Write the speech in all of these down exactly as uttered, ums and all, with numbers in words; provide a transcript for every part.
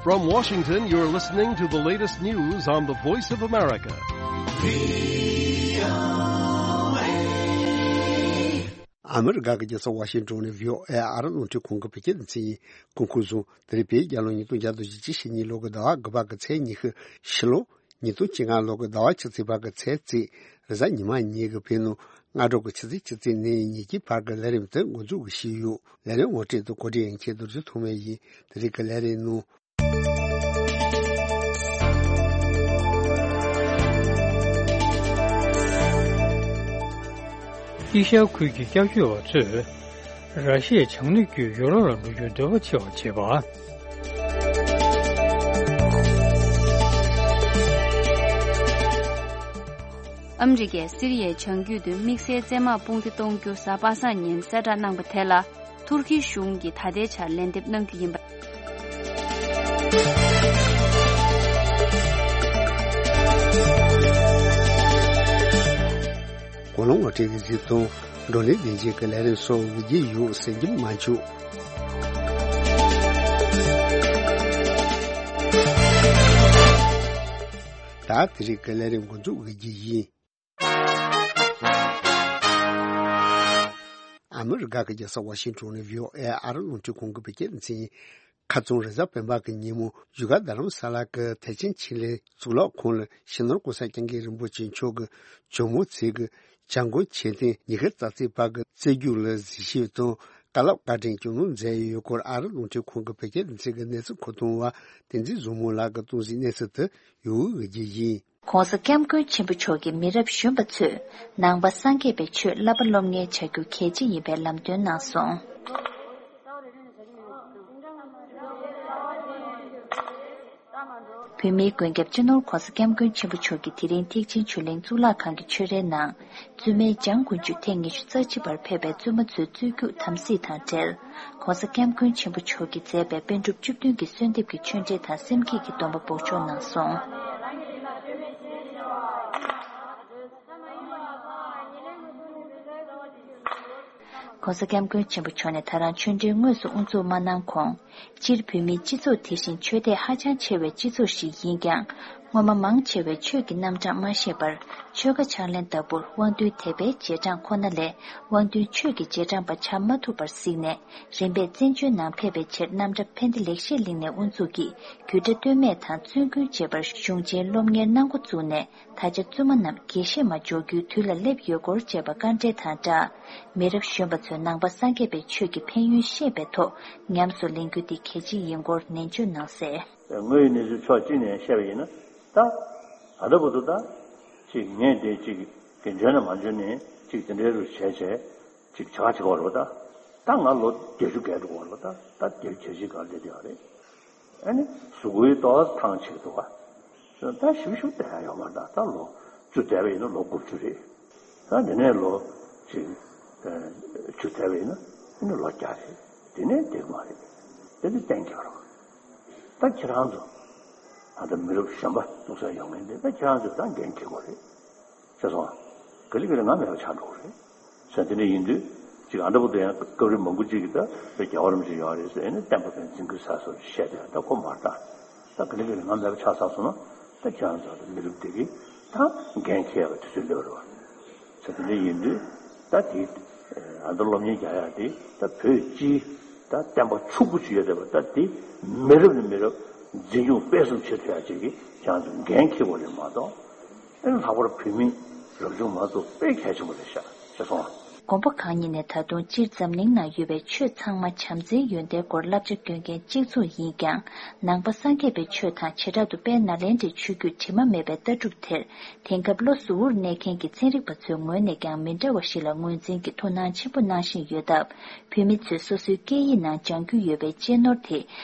From Washington, you're listening to the latest news on the Voice of America. ཨ་མི་རི་ཀ་གི་རྒྱལ་ས་ཝ་ཤིང་ཏོན་ནས་བྷི་ཨོ་ཨེ་ཨ་རི་རླུང་འཕྲིན་ཁང་གི་བོད་སྐད་སྡེ་ཚན་ཡིན། སྐུ་ཁམས་བཟང་། དེ་རིང་བོད་རྒྱལ་ལོ་ཉིས་སྟོང་བརྒྱ་དང་བཞི་བཅུ་ཞེ་གཉིས་ལོ་གི་ཟླ་བ་དགུ་པ་གི་ཚེས་ཉི་ཤུ། ཕྱི་ལོ་ཉིས་སྟོང་བཅོ་ལྔ་ལོ་གི་ཟླ་བ་ཆིག་ཚེས་པ་གི་ཚེས་བརྩིས། རེས་གཟའ་ཉི་མ་ཉིན་གྱི་བོད་ནང་སྔ་དྲོ་གི་ཆུ་ཚོད་བཅུ་གཅིག་ནས་ཉིན་གྱི་བར་གྱི་ལས་རིམ་དེ་འགོ་འཛུགས་ཀྱི་ཞུས་ཡོད། ལས་རིམ་ངོ་སྤྲོད་དང་གོ་སྒྲིག་ཡིན་མཁན་རྡོ་རྗེ་ཐོགས་མེད་ཡིན། དེ་རིང་གི་ལས་རིམ་ནང་། ཨེ་ཤ་ཡ་ཁུལ་གྱི་སྐྱབས་བཅོལ་བ་ཚོས་ར་ཤི་ཡའི་བྱང་སྣེ་བརྒྱུད་ཡུ་རོབ་ལ་འགྲོ་རྒྱུའི་འདོད་པ་ཆེ་བ་བྱེད་པ། ཨ་མི་རི་ཀས་སི་རི་ཡའི་བྱང་རྒྱུད་དུ་དམིགས་བསལ་བཙན་དམག་དཔུང་སྡེ་གཏོང་རྒྱུ་གཟའ་པ་སངས་ཉིན་གསལ་བསྒྲགས་གནང་པ་དེ་ལ། ཐུར་ཁེའི་གཞུང་གིས་ད་ལྟའི་ཆར་ལན་འདེབས་གནང་རྒྱུ་ཡིན་པ། གོ་ལོང་ངོ་སྤྲོད་ཀྱི་གཟིགས་མཐོང་། བགྲོ་གླེང་ལྡན་རྒྱས་ཀྱི་ལས་རིམ་སོགས་འགྲོ་གི་ཡོད་ཟེར་གྱི་མ་བྱུང་། ད་དེ་རིང་གི་ལས་རིམ་འགོ་འཛུགས་འགྲོ་གི་ཡིན། ཨ་མི་རི་ཀ་གི་རྒྱལ་ས་ཝ་ཤིང་ཏོན་ནས་བྷི་ཨོ་ཨེ་ཨ་རི་རླུང་འཕྲིན་ཁང་གི་བོད་སྐད་སྡེ་ཚན་ཡིན། ཁ་རྩང་རེས་གཟའ་སྤེན་པ་གི་ཉིན་མོ་བཞུགས་སྒར་རྡ་རམ་ས་ལ་གི་ཐེག་ཆེན་ཆོས་གླིང་གཙུག་ལག་ཁང་ལ་སྤྱི་ནོར་༸གོང་ས་༸སྐྱབས་མགོན་རིན་པོ་ཆེ་མཆོག་གི་ཇོ་མོ་མཛད་སྒོའི་བྱ་འགུལ་ཆེད་དོན་ཉི་ཤུ་རྩ་གཅིག་པ་གི་རྩེ་རྒྱུགས་ལ་གཟིགས་ཞིབ་དང་བཀའ་སློབ་བཀའ་དྲིན་སྐྱོང་གནང་མཛད་ཡོད་སྐོར་ཨ་རི་རླུང་འཕྲིན་ཁང་གི་བོད་སྐད་སྡེ་ཚན་གྱི་གནས་ཚུལ་མཁོ་གཏོང་བ་བསྟན་འཛིན་བཟང་མོ་ལགས་ཀྱིས་གཏོང་གཟིགས་གནས་ཚུལ་དུ་ཡོང་ཡོད་ཀྱི་ཡིན། ༸གོང་ས་༸སྐྱབས་མགོན་ཆེན་པོ་མཆོག་གིས་མི་རབས་གཞོན་པ་ཚོས་ནང་པ་སངས་རྒྱས་པའི་ཆོས་བསླབ་པ་སློབ་གཉེར་བྱ་རྒྱུ་གལ་ཆེ་ཡིན་པའི་ལམ་སྟོན་གནང་སོང་། བོད་མིའི་མགོན་སྐྱབས་སྤྱི་ནོར་༸གོང་ས་༸སྐྱབས་མགོན་ཆེན་པོ་མཆོག་གིས་དེ་རིང་ཐེག་ཆེན་ཆོས་གླིང་གཙུག་ལག་ཁང་གི་ཆོས་རའི་ནང་། བཙུན་མའི་འཇང་དགུན་ཆོས་ཐེངས་ཉི་ཤུ་རྩ་གཅིག་པར་ཕེབས་པའི་བཙུན་མ་ཚོའི་རྩོད་རྒྱུགས་དམ་སྲི་དང་འབྲེལ། ༸གོང་ས་༸སྐྱབས་མགོན་ཆེན་པོ་མཆོག་གིས་མཛད་པའི་པཎ་གྲུབ་བཅུ་བདུན་གྱི་གསོལ་འདེབས་ཀྱི་ཆོས་འབྲེལ་དང་སེམས་བསྐྱེད་ཀྱི་སྡོམ་པ་འབོགས་ཆོག་གནང་སོང་། ༸གོང་ས་༸སྐྱབས་མགོན་ཆེན་པོ་མཆོག་ནས་ད་རང་ཆོས་འབྲེལ་དངོས་སུ་དབུ་འཛུགས་མ་གནང་གོང་། སྤྱིར་བོད་མིའི་སྤྱི་ཚོགས་དེ་བཞིན་ཆོས་དད་ཧ་ཅང་ཆེ་བའི་སྤྱི་ཚོགས་ཤིག་ཡིན་ཀྱང་། སྔོན་མ་མང་ཆེ་བས་ཆོས་ཀྱི་རྣམ་གྲངས་མ་ཤེས་པར། ཆོལ་ཁ་ཕྱག་ལེན་ལྟ་བུར་དབང་འདུས་དད་པའི་རྗེས་འབྲང་ཁོ་ན་ལས། དབང་འདུས་ཆོས་ཀྱི་རྗེས་འབྲང་པ་ཆགས་མ་ཐུབ་པར་གཟིགས་ནས། རིམ་པས་བཙན་བྱོལ་ནང་ཕེབས་པའི་ཕྱིར་རྣམ་གྲྭ་ཕན་བདེ་ལེགས་བཤད་གླིང་ནས་དབུ་འཛུགས་ཀྱིས་རྒྱུད་གྲྭ་སྟོད་སྨད་དང་བཙུན་དགོན་བཅས་པར་གཞུང་ཆེན་སློབ་གཉེར་གནང་འགོ་བཙུགས་ནས། ད་ཆ་བཙུན་མ་རྣམས་དགེ་བཤེས་མ་འཇོག་རྒྱུའི་དུས་ལ་སླེབས་ཡོད་སྐོར་བཅས་པ་བཀའ་འགྲེལ་དང་སྦྲགས། མི་རབས་གཞོན་པ་ཚོས་ནང་པ་སངས་རྒྱས་པའི་ཆོས་ཀྱི་ཕན་ཡོན་ཤེས་པའི་ཐོག་ཉམས་སུ་ལེན་རྒྱུ་འདི་གལ་ཆེ་ཡིན་སྐོར་ནན་བརྗོད་གནང་གསལ། དངོས་ཡོད་གནས་ཚུལ་ཕྱོགས་གཅིག་ནས་བཤད་པ་ཡིན་ན། ད་ད་ལྟ་བར་དུ་ད་ཅིག་ངས་འདི་ཅིག་གི་འཇོན་ན་མ་འཇོན་ནས་ཅིག་དེ་འདྲའི་རུ་བྱས་བྱས་ཅིག་བྱ་བྱེད་པ་རེད་པ། ད་ད་ང་ལོ་བརྒྱད་ཅུ་བརྒལ་འགྲོ་བ་རེད་པ། ད་ད་བརྒྱད་ཅུ་གྱ་གཅིག་སྒང་སླེབས་བསྡད་ཡོད་རེད། ཨ་ནི་གཟུགས་པོའི་ཏོག་ཙམ་ཐང་ཆད་འདུག་ག་ད་ཞིབ་ཞིབ་བལྟ་ཡ་ཡོད་མ་རེད། ད་ད་ལོ་བཅུ་བསྡད་པ་ཡིན་ན་ལོ་དགུ་བཅུ་རེད། ད་དེ་ནས་ལོ་ཅིག་བཅུ་བསྡད་པ་ཡིན་ན་ཨ་ནི་ལོ་བརྒྱ་རེད། དེ་ནས་བསྡད་ཀྱི་མ་རེད། དེ་ནི་གཏན་འཁེལ་རོགས། ད་ཁྱེད་རང་ཚོ་ད་ལྟ་མི་རབས་གཞོན་པ་ཐུགས་སྲས་ཡོང་མཁན་དེ་ད་ཁྱེད་རང་ཚོས་ད་འགན་འཁྱེར་དགོས་རེད། ཤེས་སོང་ང་། ག་ལེ་ག་ལེ་ང་མེད་པ་ཆགས་འགྲོ་གི་རེད། ཟེར་དེ་འདྲ་ཡིན་དུས་ཅིག་ཨ་འདྲ་པོ་དེ་ཡང་སྐབས་རེ་མང་པོ་ཅིག་གིས་ད་དཔེ་རྒྱལ་བ་རིན་པོ་ཆེ་ཡོད་རེད་ཟེར་ཨ་ནི་བསྟན་པ་ཕན་ཚུན་གྱི་ས་སོར་བཤད་དེ་ད་ཁོ་མ་རེད་ད། ད་ག་ལེ་ག་ལེ་ང་མེད་པ་ཆགས་ཚར་སོང་ན་ད་ཁྱེད་རང་ཚོ་ད་མི་རབས་དེ་གིས་ད་འགན་འཁྱེར་ཡག་གི་དུས་ཚོད་སླེབས་རེད་བ། ཟེར་དེ་འདྲ་ཡིན་དུས་ད་དེ་ཨ་འདྲ་སློབ་གཉེར་རྒྱག་ཡག་དེ་ད་བོད་སྤྱིའི་ད་བསྟན་པ་ཕྱུག་པོ་ཅིག་ཡོད་བསྡད་པ་ད་དེ་མི་རབས་ནས་མི་རབས་འཛིན་སྐྱོང་སྤེལ་གསུམ་བྱེད་ཐུབ་ཡག་ཅིག་གི་ཁྱེད་རང་ཚོ་འགན་འཁྱེར་དགོས་རེད་མ་གཏོགས། ཨེ་ལྷག་པར་བོད་མི་རབ་བྱུང་མ་གཏོགས་དཔེ་གལ་ཆེན་པོ་རེད་ཤག་ཤེས་སོང་ང་། དགོན་པ་ཁག་གཉིས་ནས་ད་དུང་སྤྱིར་འཛམ་གླིང་ནང་ཡོད་པའི་ཆོས་ཚང་མ་བྱམས་བརྩེའི་ཡོན་ཏན་སྐོར་བསླབ་བྱ་སྐྱོན་མཁན་གཅིག་མཚུངས་ཡིན་ཀྱང་། ནང་པ་སངས་རྒྱས་པའི་ཆོས་དང་བྱེ་བྲག་ཏུ་དཔལ་ནཱ་ལེནྡྲའི་ཆོས་བརྒྱུད་དྲི་མ་མེད་པའི་ལྟ་གྲུབ་དེར། དེང་སྐབས་བློ་གཟུ་བོར་གནས་མཁན་གྱི་ཚན་རིག་པ་ཚོའི་ངོས་ནས་ཀྱང་མི་འདྲ་བ་ཞིག་ལ་ངོས་འཛིན་གྱི་ཐུགས་སྣང་ཆེན་པོ་གནང་བཞིན་ཡོད་སྟབས། བོད་མི་ཚོས་སོ་སོའི་སྐད་ཡིག་ནང་སྦྱང་རྒྱུ་ཡོད་པའི་གཅེས་ནོར་དེ་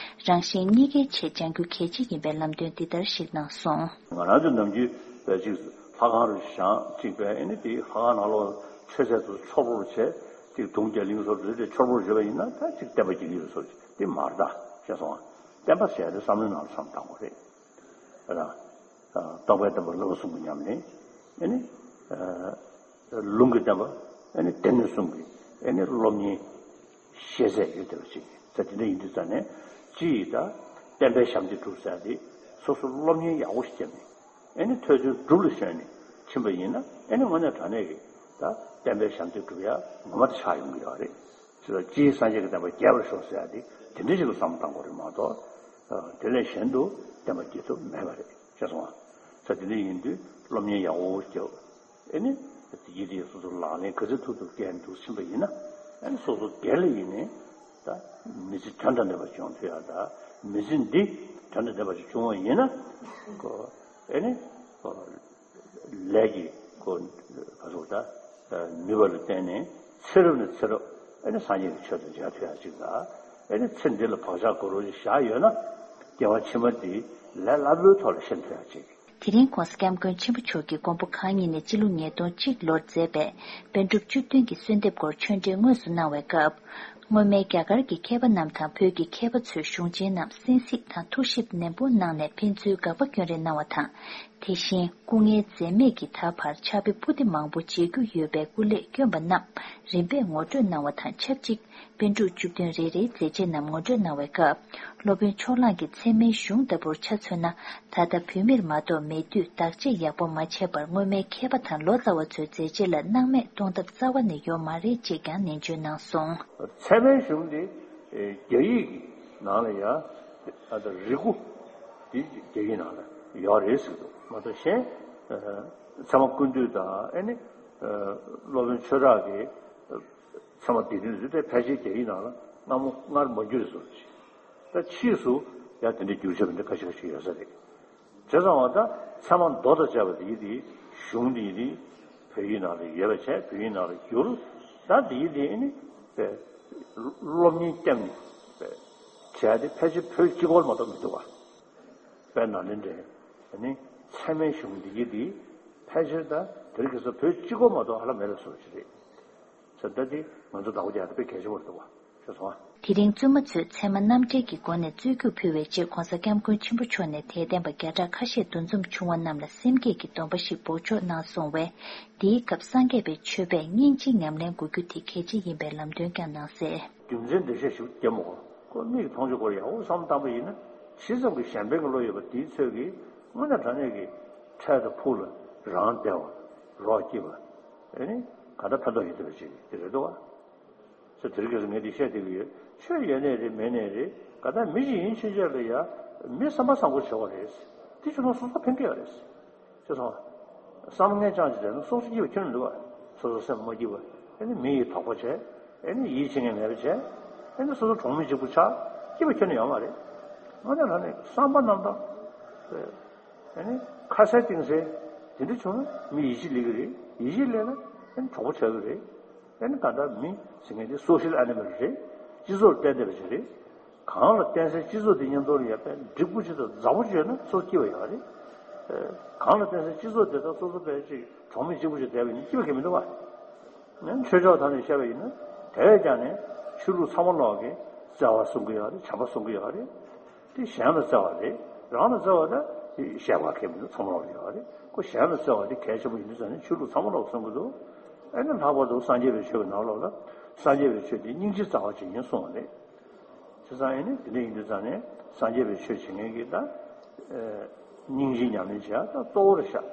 རང་གཞན་གཉིས་ཀའི་ཆེད་སྦྱང་རྒྱུ་གལ་ཆེ་ཡིན་པའི་ལམ་སྟོན་འདི་ལྟར་ཞིག་གནང་སོང་། ང་རང་ཚོ་ནམ་རྒྱུན་པའི་ཅིག་ལྷ་ཁང་རུ་བཞེངས་ཅིག་པའི་ཨེ་ནི་དེ་ལྷ་ཁང་ནང་ལོགས་མཆོད་རྫས་ཚོ་ཚོར་བོར་བྱས་ཅིག་དུང་རྒྱ་གླིང་བཟོ་རེ་རེ་ཚོར་བོར་བྱས་པ་ཡིན་ན་ད་ཅིག་བསྟན་པ་རྒྱུན་ལྡན་བཟོ་ཅིག་དེ་མ་རེད་ད་ཤེས་སོང་ང་། བསྟན་པ་ཟེར་དེ་བསམ་བློའི་ནང་ལ་བསམ་བཏང་དགོས་རེད། ར། རྟོགས་པའི་བསྟན་པ་བསླབ་པ་གསུམ་གྱི་ཉམས་ལེན། ཨེ་ནི། ལུང་གི་བསྟན་པ། ཨེ་ནི་སྡེ་སྣོད་གསུམ་གྱི་ཨེ་ནི་སློབ་གཉེར་ཤེས་ཚད་ཡོད་བསྡད་པ་ཞིག་ཡིན་ཙང་དེ་འདྲ་ཡིན་དུས་ཙང་ནས་སྤྱི་ཡི་ད་ བསྟན་པའི་ཞབས་འདེགས་སྒྲུབ་ཟེར་ཡ་དེ་སོ་སོ་སློབ་གཉེར་ཡག་པོ་ཞིག་བརྒྱབ་ནས་ཨེ་ནི་ཐོས་བརྩོན་སྒྲུབ་ལ་ཞོན་ནས་ཕྱིན་པ་ཡིན་ན་ཨེ་ནི་དངོས་གནས་དྲང་གནས་ཀྱི་ད་བསྟན་པའི་ཞབས་འདེགས་སྒྲུབ་ཡ་ངོ་མ་དེ་ཆགས་ཡོང་གི་ཡོད་རེད། ཅེས་སངས་རྒྱས་ཀྱི་བསྟན་པ་རྒྱས་པར་ཤོག་ཟེར་ཡ་དེ་དེ་འདྲ་ཞིག་ལ་བསམ་བློ་གཏང་དགོས་རེད་མ་གཏོགས། དེ་ལས་གཞན་དུ་བསྟན་པ་རྒྱས་ཐུབ་མེད་པ་རེད་ཤེས་སོང་ང་། ས་དེ་འདྲ་ཡིན་དུས་སློབ་གཉེར་ཡག་པོ་བརྒྱབ། ཨེ་ནི། ཡིད་ཡིད་སོ་སོ་ལག་ལེན་ག་ཚོད་ཐུབ་ཐུབ་བསྐྱལ་འདུག་ཕྱིན་པ་ཡིན་ན། ཨེ་ནི་སོ་སོ་སྒེར་ལ་ཡིན་ནའི། ད། མི་ཚེ་དོན་དང་ལྡན་པ་བྱུང་ཐུབ་ཡ་ད། མི་ཚེ་འདི་དོན་དང་ལྡན་པ་ཞིག་བྱུང་བ་ཡིན་ན། ཁོ། ཨེ་ནི། ཁོ། ལས་ཀྱི་ཁོ། ག་ཚོད་ད། ནུས་པ་ལ་བརྟེན་ནས་ཚེ་རབས་ནས་ཚེ་རབས་ཨེ་ནི་སངས་རྒྱས་ཀྱི་ཆོས་དང་མཇལ་ཐུབ་ཡ་ཅིག་ལ། ཨེ་ནི་ཚེ་འདི་ལ་བག་ཆགས་དགའ་རབ་ཅིག་བཞག་ཡོད་ན། སྐྱེ་བ་ཕྱི་མ་འདི་ལས་སླ་པོའི་ཐོག་ལ་ཤེས་ཐུབ་ཡ་ཅིག་དེ་རིང་༸གོང་ས་༸སྐྱབས་མགོན་ཆེན་པོ་མཆོག་གིས་མགོན་པོ་གང་ཉིད་ནས་སྤྱི་ལོ་ཉིས་སྟོང་གཅིག་ལོར་མཛད་པའི་པཎ་གྲུབ་བཅུ་བདུན་གྱི་གསོལ་འདེབས་སྐོར་ཆོས་འབྲེལ་དངོས་སུ་གནང་བའི་སྐབས། སྔོན་མའི་རྒྱ་གར་གྱི་མཁས་པ་རྣམས་དང་བོད་ཀྱི་མཁས་པ་ཚོའི་གཞུང་ཆེན་རྣམས་གསན་གཟིགས་དང་ཐུགས་ཞིབ་ནན་པོ་གནང་ནས་ཕན་ཚུན་དགག་པ་སྐྱོན་རེ་གནང་བ་དང་། དེ་བཞིན་སྐུ་ངལ་འཛེམས་མེད་ཀྱིས་ད་བར་ཕྱག་དཔེ་པོ་ཏི་མང་པོ་མཇལ་རྒྱུ་ཡོད་པའི་སྐུ་ལས་བསྐྱོན་པ་རྣམས་རིམ་པས་ངོ་སྤྲོད་གནང་བ་དང་ཆབས་ཅིག་པཎ་གྲུབ་བཅུ་བདུན་རེ་རེའི་མཛད་རྗེས་རྣམས་ངོ་སྤྲོད་གནང་བའི་སྐབས། སློབ་དཔོན་ཕྱོགས་གླང་གིས་ཚད་མའི་གཞུང་ལྟ་བུར་ཆ་མཚོན་ན། ད་ལྟ་བོད་མིར་མ་གཏོགས་མེད་དུས་བདག་གཅེས་ཡག་པོ་མ་བྱས་པར་སྔོན་མའི་མཁས་པ་དང་ལོ་ཙཱ་བ་ཚོའི་མཛད་རྗེས་ལ་སྣང་མེད་གཏོང་ཐབས་རྩ་བ་ནས་ཡོད་མ་རེད་ཅེས་ཀྱང་ནན་བརྗོད་གནང་སོང་། ཚད་མའི་གཞུང་འདི་རྒྱ་ཡིག་གི་ནང་ལ་ཡང་ཨ་ད་རིག་གུ་འདི་རྒྱ་ཡིག་ནང་ལ་ཡོད་རེད་ཟེར་འདུག་མ་གཏོགས་གཞན་ཚད་མ་ཀུན་བཏུས་དང་ཨ་ནི་སློབ་དཔོན་ཆོས་གྲགས་ཀྱི་ཚད་མ་སྡེ་བདུན་ཚོ་དེ་ཕལ་ཆེར་རྒྱ་ཡིག་ནང་ལ་སྔ་མོ་སྔར་མ་བསྒྱུར་བཟོ་ཞིག་ད་ཕྱིས་སུ་ཡང་དེ་འདྲའི་བསྒྱུར་བྱས་པ་འདི་ཁ་ཤས་ཁ་ཤས་ཡོད་ས་རེད། བྱས་ཙང་བ་ད་ཚད་མ་མདོ་དང་བཅས་པ་དེ་ཡིན་དེ་གཞུང་དེ་ཡིན་དེ་བོད་ཡིག་ནང་ལ་ཡོད་པ་བྱས་བོད་ཡིག་ནང་ལ་བསྒྱུར། ད་དེ་ཡིན་དེ་ནི་པས་སློབ་གཉེར་བསྐྱངས་ནས་པས་བྱས་ཏེ་ཕལ་ཆེར་བོད་སྤྱི་ཁོག་མ་གཏོགས་མི་འདུག་བ། དཔེར་ན་ལན་འདྲེན་ནི་ཚད་མའི་གཞུང་འདི་ཡིན་དེ་ཕལ་ཆེར་ད་དེ་རིང་ཁ་སང་བོད་སྤྱི་ཁོག་མ་གཏོགས་ཧ་ལམ་མེད་པའི་བཟོ་ཞིག་རེད། ས་ད་དེ་ང་ཚོ་བདག་པོ་རྒྱག་ཡ་དེ་དཔེ་གལ་ཆེན་པོ་རེད་འདུག་བ་ཤེས་སོང་ཨ། དེ་རིང་བཙུན་མ་ཚོས་ཚད་མ་རྣམ་འགྲེལ་གྱི་སྒོ་ནས་རྩོད་རྒྱུགས་ཕུལ་བའི་ཆེད་༸གོང་ས་༸སྐྱབས་མགོན་ཆེན་པོ་མཆོག་ནས་དད་ལྡན་པ་བརྒྱ་ཕྲག་ཁ་ཤས་འདུ་འཛོམས་བྱུང་བ་རྣམས་ལ་སེམས་བསྐྱེད་ཀྱི་སྡོམ་པ་ཞིག་འབོགས་ཆོག་གནང་སོང་བས། དེའི་སྐབས་སངས་རྒྱས་པའི་ཆོས་པས་སྙིང་རྗེའི་ཉམས་ལེན་དགོས་རྒྱུ་དེ་གལ་ཆེ་ཡིན་པའི་ལམ་སྟོན་ཀྱང་གནང་གསལ། རྒྱུ་མཚན་འགྲེལ་བཤད་ཞིག་བརྒྱབ་མ་གོ་ཁོ་མིག་གིས་མཐོང་ཆོག་སྐོར་ཡག་པོ་བསམ་བློ་བཏང་པ་ཡིན་ན་ཇི་ཙམ་གྱི་གཞན་ཕན་གྱི་བློ་ཡོད་པ་དེའི་ཚོད་ཀྱིས་དངོས་གནས་དྲང་གནས་ཀྱི་འཕྲལ་དུ་ཕུགས་ལ་རང་བདེ་བ་རོགས་སྐྱིད་པ་ཨེ་ནི་ག་འདྲ་ཕན་ཐོགས་ཡོད་བསྡད་པ་ཅིག་དེ་རེད་འདུག་བ། ཚེ་དེ་རིང་ཁ་སང་ངས་འདི་བཤད་བསྡད་ཀྱི་ཡོད། ཆོས་ཡོད་ནའི་རེད་མེད་ནའི་རེད། ག་ད་མི་ཞིག་ཡིན་ཕྱིན་ཆད་ལ་ཡ་མི་བསམ་པ་བཟང་པོ་བྱེད་པ་རེད། དེ་བྱུང་ན་སོ་སོ་ཕན་གྱི་ཡོད་རེད། ཤེས་སོང་ང་། བསམ་ངན་རྐྱང་ཅིག་བྱས་ན་སོ་སོ་སྐྱིད་པ་ཁྱོན་ནས་འདུག་བ། སོ་སོ་སེམས་མ་སྐྱིད་པ། ཨེ་ནི་མི་ཡི་དོགས་པ་བྱས། ཨེ་ནི་ཡིད་ཆེས་མཁན་མེད་པ་བྱས། ཨེ་ནི་སོ་སོ་གྲོང་མི་གཅིག་པུ་ཆགས། སྐྱིད་པ་ཁྱོན་ནས་ཡོད་མ་རེད། ང་ཚོ་ནང་ནས་བསམ་པ་རྣམ་དག་ཨེ་ནི་ཁ་གསལ་གཏིང་གསལ་དེ་འདྲ་བྱུང་ན་མི་ཡིད་ཆེས་སླེབས་ཀྱི་རེད། ཡིད་ཆེས་སླེབས་ན་ཨེ་ནི་གྲོགས་པོ་ཆགས་ཀྱི་རེད། ཨེ་ནི་ད་ལྟ་མི་ཟེར་མཁན་དེ་སོ་ཤལ་ཨེ་ནི་མལ་རེད། སྤྱི་ཚོགས་ལ་བརྟེན་བསྡད་པ་ཞིག་རེད། གང་ལ་བརྟེན་སའི་སྤྱི་ཚོགས་དེ་མཉམ་དུ་ལ་ཡ་དཔེ་འགྲིག་པོ་ཅིག་དང་མཛའ་པོ་ཅིག་ཡོད་ན་སོ་སོ་སྐྱིད་པ་ཡོད་རེད། གང་ལ་བརྟེན་སའི་སྤྱི་ཚོགས་དེ་དག་སོ་སོ་དཔེ་ཅིག་གྲོང་མི་གཅིག་པུ་ཅིག་བསྡད་པ་ཡིན་ན་སྐྱིད་པ་གང་ཡང་མི་འདུག་བ། ནས་ཆོས་ཕྱོགས་ཐོག་ནས་བཤད་པ་ཡིན་ན་དེ་བས་ཀྱང་ནས་ཆོས་ལུགས་ཚང་མ་ལོག་གིས་བརྩེ་བ་གསུང་གི་ཡོད་རེད། བྱམས་པ་གསུང་གི་ཡོད་རེད། དེ་གཞན་ལ་བརྩེ་བ་རེད། རང་ལ་བརྩེ་བ་ད་དེ་བཤད་པ་གལ་མི་འདུག་ཚང་མ་ལོག་ཡོད་རེད། ཁོ་གཞན་ལ་བརྩེ་བ་དེ་གལ་ཆེན་པོ་ཡིན་དུས་ཙང་ནས་ཆོས་ལུགས་ཚང་མ་ལོག་གསུང་གི་འདུག་ཨེ་ནི་ལྷག་པར་དུ་སངས་རྒྱས་པའི་ཆོས་ཀྱི་ནང་ལོགས་ལ་སངས་རྒྱས་པའི་ཆོས་དེ་སྙིང་རྗེ་རྩ་བ་ཅན་ཡིན་གསུངས་པ་རེད། བྱས་ཙང་ཨེ་ནི་དེ་འདྲ་ཡིན་དུས་ཙང་ནས་སངས་རྒྱས་པའི་ཆོས་བྱེད་མཁན་གྱི་ད་སྙིང་རྗེ་ཉམས་ལེན་བྱེད་ཡ་ད་གཙོ་བོ་རེད་ཤག་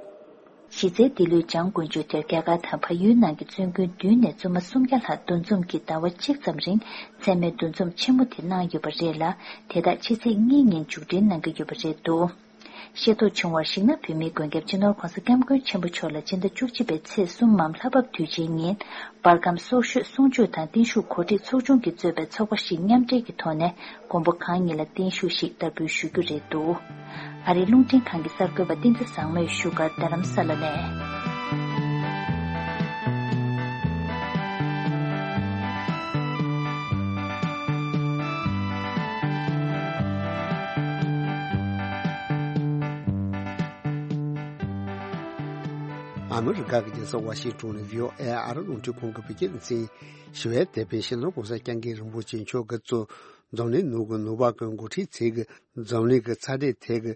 གཞི་རྩའི་འདི་ལོའི་འཇང་དགུན་ཆོས་དེར་རྒྱ་གར་དང་བལ་ཡུལ་ནང་གི་བཙུན་དགོན་བདུན་ནས་བཙུན་མ་སུམ་བརྒྱ་ལྷག་འདུ་འཛོམས་ཀྱིས་ཟླ་བ་གཅིག་ཙམ་རིང་ཚད་མའི་འདུ་འཛོམས་ཆེན་མོ་དེ་གནང་ཡོད་པ་རེད་ལ། དེ་དག་ཕྱི་ཚེས་གཉིས་ཉིན་མཇུག་སྒྲིལ་གནང་གི་ཡོད་པ་རེད་འདུག་ཤེས་རྟོགས་བྱུང་བར་གཞིགས་ན། བོད་མིའི་མགོན་སྐྱབས་སྤྱི་ནོར་༸གོང་ས་༸སྐྱབས་མགོན་ཆེན་པོ་མཆོག་ལ་སྤྱི་ཟླ་བཅུ་གཅིག་པའི་ཚེས་གསུམ་མམ་ལྷ་བབས་དུས་ཆེན་ཉིན་པར་ཁམས་སྲོག་ཤོད་གསུང་ཆོས་དང་བརྟན་བཞུགས་གོ་སྒྲིག་ཚོགས་ཆུང་གིས་གཙོས་པའི་ཚོགས་པ་བཞི་མཉམ་འབྲེལ་གྱི་ཐོག་ནས་མགོན་པོ་གང་ཉིད་ལ་བརྟན་བཞུགས་ཤིག་བསྟར་འབུལ་ཞུ་རྒྱུ་རེད་འདུག་ཨ་རིའི་རླུང་འཕྲིན་ཁང་གི་གསར་འགོད་པ་བསྟན་འཛིན་བཟང་མོས་ཞུ་སྒར་རྡ་རམ་ས་ལ་ནས། ཨ་མི་རི་ཀ་གི་རྒྱལ་ས་ཝ་ཤིང་ཊོན་ནས་བྷི་ཨོ་ཨེ་ཨ་རི་རླུང་འཕྲིན་ཁང་གི་བོད་སྐད་སྡེ་ཚན་ཞི་བའི་དེད་དཔོན་སྤྱི་ནོར་༸གོང་ས་༸སྐྱབས་མགོན་རིན་པོ་ཆེ་མཆོག་གིས་གཙོས་འཛམ་གླིང་ནང་གི་ནུབ་པ་གི་འགོ་ཁྲིད་ཚོས་ཀྱི་འཛམ་གླིང་གི་ཚ་དྲོད་ཐད་ཀྱི་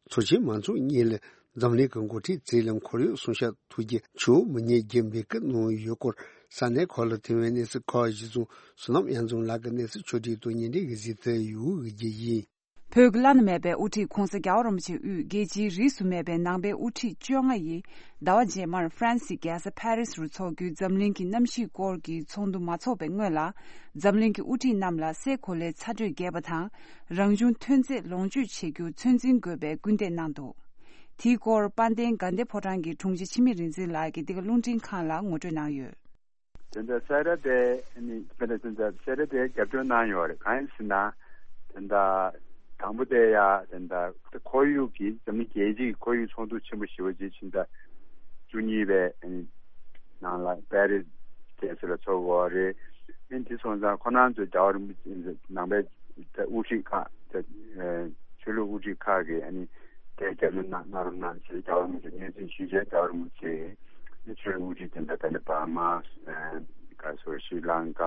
ཚོགས་ཆེན་མང་ཚོགས་གཉིས་ལ་འཛམ་གླིང་གི་འགོ་ཁྲིད་ཚོས་ལ་ཁོར་ཡུག་སྲུང་སྐྱོབ་ཐུགས་རྒྱུ་ཆུ་བོ་མི་ཉན་རྒྱུ་འབོད་སྐུལ་གནང་ཡོད་སྐོར་ས་གནས་ཁག་ལ་ཐོན་པའི་གནས་ཚུལ་ཁག་གཞི་བཟུང་བསོད་ནམས་དབྱངས་འཛོམས་ལགས་ཀྱིས་གནས་ཚུལ་ཕྱོགས་སྒྲིག་དང་ཉིན་རེ་གི་གཟིགས་ཚུལ་ཡོད་དགོས་ཀྱི་ཡིན། བོད་ཀྱི་བླ་ན་མེད་པའི་དབུ་ཁྲིད་༧གོང་ས་༧རྒྱལ་བ་རིན་པོ་ཆེ་དབུས་རྒྱལ་སྤྱིའི་རིས་སུ་མེད་པའི་ནང་པའི་དབུ་ཁྲིད་བཅོ་ལྔ་ཡིས་ཟླ་བ་རྗེས་མར་ཧྥ་རན་སིའི་རྒྱལ་ས་ཕ་རི་སི་རུ་འཚོགས་རྒྱུའི་འཛམ་གླིང་གི་གནམ་གཤིས་སྐོར་གྱི་ཚོགས་འདུ་མ་འཚོགས་པའི་སྔོན་ལ། འཛམ་གླིང་གི་དབུ་ཁྲིད་རྣམས་ལ་སའི་གོ་ལའི་ཚ་དྲོད་རྒྱས་པ་དང་། རང་བྱུང་ཐོན་རྫས་ལོངས་སྤྱོད་བྱེད་རྒྱུར་ཚོད་འཛིན་དགོས་པའི་སྐུལ་འདེད་གནང་འདུག། དེའི་སྐོར་དཔལ་ལྡན་དགའ་ལྡན་ཕོ་བྲང་གི་དྲུང་ཆེ་འཆི་མེད་རིག་འཛིན་ལགས་ཀྱིས་འདི་ག་རླུང་འཕྲིན་ཁང་ལ་ངོ་སྤྲོད་གནང་ཡོད། དེ་འདྲ་སེ་ར་དེ་ནི་དཔེར་ན་དེ་འདྲ་སེ་ར་དེ་རྒྱབ་སྐྱོར་གནང་ཡོད་རེད། གང་ཡིན་ཟེར་ན། དེ་འདྲ་དང་པོ་དེ་ཡ་དེ་འདྲ་ཁོར་ཡུག་གི་འཛམ་གླིང་རྒྱལ་སྤྱིའི་ཁོར་ཡུག་ཚོགས་འདུ་ཆེན་པོ་ཞེ་པོ་ཅིག་ཕྱི་ཟླ་བཅུ་གཉིས་པའི་ནང་ལ་པེ་རི་སི་རྒྱལ་ས་ལ་ཚོགས་ཀྱི་རེད། ཨ་ནི་དེ་སོང་ཙང་ཁོ་རང་ཚོའི་རྒྱལ་བ་རིན་པོ་ཆེ་ནང་པའི་དབུ་ཁྲིད་ཁག་དེ་ཆོས་ལུགས་དབུ་ཁྲིད་ཁག་གིས་ཨ་ནི་དེ་རྒྱབ་སྐྱོར་གནང་གནང་རོགས་གནང་ཞེས་རྒྱལ་བ་རིན་པོ་ཆེ་སྙན་སེང་ཞུས་བྱས། རྒྱལ་བ་རིན་པོ་ཆེ་ནི་ཆོས་ལུགས་དབུ་ཁྲིད་དེ་འདྲ་དེ་འདྲ་བར་མ་ག་སོ་ཤྲི་ལང་ཀ་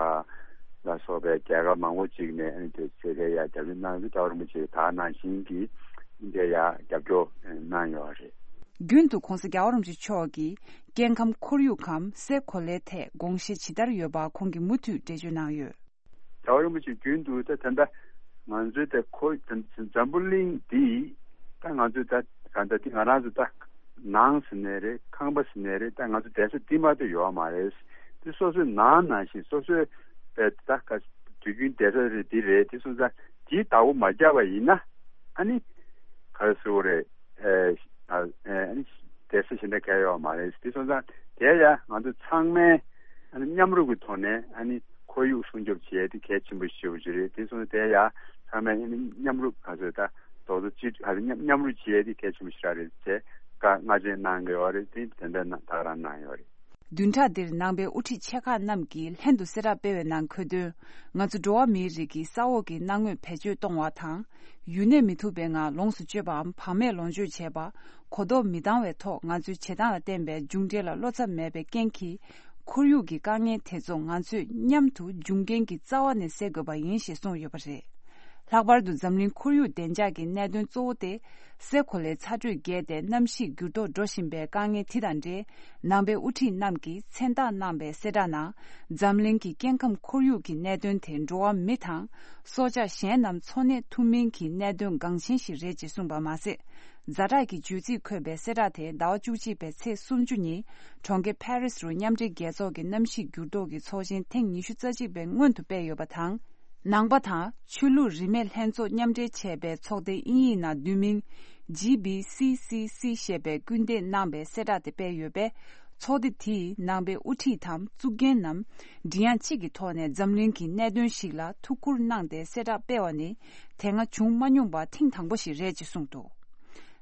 ལ་སོགས་པའི་རྒྱལ་ཁབ་མང་པོ་ཅིག་ནས་ཨ་ནི་དེ་ཚེ་གའི་ཡ་རྒྱབ་སྐྱོར་གནང་རྒྱུ་རྒྱལ་བ་རིན་པོ་ཆེས་ད་ག་ནང་བཞིན་གྱི་ཨ་ནི་དེ་ཡ་རྒྱབ་སྐྱོར་གནང་ཡོད་རེད། རྒྱུན་དུ་༧གོང་ས་༧རྒྱལ་བ་རིན་པོ་ཆེ་མཆོག་གིས་སྐྱེ་ཁམས་ཁོར་ཡུག་གམ་སའི་གོ་ལའི་ཐད་དགོངས་བཞེས་ཇི་ལྟར་ཡོད་པ་ཁོང་གིས་མུ་མཐུད་འགྲེལ་བརྗོད་གནང་ཡོད། རྒྱལ་བ་རིན་པོ་ཆེ་རྒྱུན་དུ་ད་ད་ལྟ་ང་ཚོའི་ད་ཁོ་འཛམ་བུ་གླིང་འདི་ད་ང་ཚོའི་ད་ག་ད་འདི་ང་རང་ཚོ་ད་ནང་ཟེར་ནའི་རེད། ཁང་པ་ཟེར་ནའི་རེད། ད་ང་ཚོ་བསྡད་ས་འདི་མ་གཏོགས་ཡོད་མ་རེད། འདི་སོ་སོའི་ནང་ནང་བཞིན་སོ་སོའི་ད་ད་ག་དུས་རྒྱུན་བསྡད་ས་རེད། འདི་རེད། འདི་སོང་ཙང་འདིའི་བདག་པོ་མ་བརྒྱབ་པ་ཡིན་ན་ཨ་ནི་ག་རེ་ཟེར་དགོས་རེད། ཨ་ཨ་ཨ་ནི་བསྡད་ས་གཞན་དག་གང་ཡང་ཡོད་མ་རེད། དེ་སོང་ཙང་དེ་ཡང་ང་ཚོ་ཚང་མས་ཨ་ནི་མཉམ་རུབ་ཀྱི་ཐོག་ནས་ཨ་ནི་ཁོར་ཡུག་སྲུང་སྐྱོབ་བྱེད་ཡས་དེ་གལ་ཆེན་པོ་ཞེ་པོ་ཅིག་རེད། དེ་སོང་ཙང་དེ་ཡང་ཚང་མས་ཨ་ནི་མཉམ་རུབ་ག་ཚོད་ད་རྡོག་རྡོག་གཅིག་ག་ཚོད་མཉམ་མཉམ་རུབ་བྱེད་ཡས་དེ་གལ་ཆེན་པོ་ཞེ་དྲག་རེད་ཅེས་བཀའ་སྔ་རྗེས་གནང་གི་ཡོད་རེད། དེ་དེ་འདྲ་ད་ག་རང་གནང་ཡོད་རེད། བདུན་ཕྲག་འདིར་ནང་པའི་དབུ་ཁྲིད་ཆེ་ཁག་རྣམས་ཀྱིས་ལྷན་དུ་གསལ་བསྒྲགས་སྤེལ་བའི་ནང་འཁོད་དོན། ང་ཚོ་འགྲོ་བ་མིའི་རིགས་ཀྱི་ས་འོག་གི་སྣང་ངོས་བེད་སྤྱོད་གཏོང་བ་དང་། ཡུན་གནས་མི་ཐུབ་པའི་ངང་ལོངས་སུ་སྤྱོད་པའམ་བག་མེད་ལོངས་སྤྱོད་བྱས་པ། གོ་རྟོགས་མི་འདང་བའི་ཐོག་ང་ཚོའི་བྱེད་སྟངས་ལ་བརྟེན་པའི་མཇུག་འབྲས་ལ་བློ་འཚབ་མེད་པའི་རྐྱེན་གྱིས། ཁོར་ཡུག་གི་དཀའ་ངལ་དེ་ཚོ་ང་ཚོས་མཉམ་དུ་འབྱུང་རྐྱེན་གྱི་རྩ་བ་ནས་སེལ་དགོས་པ་ཡིན་ཞེས་གསུངས་ཡོད་པ་རེད། ལྷག་པར་དུ་འཛམ་གླིང་ཁོར་ཡུག་བདེ་འཇགས་ཀྱི་གནད་དོན་གཙོ་བོ་དེ། སའི་གོ་ལའི་ཚ་དྲོད་རྒྱས་ཏེ་གནམ་གཤིས་འགྱུར་ལྡོག་འགྲོ་བཞིན་པའི་དཀའ་ངལ་དེ་དང་འབྲེལ། ནང་པའི་དབུ་ཁྲིད་རྣམས་ཀྱིས་མཚན་རྟགས་གནང་པའི་གསལ་བསྒྲགས་ནང་། འཛམ་གླིང་གི་སྐྱེ་ཁམས་ཁོར་ཡུག་གི་གནད་དོན་དེ་འགྲོ་བ་མི་དང་། སྲོག་ཆགས་གཞན་རྣམས་འཚོ་གནས་ཐུབ་མིན་གྱི་གནད་དོན་འགངས་ཆེན་ཞིག་རེད་ཅེས་གསུངས་པ་མ་ཟད། ཛ་དྲག་གི་བརྗོད་ཚིག་འཁོད་པའི་གསལ་བསྒྲགས་དེ་ཟླ་བ་བཅུ་གཅིག་པའི་ཚེས་སུམ་ཅུ་ཉིན། གྲོང་ཁྱེར་ཕ་རི་སི་རུ་མཉམ་འབྲེལ་རྒྱལ་ཚོགས་ཀྱི་གནམ་གཤིས་འགྱུར་ལྡོག་གི་ཚོགས་ཆེན་ཐེངས་ཉི་ཤུ་རྩ་གཅིག་པའི་སྔོན་དུ་སྤེལ་ཡོད་པ་དང་། ནང་པ་དང་ཆོས་ལུགས་རིས་མེད་ལྷན་ཚོགས་མཉམ་འབྲེལ་བྱས་པའི་ཚོགས་སྡེ་དབྱིན་ཡིག་ནང་བསྡུས་མིང་ཇི་བི་སི་སི་སི་ཞེས་པས་སྐུལ་འདེད་གནང་པའི་གསལ་བསྒྲགས་དེ་སྤེལ་ཡོད་པས། ཚོགས་སྡེ་དེས་ནང་པའི་དབུ་ཁྲིད་དམ་བཙུགས་མཁན་རྣམས་མགྲིན་དབྱངས་གཅིག་གི་ཐོག་ནས་འཛམ་གླིང་གི་གནད་དོན་ཞིག་ལ་ཐུགས་ཁུར་གནང་སྟེ་གསལ་བསྒྲགས་སྤེལ་བ་ནི་དེ་སྔ་བྱུང་མ་མྱོང་པ་ཐེངས་དང་པོ་ཞིག་རེད་ཅེས་གསུངས་འདུག།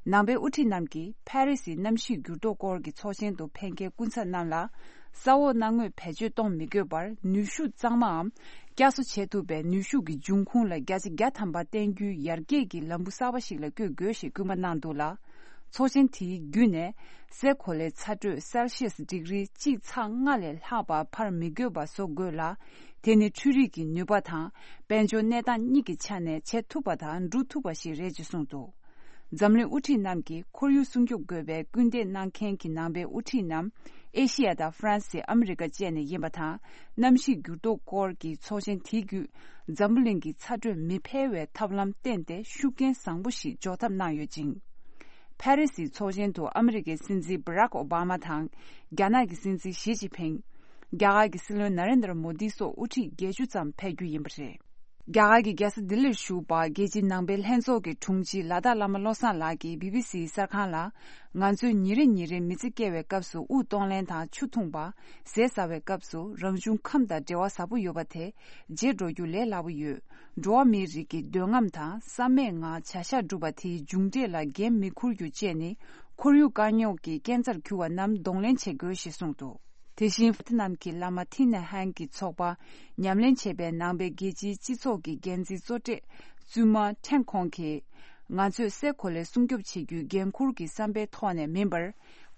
ནང་པའི་དབུ་ཁྲིད་རྣམས་ཀྱིས་ཕ་རི་སིའི་གནམ་གཤིས་འགྱུར་ལྡོག་སྐོར་གྱི་ཚོགས་ཆེན་དུ་ཕེབས་མཁན་སྐུ་ཚབ་རྣམས་ལ། ས་འོག་སྣང་ངོས་བེད་སྤྱོད་གཏོང་མི་དགོས་པར་ནུས་ཤུགས་གཙང་མའམ། བསྐྱར་གསོ་བྱེད་ཐུབ་པའི་ནུས་ཤུགས་ཀྱི་འབྱུང་ཁུངས་ལ་བརྒྱ་ཆ་བརྒྱ་ཐམ་པ་བརྟེན་རྒྱུའི་ཡར་རྒྱས་ཀྱི་ལམ་བུ་གསར་པ་ཞིག་ལ་བསྐྱོད་དགོས་ཞེས་སྐུལ་མ་གནང་འདུག་ལ། ཚོགས་ཆེན་དེའི་བརྒྱུད་ནས། སའི་གོ་ལའི་ཚ་དྲོད་སེལ་ཤི་ཡས་ཌིག་རི་གཅིག་ཚེག་ལྔ་ལས་ལྷག་པ་འཕར་མི་དགོས་པ་བཟོ་དགོས་ལ། དེ་ནི་འཕྲུལ་རིག་གི་ནུས་པ་དང་། དཔལ་འབྱོར་གནས་སྟངས་གཉིས་ཀྱི་ཆ་ནས་བྱེད་ཐུབ་པ་དང་འགྲུབ་ཐུབ་པ་ཞིག་རེད་ཅེས་གསུངས་འདུག། འཛམ་གླིང་དབུ་ཁྲིད་རྣམས་ཀྱིས་ཁོར་ཡུག་སྲུང་སྐྱོབ་དགོས་པའི་སྐུལ་འདེད་གནང་མཁན་གྱི་ནང་པའི་དབུ་ཁྲིད་རྣམས་ཨེ་ཤི་ཡ་དང་ཧྥ་རན་སི། ཨ་མི་རི་ཀ་བཅས་ནས་ཡིན་པ་དང་། གནམ་གཤིས་འགྱུར་ལྡོག་སྐོར་གྱི་ཚོགས་ཆེན་དེའི་བརྒྱུད། འཛམ་བུ་གླིང་གི་ཚ་དྲོད་མི་འཕེལ་བའི་ཐབས་ལམ་བསྟེན་ཏེ་ཤུགས་རྐྱེན་བཟང་པོ་ཞིག་འཇོག་ཐབས་གནང་ཡོད་ཅིང་། ཕ་རི་སིའི་ཚོགས་ཆེན་དུ་ཨ་མི་རི་ཀའི་སྲིད་འཛིན་སྦ་རག་ཨོ་བྷ་མ་དང་། རྒྱ་ནག་གི་སྲིད་འཛིན་ཞི་ཅིན་ཕིང་། རྒྱ་གར་གྱི་སྲིད་བློན་ན་རེན་དྲ་མོ་དི་སོགས་དབུ་ཁྲིད་བརྒྱད་ཅུ་ཙམ་ཕེབས་རྒྱུ་ཡིན་པ་རེད། རྒྱ་གར་གྱི་རྒྱལ་ས་ལྡི་ལིར་བཞུགས་པ་རྒྱལ་སྤྱིའི་ནང་པའི་ལྷན་ཚོགས་ཀྱི་དྲུང་ཆེ་ལ་དྭགས་བླ་མ་བློ་བཟང་ལགས་ཀྱིས་བི་བི་སིའི་གསར་ཁང་ལ། ང་ཚོས་ཉིན་རེ་ཉིན་རེ་མི་ཚེ་སྐྱེལ་བའི་སྐབས་སུ་དབུགས་གཏོང་ལེན་དང་ཆུ་འཐུང་པ། ཟས་ཟ་བའི་སྐབས་སུ་རང་བྱུང་ཁམས་དང་འབྲེལ་བ་ཟབ་པོ་ཡོད་པ་དེ་བརྗེད་འགྲོ་རྒྱུ་ལས་སླ་པོ་ཡོད། འགྲོ་བ་མིའི་རིགས་ཀྱི་འདོད་རྔམ་དང་བསམ་མེད་ངང་བྱ་གཞག་སྒྲུབ་པ་དེའི་མཇུག་འབྲས་ལ་འགན་མི་འཁུར་རྒྱུ་བཅས་ནི་ཁོར་ཡུག་དཀའ་རྙོག་གི་རྐྱེན་རྩར་གྱུར་བ་རྣམས་གདོང་ལེན་བྱེད་དགོས་ཞེས་གསུངས་འདུག། དེ་བཞིན་ཧྥ་ཏི་ནམ་གྱི་བླ་མ་ཐི་ནེ་ཧན་གྱི་ཚོགས་པ་ཉམས་ལེན་བྱེད་པའི་ནང་པའི་རྒྱལ་སྤྱིའི་སྤྱི་ཚོགས་ཀྱི་འགན་འཛིན་གཙོ་གྲས་བཙུན་མ་ཁྲེང་ཁོང་གིས། ང་ཚོས་སའི་གོ་ལའི་སྲུང་སྐྱོབ་བྱེད་རྒྱུའི་འགན་འཁུར་གྱི་བསམ་པའི་ཐོག་ནས་མིན་པར།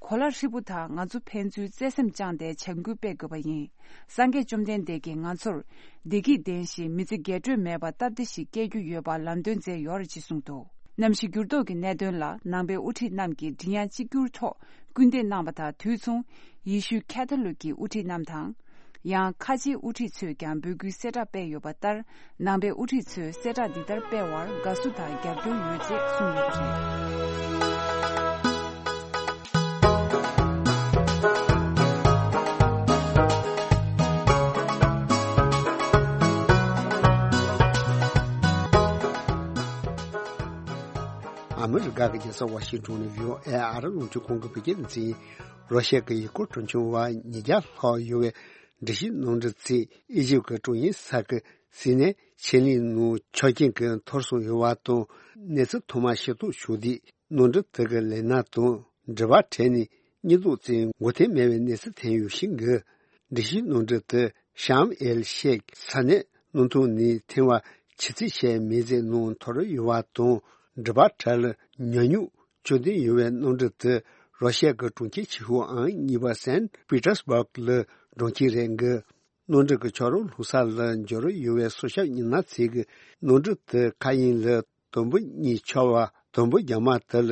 གོ་ལ་ཧྲིལ་པོ་དག་ང་ཚོ་ཕན་ཚུན་བརྩེ་སེམས་བཅངས་ཏེ་བྱ་འགུལ་སྤེལ་དགོས་པ་ཡིན། སངས་རྒྱས་བཅོམ་ལྡན་འདས་ཀྱིས་ང་ཚོར་བདེ་སྐྱིད་ལྡན་ཞིང་མི་ཚེ་རྒྱས་སྤྲོས་མེད་པ་སྟབས་བདེ་ཞིག་སྐྱེལ་རྒྱུ་ཡོད་པ་ལམ་སྟོན་མཛད་ཡོད་རེད་ཅེས་གསུངས་འདུག། གནམ་གཤིས་འགྱུར་ལྡོག་གི་གནད་དོན་ལ་ནང་པའི་དབུ་ཁྲིད་རྣམས་ཀྱིས་མགྲིན་དབྱངས་གཅིག་གྱུར་ཐོག་སྐུལ་འདེད་གནང་བ་དང་དུས་མཚུངས་ཡེ་ཤུའི་ཁ་ཐོ་ལིག་གི་དབུ་ཁྲིད་རྣམས་དང་། ཡང་ཁ་ཆེའི་དབུ་ཁྲིད་ཚོས་ཀྱང་འབོད་སྐུལ་གསལ་བསྒྲགས་སྤེལ་ཡོད་པ་ལྟར། ནང་པའི་དབུ་ཁྲིད་ཚོས་གསལ་བསྒྲགས་འདི་ལྟར་སྤེལ་བར་དགའ་བསུ་དང་རྒྱབ་སྐྱོར་ཡོད་ཅེས་གསུངས་ཡོད་པ་རེད། ཨ་མི་རི་ཀ་གི་རྒྱལ་ས་ཝ་ཤིང་ཏོན་ནས་བྷི་ཨོ་ཨེ་ཨ་རི་རླུང་འཕྲིན་ཁང་གི་བོད་སྐད་སྡེ་ཚན་ཡིན། རོ་ཤ་གི་ཡུལ་སྐོར་སྤྲོ་འཆམ་བ་ཉིས་བརྒྱ་ལྷག་ཡོད་པའི་འགྲུལ་བཞུད་གནམ་གྲུ་གཅིག་ཨི་ཇིབ་ཀྱི་ཀྲུང་ཡིན་ས་ཁུལ་སི་ནའི་ཆེད་ལས་ནང་ཆ་རྐྱེན་གྱིས་འཐོར་སོང་ཡོད་པ་དང་། གནས་ཚུལ་ཐོག་མར་ཤེས་རྟོགས་བྱུང་དུས། གནམ་གྲུ་དེ་གི་ལས་སྣ་དང་འགྲུལ་པ་ཁྲལ་ནས་གཉིས་ལྡོག་ཙམ་འགོད་ཐེངས་མེད་པའི་གནས་ཚུལ་ཐོན་ཡོད་ཤིང་གི། འགྲུལ་བཞུད་གནམ་གྲུ་དེ་ཤམ་ཨེལ་ཤེག་ས་གནས་སྣུམ་འཐུང་ནས་ཐོན་པ་ཆུ་ཚོད་ཕྱེད་མའི་ཚེས་ནང་འཐོར་ཡོད་པ་དང་། འགྲུལ་པ་ཁྲལ་ཉུང་ཉུང་བཅོལ་འདུན་ཡོད་པའི་གནམ་གྲུ་དེ་རོ་ཤ་གི་གྲོང་ཁྱེར་ཆེ་ཤོས་ཨང་གཉིས་པ་སན་པི་ཏྲ་སི་བྷག་ལ་འགྲོ་མཁན་རེད་འདུག་གནམ་གྲུ་གི་ཆག་རོ་ལྷུང་ས་ལ་འབྱོར་ཡོད་པའི་སྲོག་སྐྱོབ་མི་སྣ་ཚོས་ཀྱིས་གནམ་གྲུ་དེ་མཁའ་དབྱིངས་ལ་དུམ་བུ་གཉིས་ཆག་པ་དུམ་བུ་རྒྱ་མ་དེ་ལ་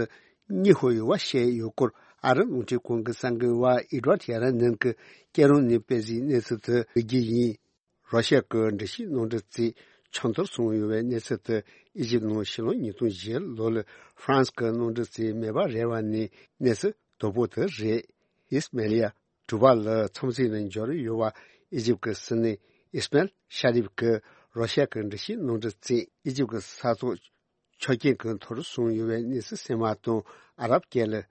གཉིད་ཁུག་ཡོད་པ་བཤད་ཡོད་སྐོར། ཨ་རི་རླུང་འཕྲིན་ཁང་གི་གསར་འགོད་པ་ཨེ་ཌི་ཝར་ཌི་ཡ་ར་ནན་གྱིས་སྐད་རོང་ནས་སྤེལ་གཟིགས་གནས་ཚུལ་དེ་ཕུལ་རྒྱུ་ཡིན། རོ་ཤ་གི་འགྲུལ་བཞུད་གནམ་གྲུ་གཅིག་ཆག་འཐོར་སོང་ཡོད་པའི་གནས་ཚུལ་དེ་ཨི་ཇིབ་ནང་ཕྱི་ལོ་ཉིས་སྟོང་བཞི་ལོ་ལ་ཧྥ་རན་སི་གི་གནམ་གྲུ་གཅིག་མེ་འབར་རེད་པ་ནས་གནས་ཚུལ་དོད་པོ་དེ་རེད། ཨིས་མེ་ལི་ཡ། གྲུ་པ་ལ་མཚམས་ཚིགས་ལ་འབྱོར་ཡོད་པ་ཨི་ཇིབ་ཀྱི་སྲིད་བློན་ཨིས་མེལ་ཤ་རིབ་ཀྱིས་རོ་ཤ་གི་འགྲུལ་བཞུད་གནམ་གྲུ་གཅིག་ཨི་ཇིབ་ཀྱི་ས་ཐོག་ཆ་རྐྱེན་གྱིས་འཐོར་སོང་ཡོད་པའི་གནས་ཚུལ་གསན་པ་དང་ཨ་རབ་སྐད་ལ།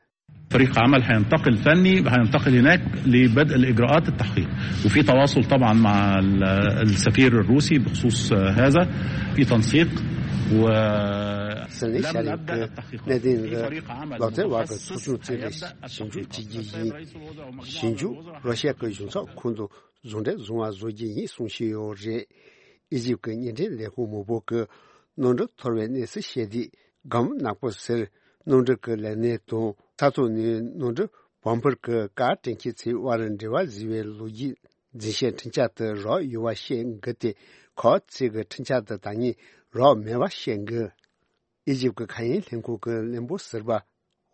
فريق عمل هينتقل فني، هينتقل هناك لبدء الإجراءات التحقيق، وفي تواصل طبعا مع ال-، السفير الروسي بخصوص هذا، في تنسيق و سنة لم شركة نبدأ التحقيقات. في فريق عمل ལག་རྩལ་བ་གི་ཚོགས་ཆུང་བཙུགས་ཏེ་ཞིབ་འཇུག་བྱེད་ཀྱི་ཡིན། ཞིབ་འཇུག་རོ་ཤ་གི་གཞུང་ཚབ་ཁང་དུ་ཟུང་འབྲེལ་བཟུང་བ་བཟོ་རྒྱུ་ཡིན་གསུངས་བཞིན་ཡོད་རེད། ཨི་ཇིབ་ཀྱི་བརྙན་འཕྲིན་ལས་ཁུངས་མང་པོ་གིས་གནམ་གྲུ་འཐོར་བའི་གནས་ཚུལ་བཤད་དུས། སྒམ་ནག་པོ་ཟེར། གནམ་གྲུ་གི་ལས་སྣེ་དང་ས་ཐོག་ནས་གནམ་གྲུ་བང་ཕུར་གྱི་ཀ་དྲན་མཁན་ཚོའི་དབར་འབྲེལ་བ་བཟོས་པའི་ལོ་རྒྱུས་འཛིན་བྱེད་འཕྲིན་བཅར་དེ་རག་ཡོད་པ་བཤད་འདུག་སྟེ། ཁོ་ཚོས་ཀྱི་འཕྲིན་བཅར་དེ་ད་ངས་རག་མེད་པ་བཤད་འདུག་ཨི་ཇིབ་ཀྱི་མཁའ་དབྱིངས་ལྷན་ཁང་གི་བློན་པོ་ཟུར་པ་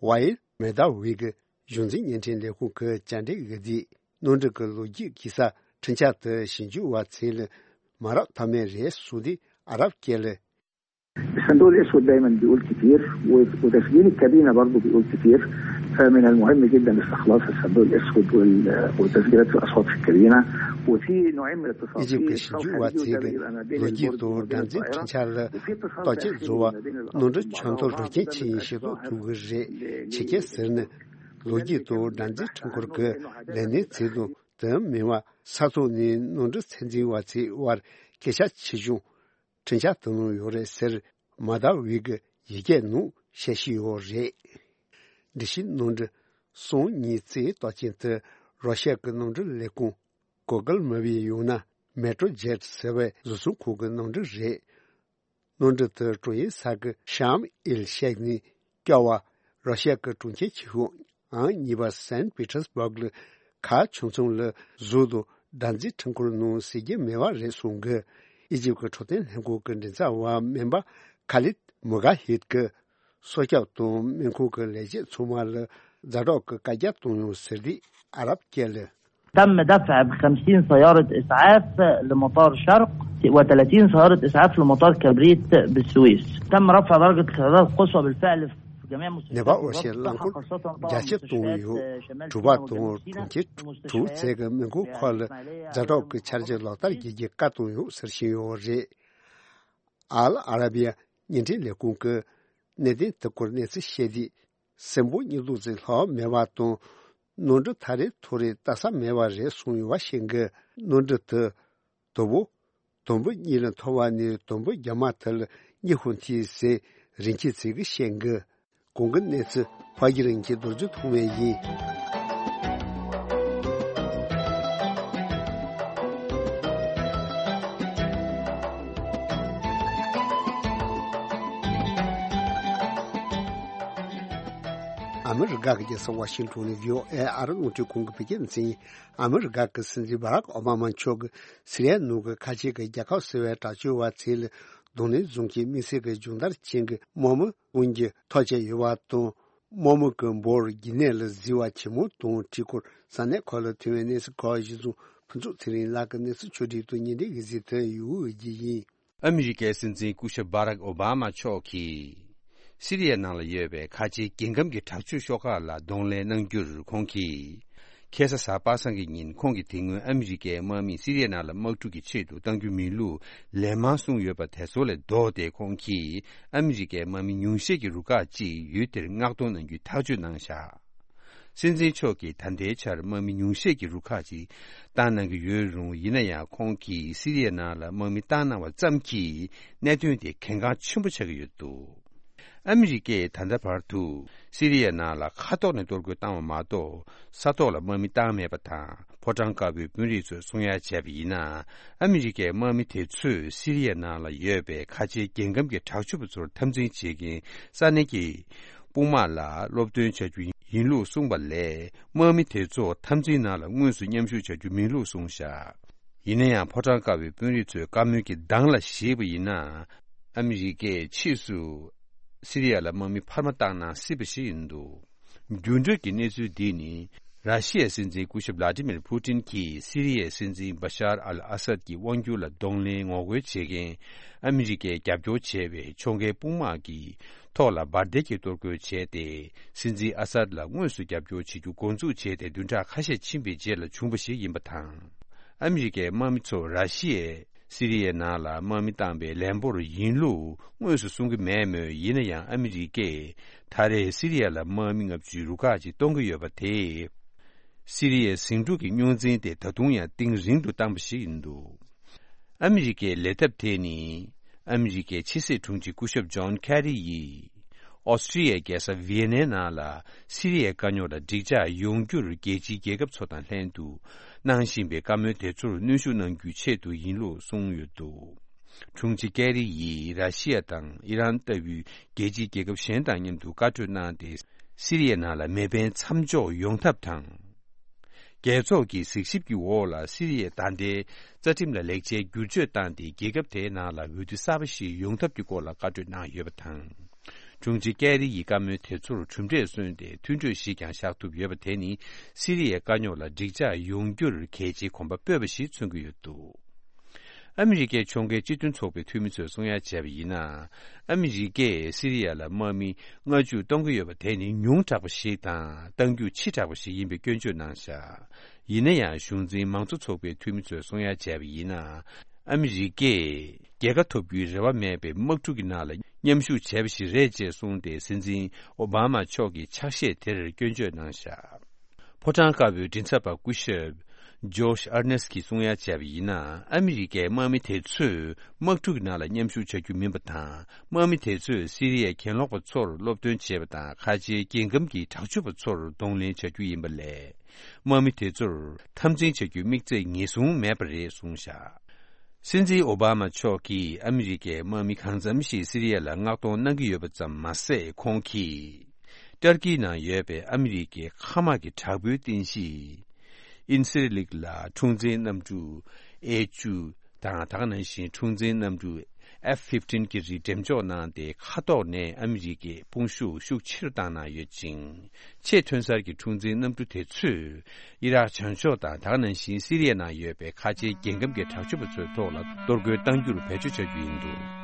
ཝ་ཡིལ་མེ་ད་ཝི་གིས་གཞུང་འཛིན་བརྙན་འཕྲིན་ལས་ཁུངས་ཀྱི་བཅར་འདྲི་ཞུས་དུས། གནམ་གྲུ་གི་ལོ་རྒྱུས་ཀྱི་ས་འཕྲིན་བཅར་དེ་ཞིབ་འཇུག་པ་ཚོ་ལ་མ་རག་ཐབས་མེད་རེད་གསུངས་དུས། ཨ་རབ་སྐད་ལ། الصندوق الأسود دايما بيقول كتير، و-، وتسجيل الكابينة برضو بيقول كتير، فمن المهم جدا استخلاص الصندوق الأسود وال-، وتسجيلات الأصوات في الكابينة، وفي نوعين من ཨི་ཇིབ་ཀྱི་ཞིབ་འཇུག་པ་ཚོས་ཀྱི་ལོ་རྒྱུས་དང་སྒྲ་འཛིན་འཕྲིན་བཅར་ལ་བརྟག་དཔྱད་བཟོ་བར་གནམ་གྲུ་ཆག་འཐོར་རོ་རྐྱེན་ཅི་ཡིན་ཤེས་རྟོགས་ཐུབ་ཀྱི་རེད། ཆི་གེ་ཟེར་ནི། ལོ་རྒྱུས་དང་སྒྲ་འཛིན་འཕྲུལ་འཁོར་གྱི་ལས་སྣེ་ཚོས་དང་དེ་མིན་པ་ས་ཐོག་ནས་གནམ་གྲུ་ཚད་འཛིན་པ་ཚོའི་དབར་སྐད་ཆ་ཆེ་ཆུང་འཕྲིན་བཅར་དུ་གནང་ཡོད་རེད་ཟེར། མ་ད་ཝི་གི་ཡི་གེ་ནང་བཤད་བཞིན་ཡོད་རེད། འགྲུལ་བཞུད་གནམ་གྲུ་སང་ཉིན་གཅིག་བརྟག་དཔྱད་དེ་རོ་ཤ་གི་གནམ་གྲུ་ལས་ཁུངས་གོ་གལ་མི་བའི་ཡང་ན་མེ་ཏྲོ་ཇེཊ་ཟེར་བའི་བཟོ་ཚོང་ཁང་གི་གནམ་གྲུ་རེད། གནམ་གྲུ་དེ་ཀྲུང་ཡིན་ས་ཁུལ་ཤམ་ཨེལ་ཤེག་ནས་བསྐྱོད་པ་རོ་ཤ་གི་གྲོང་ཁྱེར་ཆེ་ཤོས་ཨང་གཉིས་པ་སན་པི་ཏྲ་སི་བྷག་ལ་ཁ་ཆུང་ཆུང་ལ་གཟུགས་དང་སྒྲ་འཛིན་འཕྲུལ་འཁོར་ནང་གཟིགས་རྒྱུ་མེད་པ་རེད་གསུངས་གི། ཨི་ཇིབ་ཀྱི་འཕྲོད་བསྟེན་ལྷན་ཁང་གི་མགྲིན་ཚབ་པ་སྨན་པ་ཁ་ལིད་མུ་གྷ་ཧིད་ཀྱིས་སྲོག་སྐྱོབ་དང་སྨན་ཁང་གི་ལས་བྱེད་ཚང་མ་ལ་ཛ་དྲག་གི་བཀའ་རྒྱ་བཏང་ཡོད་ཟེར་དུས་ཨ་རབ་སྐད་ལ། تم دفع بخمسين سيارة إسعاف لمطار شرق، وثلاثين سيارة إسعاف لمطار كبريت بالسويس. تم رفع درجة الحرارة القصوى بالفعل في جميع ནེ་པ་ཨོ་ཤེ་རླངས་འཁོར་རྒྱ་ཆེ་གཏོང་ཡོད། གྲུ་པ་དང་གྲོང་ཁྱེར་དྲུག་ཚད་ཀྱི་སྨན་ཁང་ཁག་ལ་ཛ་དྲག་གི་འཆར་གཞི་ལག་བསྟར་བྱེད་རྒྱུའི་བཀའ་བཏང་ཡོད་ཟེར་བཞིན་ཡོད་རེད། ཨལ་ཨ་ར་བི་ཡ་བརྙན་འཕྲིན་ལས་ཁུངས་ཀྱིས་གནད་དོན་དེ་སྐོར་གནས་ཚུལ་བཤད་དུས། སྲིན་འབུ་གཉིས་ལྡོག་ཙམ་ལྷག་མེད་པ་དང་། གནམ་གྲུ་ཐག་རིང་ཐུག་རིང་ལྟ་ས་མེད་པ་རེད་གསུངས་ཡོད་པ་ཤེས་གི། གནམ་གྲུ་དེ་དུམ་བུ་དུམ་བུ་གཉིས་ལ་འཐོར་བ་ནས་དུམ་བུ་རྒྱ་མ་དེ་ལ་གཉིད་ཁུག་ཐེངས་ཟེར་རིན་ཆེན་ཚེ་གིས་བཤད་གི། གོང་གི་གནས་ཚུལ་ཕ་གི་རིན་གྱི་རྡོ་རྗེ་ཐོགས་མེད་ཡིན། ཨ་མི་རི་ཀ་གི་རྒྱལ་ས་ཝ་ཤིང་ཊོན་ནས་བྷི་ཨོ་ཨེ་ཨ་རི་རླུང་འཕྲིན་ཁང་གི་བོད་སྐད་སྡེ་ཚན་ཡིན། ཨ་མི་རི་ཀ་གི་སྲིད་འཛིན་བྷ་རག་ཨོ་བྷ་མ་མཆོག་གིས་སི་རི་ཡའི་ནང་གི་ཁ་ཆེ་གི་རྒྱལ་ཁབ་ཟེར་བའི་དྲག་སྤྱོད་པ་ཚོ་ལ་གདོང་ལེན་བཟུང་གིས་དམིགས་བསལ་གྱི་སྦྱོང་བརྡར་ཅན་གྱི་དམག་མི་དབང་གིས་ཐག་བཅད་ཡོད་པ་དང་། དམག་མི་གི་འབོར་རྒྱུན་གནས་ལ་བརྩི་བ་ཇེ་མང་གཏོང་བའི་སྐོར་ས་གནས་ཁག་ལ་ཐོན་པའི་གནས་ཚུལ་ཁག་གཞིར་བཟུང་ ཕུན་ཚོགས་ཚེ་རིང་ལགས་ཀྱིས་གནས་ཚུལ་ཕྱོགས་བསྒྲིགས་དང་བརྙན་འཕྲིན་གྱིས་གཟིགས་ཐོན་ཡོད་ཀྱི་ཡིན། ཨ་མི་རི་ཀའི་སྲིད་འཛིན་སྐུ་ཞབས་བྷ་རག་ཨོ་བྷ་མ་མཆོག་གིས། སི་རི་ཡའི་ནང་ལ་ཡོད་པའི་ཁ་ཆེའི་རྒྱལ་ཁམས་ཀྱི་དྲག་སྤྱོད་ཤོག་ཁག་ལ་གདོང་ལེན་གནང་རྒྱུར་ཁོང་གིས། ཁ་སང་གཟའ་པ་སངས་ཀྱི་ཉིན་ཁོང་གིས་དེ་སྔོན་ཨ་མི་རི་ཀའི་དམག་མིས་སི་རི་ཡའི་ནང་ལ་དམག་འཁྲུག་གི་ཆེད་དུ་གཏང་རྒྱུ་མིན་ལུགས་ལན་མང་གསུངས་ཡོད་པ་དེ་ཚོ་ལས་ལྡོག་སྟེ། ཁོང་གིས་ཨ་མི་རི་ཀའི་དམག་མི་ཉུང་ཤས་ཀྱི་རུ་ཁག་ཅིག་ཡུལ་དེར་མངགས་གཏོང་གནང་རྒྱུའི་ཐག་གཅོད་གནང་བཞག། སྲིད་འཛིན་མཆོག་གིས་ད་ལྟའི་ཆར་དམག་མི་ཉུང་ཤས་ཀྱི་རུ་ཁག་ཅིག་བཏང་གནང་གི་ཡོད་རུང་། ཡིན་ན་ཡང་ཁོང་གིས་སི་རི་ཡའི་ནང་ལ་དམག་མི་བཏང་གནང་བ་ཙམ་གྱིས་གནད་དོན་དེ་གལ་འགངས་ཆེན་པོ་ཆགས་ཀྱི་ཡོད་འདུག། ཨ་མི་རི་ཀས་ད་ལྟ་བར་དུ་སི་རི་ཡའི་ནང་ལ་མཁའ་ཐོག་ནས་གཏོར་རྒོལ་བཏང་བ་མ་གཏོགས། ས་ཐོག་ལ་དམག་མི་བཏང་མེད་པ་དང་། ཕོ་བྲང་དཀར་པོའི་དཔོན་རིགས་ཚོས་གསུང་ཡ་བྱས་པ་ཡིན་ན། ཨ་མི་རི་ཀའི་དམག་མི་དེ་ཚོས་སི་རི་ཡའི་ནང་ལ་ཡོད་པའི་ཁ་ཆེའི་རྒྱལ་ཁམས་ཀྱི་དྲག་སྤྱོད་པ་ཚོར་འཐབ་འཛིང་བྱེད་མཁན་ས་གནས་ཀྱི་དཔུང་དམག་ལ་སློབ་སྟོན་བྱ་རྒྱུ་ཡིན་ལུགས་གསུངས་པ་ལས། དམག་མི་དེ་ཚོ་འཐབ་འཛིང་ནང་ལ་དངོས་སུ་མཉམ་ཞུགས་བྱ་རྒྱུ་མིན་ལུགས་གསུངས་བཞག། ཡིན་ན་ཡང་། ཕོ་བྲང་དཀར་པོའི་དཔོན་རིགས་ཚོས་བཀའ་མོལ་གྱི་གདངས་ལ་གཞིགས་པ་ཡིན་ན། ཨ་མི་རི་ཀས་ཕྱིས་སུ་སི་རི་ཡ་ལ་དམག་མི་འཕར་མ་བཏང་གནང་སྲིད་པ་ཞིག་ཡིན་འདུག། རྒྱུན་སྒྲོལ་གྱི་གནས་ཚུལ་འདི་ནི། ར་ཤི་ཡའི་སྲིད་འཛིན་སྐུ་ཞབས་བླ་ཏི་མིར་ཕུ་ཏིན་གྱིས་སི་རི་ཡའི་སྲིད་འཛིན་བ་ཤར་ཨལ་ཨ་སད་ཀྱི་དབང་སྒྱུར་ལ་གདོང་ལེན་ངོ་རྒོལ་བྱེད་མཁན་ཨ་མི་རི་ཀས་རྒྱབ་སྐྱོར་བྱས་པའི་ཕྱོགས་འགལ་དཔུང་དམག་གི་ཐོག་ལ་འབར་མདེལ་གྱིས་གཏོར་རྒོལ་བྱས་ཏེ། སྲིད་འཛིན་ཨ་སད་ལ་དངོས་སུ་རྒྱབ་སྐྱོར་བྱེད་རྒྱུ་འགོ་འཛུགས་བྱས་ཏེ། བདུན་ཕྲག་ཁ་ཤས་ཕྱིན་པའི་རྗེས་ལ་བྱུང་བ་ཞིག་ཡིན་པ་དང་། ཨ་མི་རི་ཀའི་དམག་མི་ཚོ་ར་ཤི་ཡས་སི་རི་ཡའི་ནང་ལ་དམག་མི་བཏང་པའི་ལན་འབོར་ཡིན་ལུགས་དངོས་སུ་གསུང་གི་མེད་མོད། ཡིན་ན་ཡང་། ཨ་མི་རི་ཀས་ད་རེས་སི་རི་ཡ་ལ་དམག་མི་ལྔ་བཅུའི་རུ་ཁག་ཅིག་གཏོང་གི་ཡོད་པ་དེས། སི་རི་ཡའི་ཟིང་འཁྲུག་གི་རྙོག་འཛིང་དེ་ད་དུང་ཡང་གཏིང་རིང་དུ་བཏང་པ་ཞིག་ཡིན་འདུག། ཨ་མི་རི་ཀའི་ལས་ཐབས་དེ་ནི། ཨ་མི་རི་ཀའི་ཕྱི་སྲིད་དྲུང་ཆེ་སྐུ་ཞབས་ཇོན་ཁེ་རི་ཡིས། ཨོ་སི་ཀྲི་ཡའི་རྒྱལ་ས་ཝི་ཡེ་ནའི་ནང་ལ། སི་རི་ཡའི་དཀའ་རྙོག་ལ་འགྲིག་འཇགས་ཡོང་རྒྱུར་རྒྱལ་སྤྱིའི་རྒྱལ་ཁབ་ཚོ་དང་ལྷན་དུ་གནང་བཞིན་པའི་བཀའ་མོལ་དེ་ཚོར་གནོན་ཤུགས་གནང་རྒྱུའི་ཆེད་དུ་ཡིན་ལུགས་གསུངས་ཡོད་འདུག། དྲུང་ཆེ་ཀེ་རི་ཡིས་ར་ཤི་ཡ་དང་ཨི་རན་ལྟ་བུའི་རྒྱལ་སྤྱིའི་རྒྱལ་ཁབ་གཞན་དང་མཉམ་དུ་བཀའ་གྲོས་གནང་སྟེ། སི་རི་ཡའི་ནང་ལ་མེ་འཕེན་མཚམས་འཇོག་ཡོང་ཐབས་དང་། རྒྱལ་ཚོགས་ཀྱི་གཟིགས་ཞིབ་ཀྱི་འོག་ལ་སི་རི་ཡའི་ད་ལྟའི་རྩ་ཁྲིམས་ལ་ལེགས་ཆའི་བསྒྱུར་བཅོས་བཏང་སྟེ། རྒྱལ་ཁབ་དེའི་ནང་ལ་འོས་བསྡུ་གསར་པ་ཞིག་ཡོང་ཐབས་ཀྱི་སྐོར་ལ་བཀའ་གྲོས་གནང་ཡོད་པ་དང་། དྲུང་ཆེ་ཀེ་རི་ཡི་བཀའ་མོལ་དེ་ཚོར་གྲུབ་འབྲས་སོན་ཏེ། མཐུན་གྲོས་ཤིག་ཀྱང་བཞག་ཐུབ་ཡོད་པ་དེ་ནི། སི་རི་ཡའི་དཀའ་རྙོག་ལ་འགྲིག་འཇགས་ཡོང་རྒྱུར་གལ་ཆེའི་གོམ་པ་སྤོས་པ་ཞིག་མཚོན་གྱི་ཡོད་འདུག། ཨ་མི་རི་ཀའི་ཕྱོགས་འགལ་སྤྱི་མཐུན་ཚོགས་པའི་འཐུས་མི་ཚོས་གསུང་ཡ་བྱས་པ་ཡིན་ན། ཨ་མི་རི་ཀས་སི་རི་ཡ་ལ་དམག་མི་ལྔ་བཅུ་གཏོང་གི་ཡོད་པ་དེ་ནི་ཉུང་དྲགས་པ་ཞིག་དང་། གཏང་རྒྱུ་ཕྱི་དྲགས་པ་ཞིག་ཡིན་པའི་སྐྱོན་བརྗོད་གནང་བཞག། ཡིན་ན་ཡང་། གཞུང་འཛིན་མང་གཙོ་ཚོགས་པའི་འཐུས་མི་ཚོས་གསུང་ཡ་བྱས་པ་ཡིན་ན། ཨ་མི་རི་ཀས་རྒྱལ་ཁ་ཐོབ་རྒྱུའི་རེ་བ་མེད་པའི་དམག་འཁྲུག་གི་ནང་ལ་མཉམ་ཞུགས་བྱས་པ་ཞིག་རེད་ཅེས་གསུངས་ཏེ། སྲིད་འཛིན་ཨོ་བྷ་མ་མཆོག་གི་ཕྱག་བཞེས་དེར་སྐྱོན་བརྗོད་གནང་བཞག། ཕོ་བྲང་དཀར་པོའི་མགྲིན་ཚབ་པ་སྐུ་ཞབས་ཇོཤ་ཨར་ནེས་ཀྱིས་གསུང་ཡ་བྱས་པ་ཡིན་ན། ཨ་མི་རི་ཀའི་དམག་མི་དེ་ཚོས་དམག་འཁྲུག་གི་ནང་ལ་མཉམ་ཞུགས་བྱ་རྒྱུ་མིན་པ་དང་། དམག་མི་དེ་ཚོས་སི་རི་ཡའི་གྱེན་ལོག་པ་ཚོར་སློབ་སྟོན་བྱེད་པ་དང་། ཁ་ཆེའི་རྒྱལ་ཁམས་ཀྱི་དྲག་སྤྱོད་པ་ཚོར་གདོང་ལེན་བྱ་རྒྱུ་ཡིན་པ་ལས། དམག་མི་དེ་ཚོར་འཐབ་འཛིང་བྱ་རྒྱུའི་དམིགས་ཚད་ངེས་བཟུང་མེད་པ་རེད་གསུངས་བཞག། སྲིད་འཛིན་ཨོ་བྷ་མ་མཆོག་གིས་ཨ་མི་རི་ཀའི་དམག་མི་གང་འཚམ་ཞིག་སི་རི་ཡ་ལ་མངགས་གཏོང་གནང་གི་ཡོད་པ་ཙམ་མ་ཟད། ཁོང་གིས་ཏར་ཀིའི་ནང་ཡོད་པའི་ཨ་མི་རི་ཀའི་མཁའ་དམག་གི་དྲག་པོའི་རྟེན་གཞི་ཨིན་སི་རི་ལིག་ལ་འཁྲུག་འཛིང་གནམ་གྲུ་ཨེ་བཅུ་དང་། ད་ག་ནང་བཞིན་འཁྲུག་འཛིང་གནམ་གྲུ་ཨེཕ་ཕིཕ་ཊིན་གྱི་རིགས་འགྲེམས་འཇོག་གནང་སྟེ། མཁའ་ཐོག་ནས་ཨ་མི་རི་ཀའི་དཔུང་ཤུགས་ཤུགས་ཆེ་རུ་བཏང་གནང་ཡོད་ཅིང་། ཆེས་ཐོན་གསར་གྱི་འཁྲུག་འཛིང་གནམ་གྲུ་དེ་ཚོས་ཨི་རག་བྱང་ཕྱོགས་དང་། ད་ག་ནང་བཞིན་སི་རི་ཡའི་ནང་ཡོད་པའི་ཁ་ཆེའི་རྒྱལ་ཁམས་ཀྱི་དྲག་སྤྱོད་པ་ཚོའི་ཐོག་ལ་གཏོར་རྒོལ་གཏང་རྒྱུར་བེད་སྤྱོད་བྱ་རྒྱུ་ཡིན་འདུག།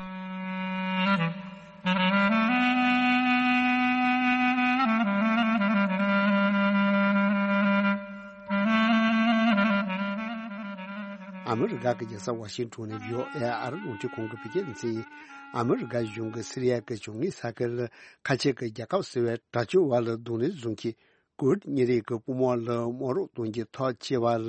ཨ་མི་རི་ཀ་གི་རྒྱལ་ས་ཝ་ཤིང་ཊོན་ནས་ཡོ་ཨེ་ཨར་རླུང་འཕྲིན་ཁང་གི་བོད་སྐད་སྡེ་ཚན་གྱིས། ཨ་མི་རི་ཀ་གཞུང་གིས་སི་རི་ཡ་གི་བྱང་ངོས་ས་ཁུལ་ཁ་ཆེ་གི་རྒྱལ་ཁབ་ཟེར་བའི་དྲག་སྤྱོད་བར་ལ་གདོང་ལེན་བཟུང་མཁན་ཀུར་ཌི་གཉེན་རིགས་ཀྱི་དཔུང་དམག་ལ་དམག་རོགས་གཏོང་རྒྱུའི་ཐག་བཅད་པ་ལ་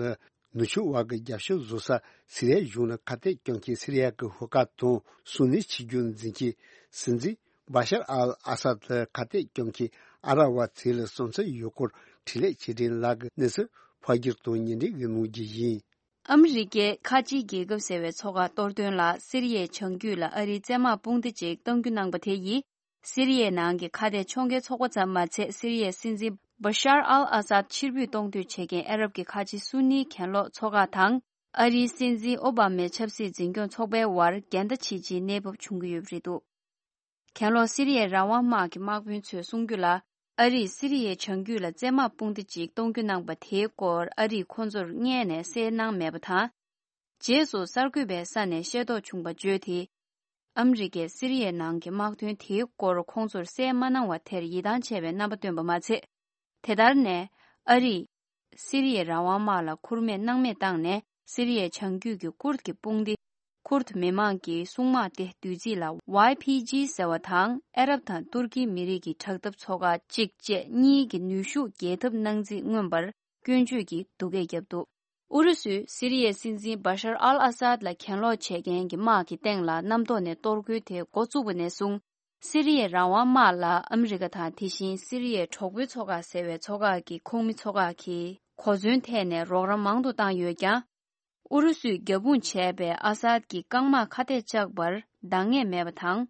ནུབ་ཕྱོགས་བར་གྱི་རྒྱབ་སྐྱོར་བཟོ་ས་སི་རི་ཡ་གཞུང་ལ་ཁ་གཏད་བཅག་མཁན་སི་རི་ཡ་གི་ཧུར་ཁ་དང་སུན་ནི་ཆིག་སྒྲིལ་འཛིན་མཁན་སྲིད་འཛིན་བྷ་ཤར་ཨལ་ཨ་སད་ལ་ཁ་གཏད་བཅག་མཁན་ཨ་ར་བ་ཚོ་ལ་བསམ་ཚུལ་ཡོད་སྐོར་འཕྲིན་ལས་ཆེད་སྒྲིག་ལག་གི་གནས་ཚུལ་ཕབ་སྒྱུར་དང་སྙན་སྒྲོན་གྱི་གནང་རྒྱུ་ཡིན། ཨ་མི་རི་ཀས་ཁ་ཆེའི་རྒྱལ་ཁབ་ཟེར་བའི་ཚོགས་ཁག་གཏོར་དོན་ལ། སི་རི་ཡའི་བྱང་རྒྱུད་ལ་ཨ་རིའི་བཙན་དམག་དཔུང་སྡེ་ཅིག་གཏོང་རྒྱུ་གནང་པ་དེ་ཡིས། སི་རི་ཡའི་ནང་གི་ཁ་གཏད་གཅོག་མཁན་ཚོགས་པ་ཙམ་མ་ཚད། སི་རི་ཡའི་སྲིད་འཛིན་བ་ཤར་ཨལ་ཨ་སཱད་ཕྱིར་འབུད་གཏོང་འདོད་བྱེད་མཁན་ཨ་རབ་ཀྱི་ཁ་ཆེ་སུན་ནིའི་གྱེན་ལོག་ཚོགས་ཁག་དང་། ཨ་རིའི་སྲིད་འཛིན་ཨོ་བྷ་མའི་ཆབ་སྲིད་འཛིན་སྐྱོང་ཚོགས་པའི་བར་འགལ་ཟླ་ཆེ་ཆེའི་གནས་བབ་བྱུང་གི་ཡོད་པ་རེད་འདུག། གྱེན་ལོག་སི་རི་ཡའི་རང་དབང་དམག་གི་དམག་དཔོན་ཚོས་གསུང་རྒྱུ་ལ། ཨ་རིས་སི་རི་ཡའི་བྱང་རྒྱུད་ལ་བཙན་དམག་དཔུང་སྡེ་ཅིག་གཏོང་རྒྱུ་གནང་པ་དེའི་སྐོར་ཨ་རིས་ཁོ་ཚོར་སྔོན་ནས་གསལ་གནང་མེད་པ་དང་། རྗེས་སུ་གསར་འགོད་པའི་ས་ནས་ཤེས་རྟོགས་བྱུང་བ་བརྗོད་དེ། ཨ་མི་རི་ཀས་སི་རི་ཡའི་ནང་གི་དམག་དོན་དེའི་སྐོར་ཁོང་ཚོར་གསལ་མ་གནང་བ་དེར་ཡིད་ཐང་ཆད་པའི་རྣམ་པ་བཏོན་པ་མ་ཚད། དེ་ལྟར་ནས་ཨ་རིས་སི་རི་ཡའི་རང་དབང་དམག་ལ་ཁུར་མེད་སྣང་མེད་བཏང་ནས། སི་རི་ཡའི་བྱང་རྒྱུད་ཀྱི་ཀུར་དཀྱི་དཔུང་སྡེ། ཀུར་དཀྱི་མི་མང་གི་སྲུང་དམག་སྟེ་བསྡུས་ཚིག་ལ་ཝའི་ཕི་ཇི་ཟེར་བ་དང་། ཨ་རབ་དང་ཏུར་ཀིའི་མི་རིགས་ཀྱི་དྲག་འཐབ་ཚོགས་ཁག་གཅིག་བཅས་གཉིས་ཀྱི་ནུས་ཤུགས་རྒྱས་ཐབས་གནང་རྩིས་མངོན་པར་སྐྱོན་བརྗོད་ཀྱིས་སྡུག་སྐད་བརྒྱབ་འདུག་ཨུ་རུ་སུས་སི་རི་ཡའི་སྲིད་འཛིན་བྷ་ཤར་ཨལ་ཨ་སཱད་ལ་གྱེན་ལོག་བྱེད་མཁན་གྱི་དམག་གི་སྟེང་ལ་གནམ་ཐོག་ནས་གཏོར་རྒོལ་དེ་འགོ་བཙུགས་པ་ནས་བཟུང་། སི་རི་ཡའི་རང་དབང་དམག་ལ་ཨ་མི་རི་ཀ་དང་། དེ་བཞིན་སི་རི་ཡའི་གྲོགས་པོའི་ཚོགས་ཁག་ཟེར་བའི་ཚོགས་ཁག་གི་ཁོངས་མི་ཚོ་ཁག་གིས་གོ་མཚོན་འཐེན་ནས་རོགས་རམ་མང་དུ་བཏང་ཡོད་ཀྱང་། ཨུ་རུ་སུས་རྒྱབ་དཔུང་བྱས་པའི་ཨ་སཱད་ཀྱི་རྐང་དམག་ཁ་གཏད་བཅག་པར་འདང་ངེས་མེད་པ་དང་།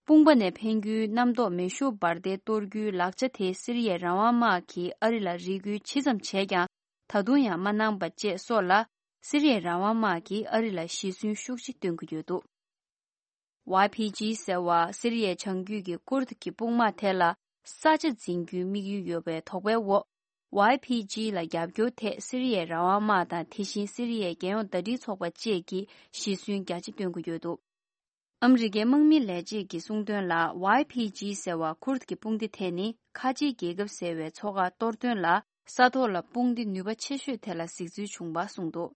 དཔུང་པ་ནས་འཕེན་རྒྱུའི་གནམ་ཐོག་མེ་ཤུགས་འབར་མདེལ་གཏོར་རྒྱུའི་ལག་ཆ་དེ་སི་རི་ཡའི་རང་དབང་དམག་གིས་ཨ་རི་ལ་རེ་སྐུལ་ཇི་ཙམ་བྱས་ཀྱང་། ད་དུང་ཡང་མ་གནང་པ་བཅས་སོགས་ལ། སི་རི་ཡའི་རང་དབང་དམག་གིས་ཨ་རི་ལ་ཞེད་སུན་ཤུགས་ཆེ་སྟོན་གྱི་ཡོད་འདུག་ཝའི་ཕི་ཇི་ཟེར་བ་སི་རི་ཡའི་བྱང་རྒྱུད་ཀྱི་ཀུར་དཀྱི་དཔུང་དམག་དེ་ལ་ས་ཆ་འཛིན་རྒྱུའི་དམིགས་ཡུལ་ཡོད་པའི་དོགས་པའི་འོག་ཝའི་ཕི་ཇི་ལ་རྒྱབ་སྐྱོར་ཐད་སི་རི་ཡའི་རང་དབང་དམག་དང་། དེ་བཞིན་སི་རི་ཡའི་རྒྱལ་ཡོངས་ཟླ་སྒྲིལ་ཚོགས་པ་བཅས་ཀྱིས་ཞེད་སུན་རྒྱ་ཆེ་སྟོན་གྱི་ཡོད་འདུག་ཨ་མི་རི་ཀའི་དམག་མི་ལས་བྱེད་ཀྱིས་གསུངས་དོན་ལ། ཝའི་ཕི་ཇི་ཟེར་བ་ཀུར་དཀྱི་དཔུང་སྡེ་དེ་ནི་ཁ་ཆེའི་རྒྱལ་ཁབ་ཟེར་བའི་ཚོགས་ཁག་གཏོར་དོན་ལ། ས་ཐོག་ལ་དཔུང་སྡེ་ནུས་པ་ཆེ་ཤོས་དེ་ལ་གཟིགས་ཚུལ་བྱུང་བ་གསུངས་འདུག་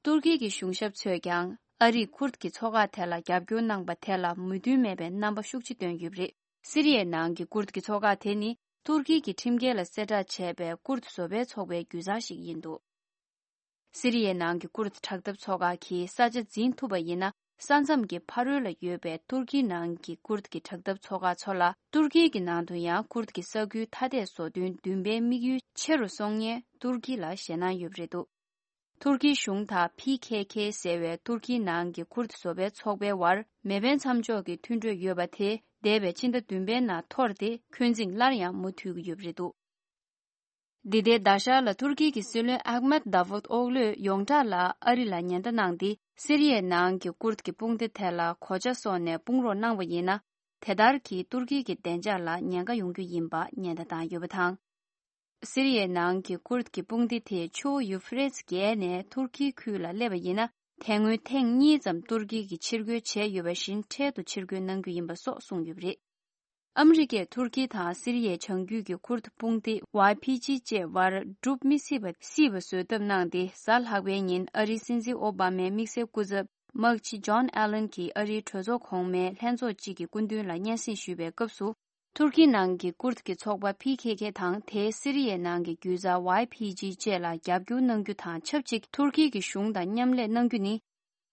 ཏུར་ཀི་གི་གཞུང་ཞབས་ཚོས་ཀྱང་ཨ་རིས་ཀུར་དཀྱི་ཚོགས་ཁག་དེ་ལ་རྒྱབ་སྐྱོར་གནང་པ་དེ་ལ་མོས་མཐུན་མེད་པའི་རྣམ་པ་ཤུགས་ཆེ་བཏོན་ཡོད་པ་རེད། སི་རི་ཡའི་ནང་གི་ཀུར་དཀྱི་ཚོགས་ཁག་དེ་ནི་ཏུར་ཀི་གི་ཁྲིམས་འགལ་ལ་གསལ་བསྒྲགས་བྱས་པའི་ཀུར་དཀྱི་བཟོ་པའི་ཚོགས་པའི་རྒྱུད་བཟང་ཞིག་ཡིན་འདུག་སི་རི་ཡའི་ནང་གི་ཀུར་དཀྱི་དྲག་འཐབ་ཚོགས་ཁག་གིས་ས་ཆ་འཛིན་ཐུབ་པ་ཡིན་ན། ས་མཚམས་ཀྱི་ཕ་རོལ་ལ་ཡོད་པའི་ཏུར་ཀིའི་ནང་གི་ཀུར་དཀྱི་དྲག་འཐབ་ཚོགས་ཁག་ཚོ་ལ། ཏུར་ཀི་གི་ནང་དུ་ཡང་ཀུར་དཀྱི་ས་ཁུལ་ཐ་དད་བཟོ་དོན་འདུན་པའི་དམིགས་ཡུལ་ཆེ་རུ་སོང་ཡས་ཏུར་ཀི་ལ་ཞེད་སྣང་ཡོད་པ་རེད་འདུག་ཏུར་ཀིའི་གཞུང་དང་ཕི་ཁེ་ཁེ་ཟེར་བའི་ཏུར་ཀིའི་ནང་གི་ཀུར་དཀྱི་བཟོ་པའི་ཚོགས་པའི་བར་མེ་འཕེན་མཚམས་འཇོག་གི་མཐུན་གྲོས་ཡོད་པ་དེ། འདས་པའི་ཕྱི་ཟླ་བདུན་པའི་ནང་འཐོར་ཏེ། འཁོན་འཛིང་སླར་ཡང་མུ་མཐུད་ཀྱི་ཡོད་པ་རེད་འདུག་འདི་ཟླའི་ཟླ་ཤར་ལ་ཏུར་ཀི་གི་སྲིད་བློན་ཨག་མེད་དཱ་བུད་ཨོག་ལོས་ཡོངས་གྲགས་ལ་ཨ་རི་ལ་ཉེན་བརྡ་གནང་སྟེ། སི་རི་ཡའི་ནང་གི་ཀུར་དཀྱི་དཔུང་སྡེ་དེ་ལ་གོ་ཆ་སོགས་ནས་དཔུང་རོགས་གནང་བ་ཡིན་ན། དེ་ལྟར་གྱིས་ཏུར་ཀི་གི་བདེ་འཇགས་ལ་ཉེན་ཁ་ཡོང་རྒྱུ་ཡིན་པ་ཉེན་བརྡ་བཏང་ཡོད་པ་དང་། སི་རི་ཡའི་ནང་གི་ཀུར་དཀྱི་དཔུང་སྡེ་དེ་ཆུ་བོ་ཡུ་ཕི་རེ་ཏི་བརྒལ་ནས་ཏུར་ཀིའི་ཁུལ་ལ་སླེབས་པ་ཡིན་ན། དེ་སྔོན་ཐེངས་གཉིས་ཙམ་ཏུར་ཀི་གིས་ཕྱིར་རྒོལ་བྱས་ཡོད་པ་བཞིན། འཕྲལ་དུ་ཕྱིར་རྒོལ་གནང་རྒྱུ་ཡིན་པ་སོགས་གསུངས་ཡོད་པ་རེད། ཨ་མི་རི་ཀས་ཏུར་ཀི་དང་སི་རི་ཡའི་བྱང་རྒྱུད་ཀྱི་ཀུར་དཀྱི་དཔུང་སྡེ་ཝའི་ཕི་ཇི་བཅས་བར་སྒྲུབ་མི་སྲིད་པ་སྲིད་པ་བཟོས་ཐབས་གནང་སྟེ། གཟའ་ལྷག་པའི་ཉིན་ཨ་རིའི་སྲིད་འཛིན་ཨོ་བྷ་མའི་དམིགས་བསལ་སྐུ་ཚབ་དམག་སྤྱི་ཇོན་ཨ་ལན་གྱིས་ཨ་རིའི་གྲོས་ཚོགས་གོང་མའི་ལྷན་ཚོགས་གཅིག་གི་སྐུ་མདུན་ལ་སྙན་སེང་ཞུས་པའི་སྐབས་སུ། ཏུར་ཀིའི་ནང་གི་ཀུར་དཀྱི་ཚོགས་པ་ཕི་ཁེ་ཁེ་དང་། དེའི་སི་རི་ཡའི་ནང་གི་རྒྱུད་བཟའ་ཝའི་ཕི་ཇི་བཅས་ལ་རྒྱབ་སྐྱོར་གནང་རྒྱུ་དང་ཆབས་ཅིག་ཏུར་ཀི་གི་གཞུང་དང་མཉམ་ལས་གནང་རྒྱུ་ནི།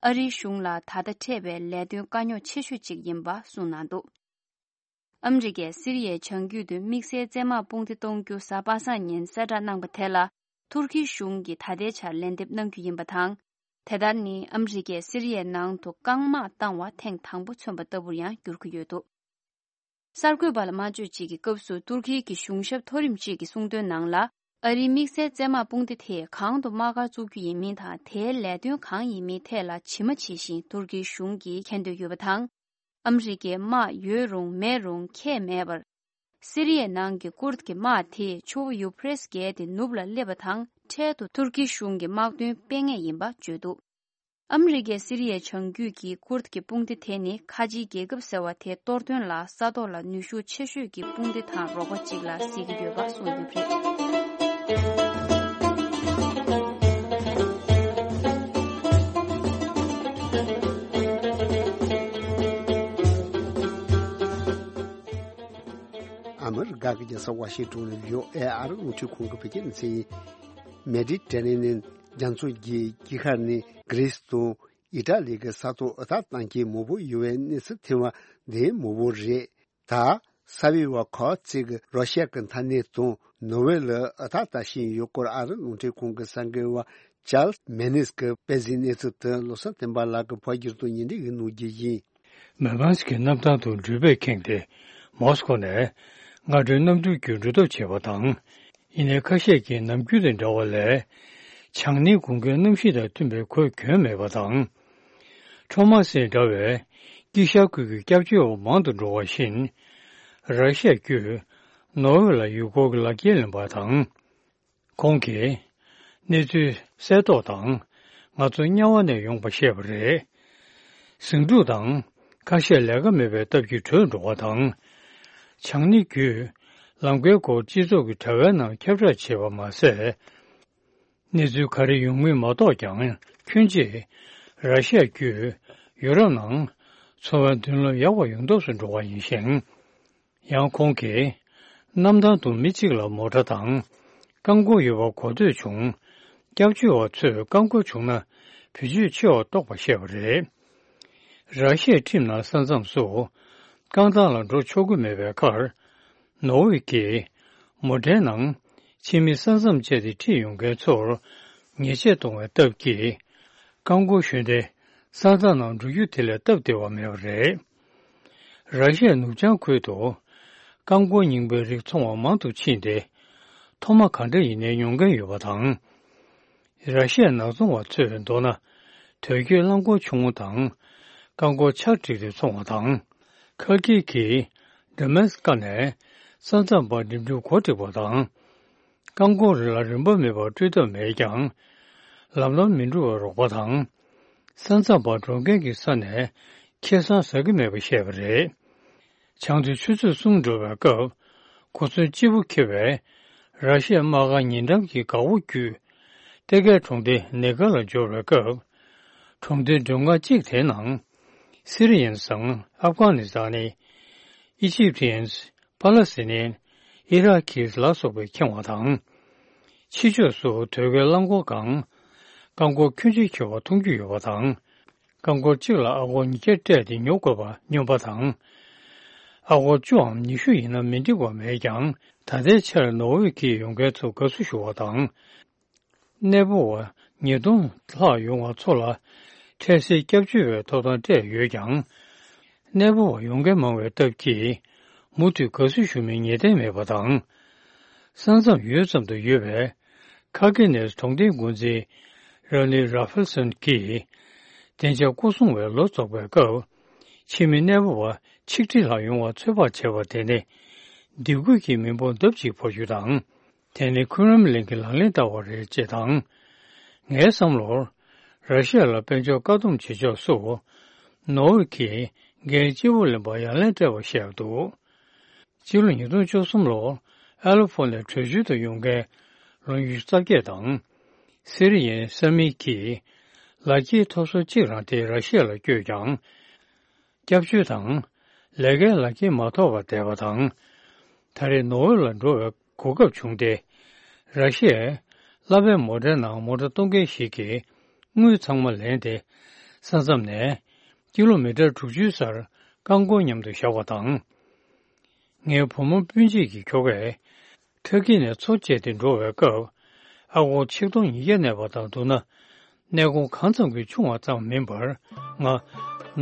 ཨ་རིའི་གཞུང་ལ་ད་ལྟ་འཕྲད་པའི་ལས་དོན་དཀའ་རྙོག་ཆེ་ཤོས་གཅིག་ཡིན་པ་གསུངས་གནང་འདུག་ཨ་མི་རི་ཀས་སི་རི་ཡའི་བྱང་རྒྱུད་དུ་དམིགས་བསལ་བཙན་དམག་དཔུང་སྡེ་གཏོང་རྒྱུ་གཟའ་པ་སངས་ཉིན་གསལ་བསྒྲགས་གནང་པ་དེ་ལ། ཏུར་ཀིའི་གཞུང་གིས་ད་ལྟའི་ཆར་ལན་འདེབས་གནང་རྒྱུ་ཡིན་པ་དང་། དེ་ལྟར་ནི་ཨ་མི་རི་ཀས་སི་རི་ཡའི་ནང་དུ་རྐང་དམག་བཏང་བ་ཐེངས་དང་པོ་མཚོན་པ་ལྟ་བུར་ཡང་འགྱུར་གྱི་ཡོད་འདུག་གསར་འགོད་པ་ལ་སྨྲ་བརྗོད་ཅིག་གི་སྐབས་སུ། ཏུར་ཀིའི་གི་གཞུང་ཞབས་མཐོ་རིམ་ཅིག་གིས་གསུངས་དོན་ནང་ལ། ཨ་རིའི་དམིགས་བསལ་བཙན་དམག་དཔུང་སྡེ་དེས་གང་དུ་དམག་སྒར་བཙུགས་རྒྱུ་ཡིན་མིན་དང་། དེའི་ལས་དོན་གང་ཡིན་མིན་ཐད་ལ་ཇི་མ་ཇི་བཞིན་ཏུར་ཀིའི་གཞུང་གིས་མཁྱེན་འདོད་ཡོད་པ་དང་། ཨ་མི་རི་ཀའི་དམག་ཡོད་རུང་མེད་རུང་ཁྱད་མེད་པར། སི་རི་ཡའི་ནང་གི་ཀུར་དཀྱི་དམག་དེས་ཆུ་བོ་ཡུ་ཕི་རེ་ཏི་བརྒལ་ཏེ་ནུབ་ལ་སླེབས་པ་དང་། འཕྲལ་དུ་ཏུར་ཀིའི་གཞུང་གི་དམག་དོན་སྤེལ་ངེས་ཡིན་པ་བརྗོད་འདུག་ཨ་མི་རི་ཀས་སི་རི་ཡའི་བྱང་རྒྱུད་ཀྱི་ཀུར་དཀྱི་དཔུང་སྡེ་དེ་ནི་ཁ་ཆེའི་རྒྱལ་ཁབ་ཟེར་བ་དེ་གཏོར་དོན་ལ་ས་ཐོག་ལ་ནུས་ཤུགས་ཆེ་ཤོས་ཀྱི་དཔུང་སྡེ་དང་རོགས་པ་ཅིག་ལ་གཟིགས་ཀྱི་ཡོད་པ་གསུངས་ཡོད་པ་རེད། ཨ་མི་རི་ཀ་གི་རྒྱལ་ས་ཝ་ཤིང་ཏོན་ནས་བྷི་ཨོ་ཨེ་ཨ་རི་རླུང་འཕྲིན་ཁང་གི་བོད་སྐད་སྡེ་ཚན་ཡིན། མེ་ཌི་ཊེ་རེ་ནི་ཡན་རྒྱ་མཚོ་གི་དཀྱིལ་ཁར་ནི་གྷི་རི་སི་དང་ཨི་ཊ་ལི་གི་ས་ཐོག་འུར་རྟགས་བཏང་མཁན་མང་པོ་ཡོད་པའི་གནས་ཚུལ་ཐོན་པ་འདི་མང་པོ་རེད། ད་ས་བི་ཝ་ཁོ་ཙི་གི་རོ་ཤི་ཡ་གི་མཐའ་སྣེ་དང་ནོར་ཝེ་ལ་འུར་རྟགས་ལྟ་བཞིན་ཡོད་སྐོར་ཨ་རི་རླུང་འཕྲིན་ཁང་གི་གསར་འགོད་པ་ཅཱལ་མེ་ནིས་ཀྱིས་སྤེལ་གཟིགས་གནས་ཚུལ་དེ་བློ་བཟང་བསྟན་པ་ལགས་ཀྱིས་ཕབ་བསྒྱུར་དང་སྙན་སྒྲོན་ཞུ་གནང་རྒྱུ་ཡིན། མེ་མཱན་སི་ཀྱི་གནམ་ཐང་དུ་འགྲུལ་པས་ཁེངས་ཏེ། མོ་སི་ཀོ་ནས་སྔ་དྲོའི་གནམ་གྲུ་བརྒྱུད་འགྲོ་ཐབས་བྱས་པ་དང་། ཡིན་ནའི་ཁ་ཤས་ཀྱིས་ནམ་རྒྱུན་དང་འདྲ་བ་ལས། བྱང་སྣེའི་དགུན་ཁའི་གནམ་གཤིས་དང་མཐུན་པའི་གོས་གྱོན་མེད་པ་དང་། ཁྲོམ་དམག་སེམས་འདྲ་བའི་དཀྱིལ་ཤར་ཁུལ་གྱི་སྐྱབས་བཅོལ་བ་མང་དུ་འགྲོ་བ་བཞིན། ར་ཤི་ཡ་བརྒྱུད་ ནོར་ཝེ་ལ་ཡུལ་སྐོར་གྱི་ལག་འཁྱེར་ལེན་པ་དང་། ཁོང་གིས་གནས་ཚུལ་གསལ་རྟོགས་དང་ང་ཚོ་དམྱལ་བ་ནས་ཡོང་པ་བཤད་པ་རེད། ཟིང་འཁྲུག་དང་ཁ་ཤས་ལས་ཀ་མེད་པའི་སྟབས་ཀྱིས་བྲོས་འགྲོ་བ་དང་། བྱང་སྣེ་བརྒྱུད་ལམ་ཁའི་སྐོར་སྤྱི་ཚོགས་ཀྱི་དྲ་བའི་ནང་ཁྱབ་བསྒྲགས་བྱས་པ་མ་ཟད། གནས་ཚུལ་ག་རེ་ཡོང་མིན་མ་རྟོགས་ཀྱང་ཁྱོན་ཆེ་ར་ཤི་ཡ་བརྒྱུད་ཡུ་རོབ་ནང་འཚོ་བའི་མདུན་ལམ་ཡག་པ་ཡོང་ཐབས་སུ་འགྲོ་བ་ཡིན་ཞིང་། ཡང་ཁོང་གིས་གནམ་ཐང་དུ་མི་གཅིག་ལ་མོ་ཊ་དང་རྐང་འཁོར་ཡོད་པ་གོ་ཐོས་བྱུང་། སྐྱབས་བཅོལ་བ་ཚོས་རྐང་འཁོར་བྱུང་ན་བེད་སྤྱོད་ཆེ་བ་གཏོགས་པ་བཤད་པ་རེད། ར་ཤི་ཡའི་ཁྲིམས་ནང་ས་མཚམས་སུ་རྐང་ཐང་ལ་འགྲོ་ཆོག་གི་མེད་པའི་ཁར། ནོར་ཝེ་གིས་མོ་ཊའི་ནང་ཕྱི་མི་ས་མཚམས་བཅད་དེ་ཁྲིད་ཡོང་མཁན་ཚོར་ཉེས་ཆད་གཏོང་བའི་སྟབས་ཀྱིས། རྐང་འཁོར་ཞོན་ཏེ་ས་མཚམས་ནང་འགྲོ་རྒྱུ་དེ་ལས་སྟབས་བདེ་བ་མེད་པ་རེད། ར་ཤི་ཡའི་ནུབ་བྱང་ཁུལ་དུ་རྐང་འཁོར་རྙིང་པའི་རིགས་འཚོང་བ་མང་དུ་ཕྱིན་ཏེ། མཐོ་དམའ་གང་འདྲ་ཡིན་ནའི་ཉོ་མཁན་ཡོད་པ་དང་། ར་ཤི་ཡའི་ནག་ཚོང་བ་ཚོས་མདོར་ན་དོས་སྐྱེལ་རླངས་འཁོར་ཆུང་ངུ་དང་རྐང་འཁོར་ཆར་བསྒྲིགས་ཏེ་འཚོང་བ་དང་། ཁ་ཀིར་གྱིས་འདྲ་མེན་སི་ཀ་ནས་ས་མཚམས་བར་འགྲིམ་འགྲུལ་འགོ་བཙུགས་པ་དང་། རྐང་འཁོར་རེ་ལ་རིན་པ་མེད་པར་སྤྲོད་ཐབས་མེད་ཀྱང་། ལམ་ལམ་མི་འགྲོ་བར་རོགས་པ་དང་། ས་མཚམས་བར་འགྲོ་མཁན་གྱི་ས་ནས་ཁེ་བཟང་ཟ་གི་མེད་པ་བཤད་པ་རེད། བྱང་དུ་ཆུ་ཚོད་གསུམ་འགྲོ་བའི་སྐབས། གོ་མཚོན་སྐྱིད་པོ་འཁེལ་བའི་ར་ཤི་ཡའི་དམག་སྒར་ཉེ་འགྲམ་གྱི་སྒར་འོག་བརྒྱུད། ཏེ་ཀའི་གྲོང་སྡེ་ནེ་གྷ་ལ་འབྱོར་བའི་སྐབས། གྲོང་སྡེའི་མགྲོན་ཁང་གཅིག་དེའི་ནང་། སི་རི་ཡན་སམ། ཨབ་གྷ་ནི་སི་ཐན། ཨི་ཇིབ་ཏི་ཡན། པ་ལ་སི་ཐི་ནི་ཡན། ཨི་རག་གྷི་ལ་སོགས་པའི་ཁེངས་པ་དང་། ཕྱི་ཕྱོགས་སུ་དོས་སྐྱེལ་རླངས་འཁོར་གང་། རྐང་འཁོར་ཁྱོན་ཆེ་ཁྱེར་བ་མཐོང་རྒྱུ་ཡོད་པ་དང་། རྐང་འཁོར་གཅིག་ལ་ཨ་སྒོར་ཉིས་བརྒྱ་སྤྲད་དེ་ཉོ་དགོས་པ་སྨྱོན་པ་དང་། ཨ་སྒོར་བཅུའམ་ཉི་ཤུ་ཡིན་ན་མི་འགྲིག་པ་མེད་ཀྱང་། ད་ལྟའི་ཆར་ནོར་ཝེ་གྱི་ཡོང་མཁན་ཚོ་དགའ་བསུ་ཞུ་བ་དང་། གནས་སྤོ་བ་ཉིས་སྟོང་ལྷག་ཡོང་བ་ཚོ་ལ་འཕྲལ་སེལ་སྐྱབས་བཅོལ་བའི་ཐོབ་ཐང་སྤྲད་ཡོད་ཀྱང་། གནས་སྤོ་བ་ཡོང་མཁན་མང་བའི་སྟབས་ཀྱིས་མུ་མཐུད་དགའ་བསུ་ཞུ་མིན་ངེས་གཏན་མེད་པ་དང་། ས་མཚམས་ཡོལ་ཙམ་དུ་ཡོད་པའི་ཁ་ཀེ་ནེ་གྲོང་སྡེའི་འགོ་འཛིན་ར་ནི་ར་ཧྥེལ་སོན་གྱིས། བདེ་འཇགས་སྐོར་སྲུང་བས་ལོ་རྫོགས་པའི་སྐབས། ཕྱི་མི་གནས་སྤོ་བ་ཆིག་ཁྲི་ལྷག་ཡོང་བར་ཚོད་དཔག་བྱས་པ་དེ་ནི། སྡིགས་སྐུལ་གྱི་མི་འབོར་ལྡབ་གཅིག་འཕར་རྒྱུ་དང་། དེ་ནི་ཁུན་རམ་གླིང་གི་ལག་ལེན་བསྟར་བ་རེད་ཅེས་དང་། ངའི་བསམ་བློར། ར་ཤི་ཡ་ལ་དཔལ་འབྱོར་བཀག་སྡོམ་བྱེད་ཕྱོགས་སུ། ནོར་ཝེ་གྱིས་འགན་ལྕི་པོ་ལེན་པར་ཡ་ལན་སྤྲད་པ་ཤེས་འདུག་སྤྱི་ལོ་ཉིས་སྟོང་བཅུ་གསུམ་ལོར་ཨ་ལོ་ཕོ་ནས་བྲོས་བྱོལ་དུ་ཡོང་མཁན་ལོ་ཉི་ཤུ་རྩ་བརྒྱད་དང་། སི་རི་ཡན་ས་མིག་གིས་ལག་འཁྱེར་ཐོབ་སོ་གཅིག་རང་དེ་ར་ཤི་ཡ་ལ་བསྐྱོད་ཀྱང་། སྐྱབས་བཅོལ་དང་། ལས་ཀའི་ལག་འཁྱེར་མ་ཐོབ་པར་བསྡད་པ་དང་། ད་རེས་ནོར་ཝེ་ལ་འགྲོ་བའི་གོ་སྐབས་བྱུང་སྟེ། ར་ཤི་ཡའི་གླ་པའི་མོ་ཊའི་ནང་མོ་ཊ་གཏོང་མཁན་ཞིག་གིས་དངུལ་ཚང་མ་ལེན་ཏེ། ས་མཚམས་ནས་ཀི་ལོ་མི་ཊར་དྲུག་ཅུའི་སར་རྐང་འཁོར་མཉམ་དུ་བཞག་པ་དང་། ངའི་བུ་མོ་སྤུན་མཆེད་ཀྱི་ཁྱོ་གས་ཁྲ་ཀི་ནས་མཚོ་བཅད་དེ་འགྲོ་བའི་སྐབས། ཨ་སྒོར་ཆིག་སྟོང་ཉིས་བརྒྱ་གནས་པ་དང་བསྡུར་ན། གནས་གོང་གང་ཙམ་གྱིས་ཆུང་བ་ཙམ་མིན་པར། ང་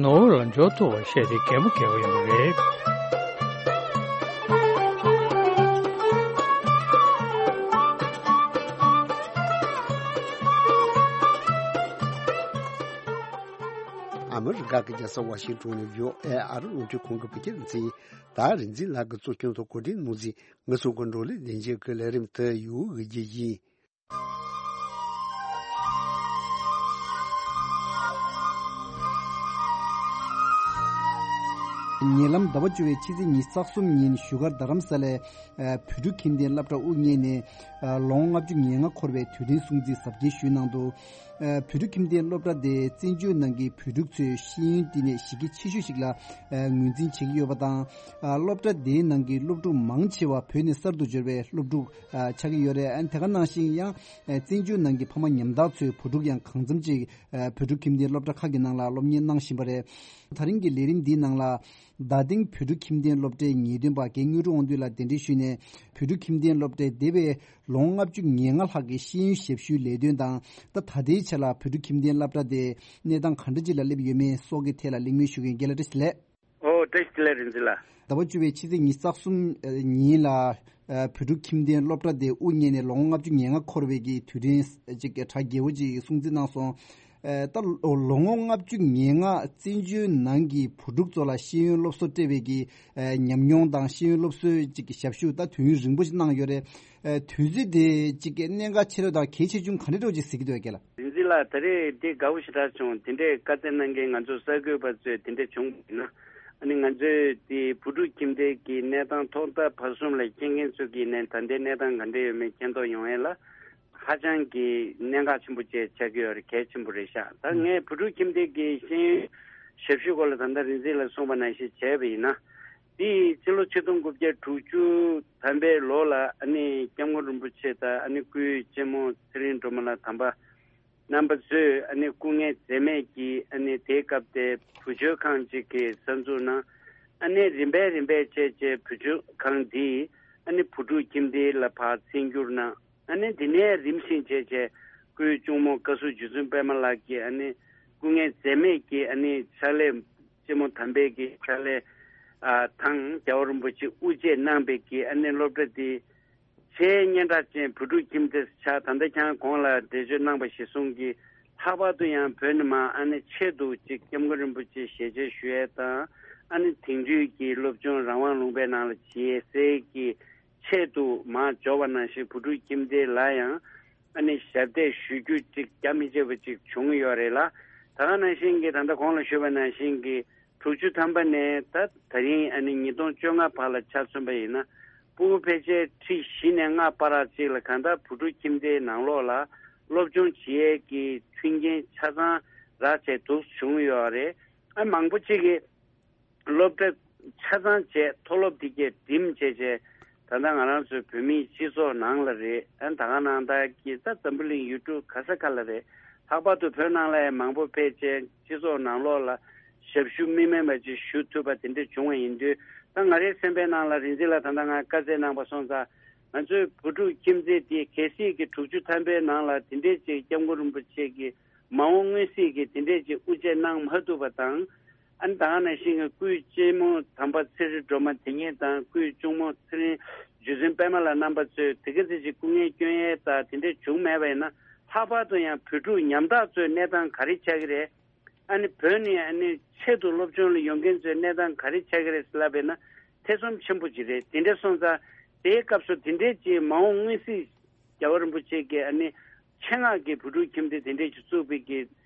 ནོར་ཝེ་ལ་འབྱོར་ཐུབ་པ་བཤད་དེ་གད་མོ་བགད་པ་ཡིན་པ་རེད། ཨ་མི་རི་ཀ་གི་རྒྱལ་ས་ཝ་ཤིང་ཏོན་ནས་བྷི་ཨོ་ཨེ་ཨ་རི་རླུང་འཕྲིན་ཁང་གི་བོད་སྐད་སྡེ་ཚན། ད་རིག་འཛིན་ལགས་ཀྱིས་གཙོ་སྐྱོང་དུ་གོ་སྒྲིག་གནང་མཛད། ང་ཚོ་གི་འབྲོག་ལས་ལྷན་རྒྱས་ཀྱི་ལས་རིམ་དེ་ཡུ་གུ་གི་ཡིན། ཉེ་ལམ་ཟླ་བ་བཅུ་བའི་ཕྱི་ཚེས་ཉི་ཤུ་རྩ་གསུམ་ཉིན་བཞུགས་སྒར་རྡ་རམ་ས་ལའི་བོད་ཕྲུག་ཁྱིམ་སྡེའི་སློབ་གྲྭ་དབུ་བརྙེས་ནས་ལོ་ངོ་ལྔ་བཅུ་ང་ལྔ་འཁོར་བའི་དུས་དྲན་སྲུང་བརྩི་གཟབ་རྒྱས་ཞུས་གནང་འདུག་བོད་ཕྲུག་ཁྱིམ་སྡེའི་སློབ་གྲྭ་དེ་བཙན་བྱོལ་ནང་གི་བོད་ཕྲུག་ཚོའི་ཤེས་ཡོན་བསྟི་གནས་གཞི་རྒྱ་ཆེ་ཤོས་ཤིག་ལ་ངོས་འཛིན་བྱེད་ཀྱི་ཡོད་པ་དང་། སློབ་གྲྭ་དེའི་ནང་གི་སློབ་ཕྲུག་མང་ཆེ་བ་བོད་ནས་གསར་དུ་འབྱོར་བའི་སློབ་ཕྲུག་ཆགས་ཀྱི་ཡོད་རེད། དེ་ག་ནང་བཞིན་ཡང་བཙན་བྱོལ་ནང་གི་ཕ་མ་ཉམ་ཐག་ཚོའི་བུ་ཕྲུག་ཡང་གང་འཚམ་ཅིག་བོད་ཕྲུག་ཁྱིམ་སྡེའི་སློབ་གྲྭ་ཁག་གི་ནང་ལ་སློབ་གཉེར་གནང་བཞིན་པ་རེད། ད་རིང་གི་ལས་རིམ་འདིའི་ནང་ལ། རྡ་སྟེང་བོད་ཕྲུག་ཁྱིམ་སྡེའི་སློབ་གྲྭའི་ངེས་སྟོན་པ་རྒན་དངོས་གྲུབ་དབང་འདུས་ལགས་གདན་འདྲེན་ཞུས་ནས། བོད་ཕྲུག་ཁྱིམ་སྡེའི་སློབ་གྲྭའི་འདས་པའི་ལོ་ངོ་ལྔ་བཅུ་ང་ལྔ་ལྷག་གི་ཤེས་ཡོན་ཞབས་ཞུའི་ལས་དོན་དང་། ད་ད་ལྟའི་ཆ་ལ་བོད་ཕྲུག་ཁྱིམ་སྡེའི་སློབ་གྲྭ་དེ་གནས་སྟངས་ག་འདྲ་ཅིག་ལ་སླེབས་ཡོད་མེད་སོགས་ཀྱི་ཐད་ལ་གླེང་མོལ་ཞུ་མཁན་རྒན་ལགས་བཀྲ་ཤིས་བདེ་ལེགས། ཨོ་བཀྲ་ཤིས་བདེ་ལེགས་རིག་འཛིན་ལགས། ཟླ་བ་བཅུ་བའི་ཕྱི་ཚེས་ཉི་ཤུ་རྩ་གསུམ་ཉིན་ལ་བོད་ཕྲུག་ཁྱིམ་སྡེའི་སློབ་གྲྭ་དེ་དབུ་བརྙེས་ནས་ལོ་ངོ་ལྔ་བཅུ་ང་ལྔ་འཁོར་བའི་གི་དུས་དྲན་ཅིག་གྲ་རྒྱས་པོ་ཅིག་སྲུང་བརྩི་གནང་སོང་། ཨ་ད་ལོ་ངོ་ལྔ་བཅུ་ང་ལྔ་བཙན་བྱོལ་ནང་གི་བུ་ཕྲུག་ཚོ་ལ་ཤེས་ཡོན་སློབ་གསོ་སྤྲད་པའི་གི་ཨ་ཉམས་མྱོང་དང་ཤེས་ཡོན་སློབ་གསོའི་ཅིག་གི་ཞབས་ཞུ་ད་དུས་ཡུན་རིང་པོ་ཞིག་གནང་ཡོད་རེད། ཨ་དུས་ཚོད་དེ་ཅིག་གི་གནད་འགག་ཆེ་རུ་དང་གལ་ཆེ་ཆུང་ག་འདྲ་འདྲ་ཅིག་གཟིགས་ཀྱི་འདུག་རྒན་ལགས། རིག་འཛིན་ལགས། ད་རེས་འདི་དགའ་པོ་ཞེ་དྲག་བྱུང་། དེ་འདྲའི་བཀའ་སྩལ་གནང་མཁན་ང་ཚོ་གསར་འགོད་པ་ཚོས་དེ་འདྲ་བྱུང་བ་ཡིན་ན། ཨ་ནི་ང་ཚོས་དེ་བུ་ཕྲུག་ཁྱིམ་སྡེ་གི་གནས་སྟངས་ཐོག་མཐའ་བར་གསུམ་ལ་མཁྱེན་མཁན་ཚོ་གིས་ནས་ད་ལྟའི་གནས་སྟངས་ག་འདྲ་ཡོད་མེད་མཁྱེན་རྟོགས་ཡོང་ཡས་ལ་ཧ་ཅང་གི་གནད་འགག་ཆེན་པོ་བཅས་ཆགས་ཀྱི་ཡོད་རེད། གལ་ཆེན་པོ་རེད་ཤག་ད་ངས་བུ་ཕྲུག་ཁྱིམ་སྡེ་གི་ཤེས་ཡོན་ཞབས་ཞུའི་སྐོར་ལ་ད་ལྟ་རིག་འཛིན་ལ་གསུངས་པ་ནང་བཞིན་བྱས་པ་ཡིན་ན། དེ་ཕྱི་ལོ་ཆིག་སྟོང་དགུ་བརྒྱ་དྲུག་ཅུ་ཐམ་པའི་ལོ་ལ་ཨ་ནི་སྐྱབས་མགོན་རིན་པོ་ཆེ་དང་ཨ་ནི་སྐུའི་གཅེན་མོ་ཚེ་རིང་སྒྲོལ་མ་ལགས་དམ་པ་རྣམ་པ་ཚོས་ཨ་ནི་སྐུ་ངལ་འཛེམས་མེད་ཀྱིས་ཨ་ནི་དེའི་སྐབས་དེ་བུ་བཅོལ་ཁང་ཅིག་གི་གསར་འཛུགས་གནང་། ཨ་ནི་རིམ་པས་རིམ་པས་བྱས་བྱས་བུ་བཅོལ་ཁང་འདི་ཨ་ནི་བུ་ཕྲུག་ཁྱིམ་སྡེ་ལ་ཕར་བཙན་བསྒྱུར་གནང་། ཨ་ནི་དེ་ནས་རིམ་བཞིན་བྱས་བྱས་སྐུའི་གཅུང་མོ་བཀའ་ཟུར་རྗེ་བཙུན་པད་མ་ལགས་ཀྱིས་ཨ་ནི་སྐུ་ངལ་འཛེམས་མེད་ཀྱིས་ཨ་ནི་ཕྱག་ལས་གཅེན་མོ་དམ་པའི་གི་ཕྱག་ལས་ཨ་དང་རྒྱལ་བ་རིན་པོ་ཆེ་དབུ་འབྱེད་གནང་བའི་གི་ཨ་ནི་སློབ་གྲྭ་འདི་ཆེས་སྙན་གྲགས་ཅན་བུ་ཕྲུག་ཁྱིམ་སྡེ་ཆགས། ད་ལྟ་ཁྱེད་རང་གོང་ལ་འགྲེལ་བརྗོད་གནང་པ་གཞིར་བཟུང་གིས་ལྷག་པར་དུ་ཡང་བོད་ནས་མར་ཨ་ནི་ཆེད་དུ་ཅིག་སྐྱབས་མགོན་རིན་པོ་ཆེ་ཞལ་མཇལ་ཞུ་ཡས་དང་ཨ་ནི་དེང་དུས་ཀྱི་སློབ་སྦྱོང་རང་དབང་ལུང་པའི་ནང་ལ་བྱེད་སའི་གི་ཆེད་དུ་མར་འབྱོར་བ་ནང་བཞིན་བུ་ཕྲུག་ཁྱིམ་སྡེ་ལ་ཡང་ཨ་ནི་ཞབས་འདེགས་ཞུ་རྒྱུ་ཅིག་རྒྱ་མི་ཆད་པ་ཅིག་བྱུང་ཡོད་རེད་ལ། ད་ག་ནང་བཞིན་གྱི་ད་ལྟ་གོང་ལ་ཞུས་པ་ནང་བཞིན་གྱི་དྲུག་ཅུ་ཐམ་པ་ནས་ད་ད་རིང་ཨ་ནི་ཉིས་སྟོང་བཅོ་ལྔ་བར་ལ་ཆ་མཚོན་པ་ཡིན་ན། ཕྲུ་གུ་ཕལ་ཆེར་ཁྲི་བཞི་ནས་ལྔ་བར་ཅིག་ལ་གང་ལྟར་བུ་ཕྲུག་ཁྱིམ་སྡེའི་ནང་ལོགས་ལ་སློབ་སྦྱོང་བྱེད་ཡས་ཀྱི་མཐུན་རྐྱེན་ཆ་ཚང་རག་བྱས་འདུག་བྱུང་ཡོད་རེད། ཨ་མང་པོ་ཅིག་གིས་སློབ་གྲྭ་ཆ་ཚང་བྱས་མཐོ་སློབ་དེ་གས་འགྲིམ་བྱས་བྱས། ད་ལྟ་ང་རང་ཚོའི་བོད་མིའི་སྤྱི་ཚོགས་ནང་ལ་རེད། ཨ་ད་ག་ནང་ལྟར་གྱི་ད་འཛམ་བུ་གླིང་ཡུལ་གྲུ་ག་ས་ག་ལ་རེད། ལྷག་པར་དུ་བོད་ནང་ལ་ཡང་མང་པོ་ཕལ་ཆེར་སྤྱི་ཚོགས་ནང་ལོགས་ལ་ཞབས་ཞུ་མི་དམན་པ་ཅིག་ཞུ་ཐུབ་པ་དེ་འདྲ་བྱུང་བ་ཡིན་དུས། ད་ང་རའི་སེམས་པའི་ནང་ལ་རིག་འཛིན་ལགས་ད་ལྟ་ང་བཀའ་སྩལ་གནང་པ་སོང་ཙང་། ང་ཚོའི་བུ་ཕྲུག་ཁྱིམ་མཚེས་དེ་གལ་སྲིད་ཀྱི་དྲུག་ཅུ་ཐམ་པའི་ནང་ལ་དེ་འདྲས་ཅིག་སྐྱབས་མགོན་རིན་པོ་ཆེ་གིས་མ་འོངས་མངོན་གསལ་གྱི་དེ་འདྲས་ཅིག་དབུ་འབྱེད་གནང་མ་ཐུབ་པ་དང་། ཨ་ནི་ད་ག་ནང་བཞིན་གྱི་སྐུའི་གཅེན་མོ་དམ་པ་ཚེ་རིང་སྒྲོལ་མ་དེ་ཉིད་དང་སྐུའི་གཅུང་མོ་ཚེ་རིང་རྗེ་བཙུན་པད་མ་ལགས་རྣམ་པ་ཚོས་དེ་ག་ཚོད་ཅིག་སྐུ་ངལ་སྐྱོན་ཡས་དང་དེ་འདྲས་བྱུང་མེད་པ་ཡིན་ན། ལྷག་པར་དུ་ཡང་བོད་ཕྲུག་ཉམ་ཐག་ཚོའི་གནས་སྟངས་ག་རེ་ཆགས་ཀྱི་རེད། ཨ་ནི་བོད་ནས་ཨ་ནི་ཆེད་དུ་སློབ་སྦྱོང་ལ་ཡོང་མཁན་ཚོའི་གནས་སྟངས་ག་རེ་ཆགས་ཀྱི་རེད་ཟེར་ལབ་པ་ཡིན་ན། ཐེ་ཚོམ་ཆེན་པོ་ཅིག་རེད། དེ་འདྲ་སོང་ཙང་དེའི་སྐབས་སུ་དེ་འདྲས་ཅིག་མ་འོངས་མངོན་གསལ་རྒྱལ་བ་རིན་པོ་ཆེ་གིས་ཨ་ནི་ཆེད་མངགས་ཀྱི་བུ་ཕྲུག་ཁྱིམ་སྡེ་དེ་འདྲས་ཅིག་བཙུགས་པའི་གི་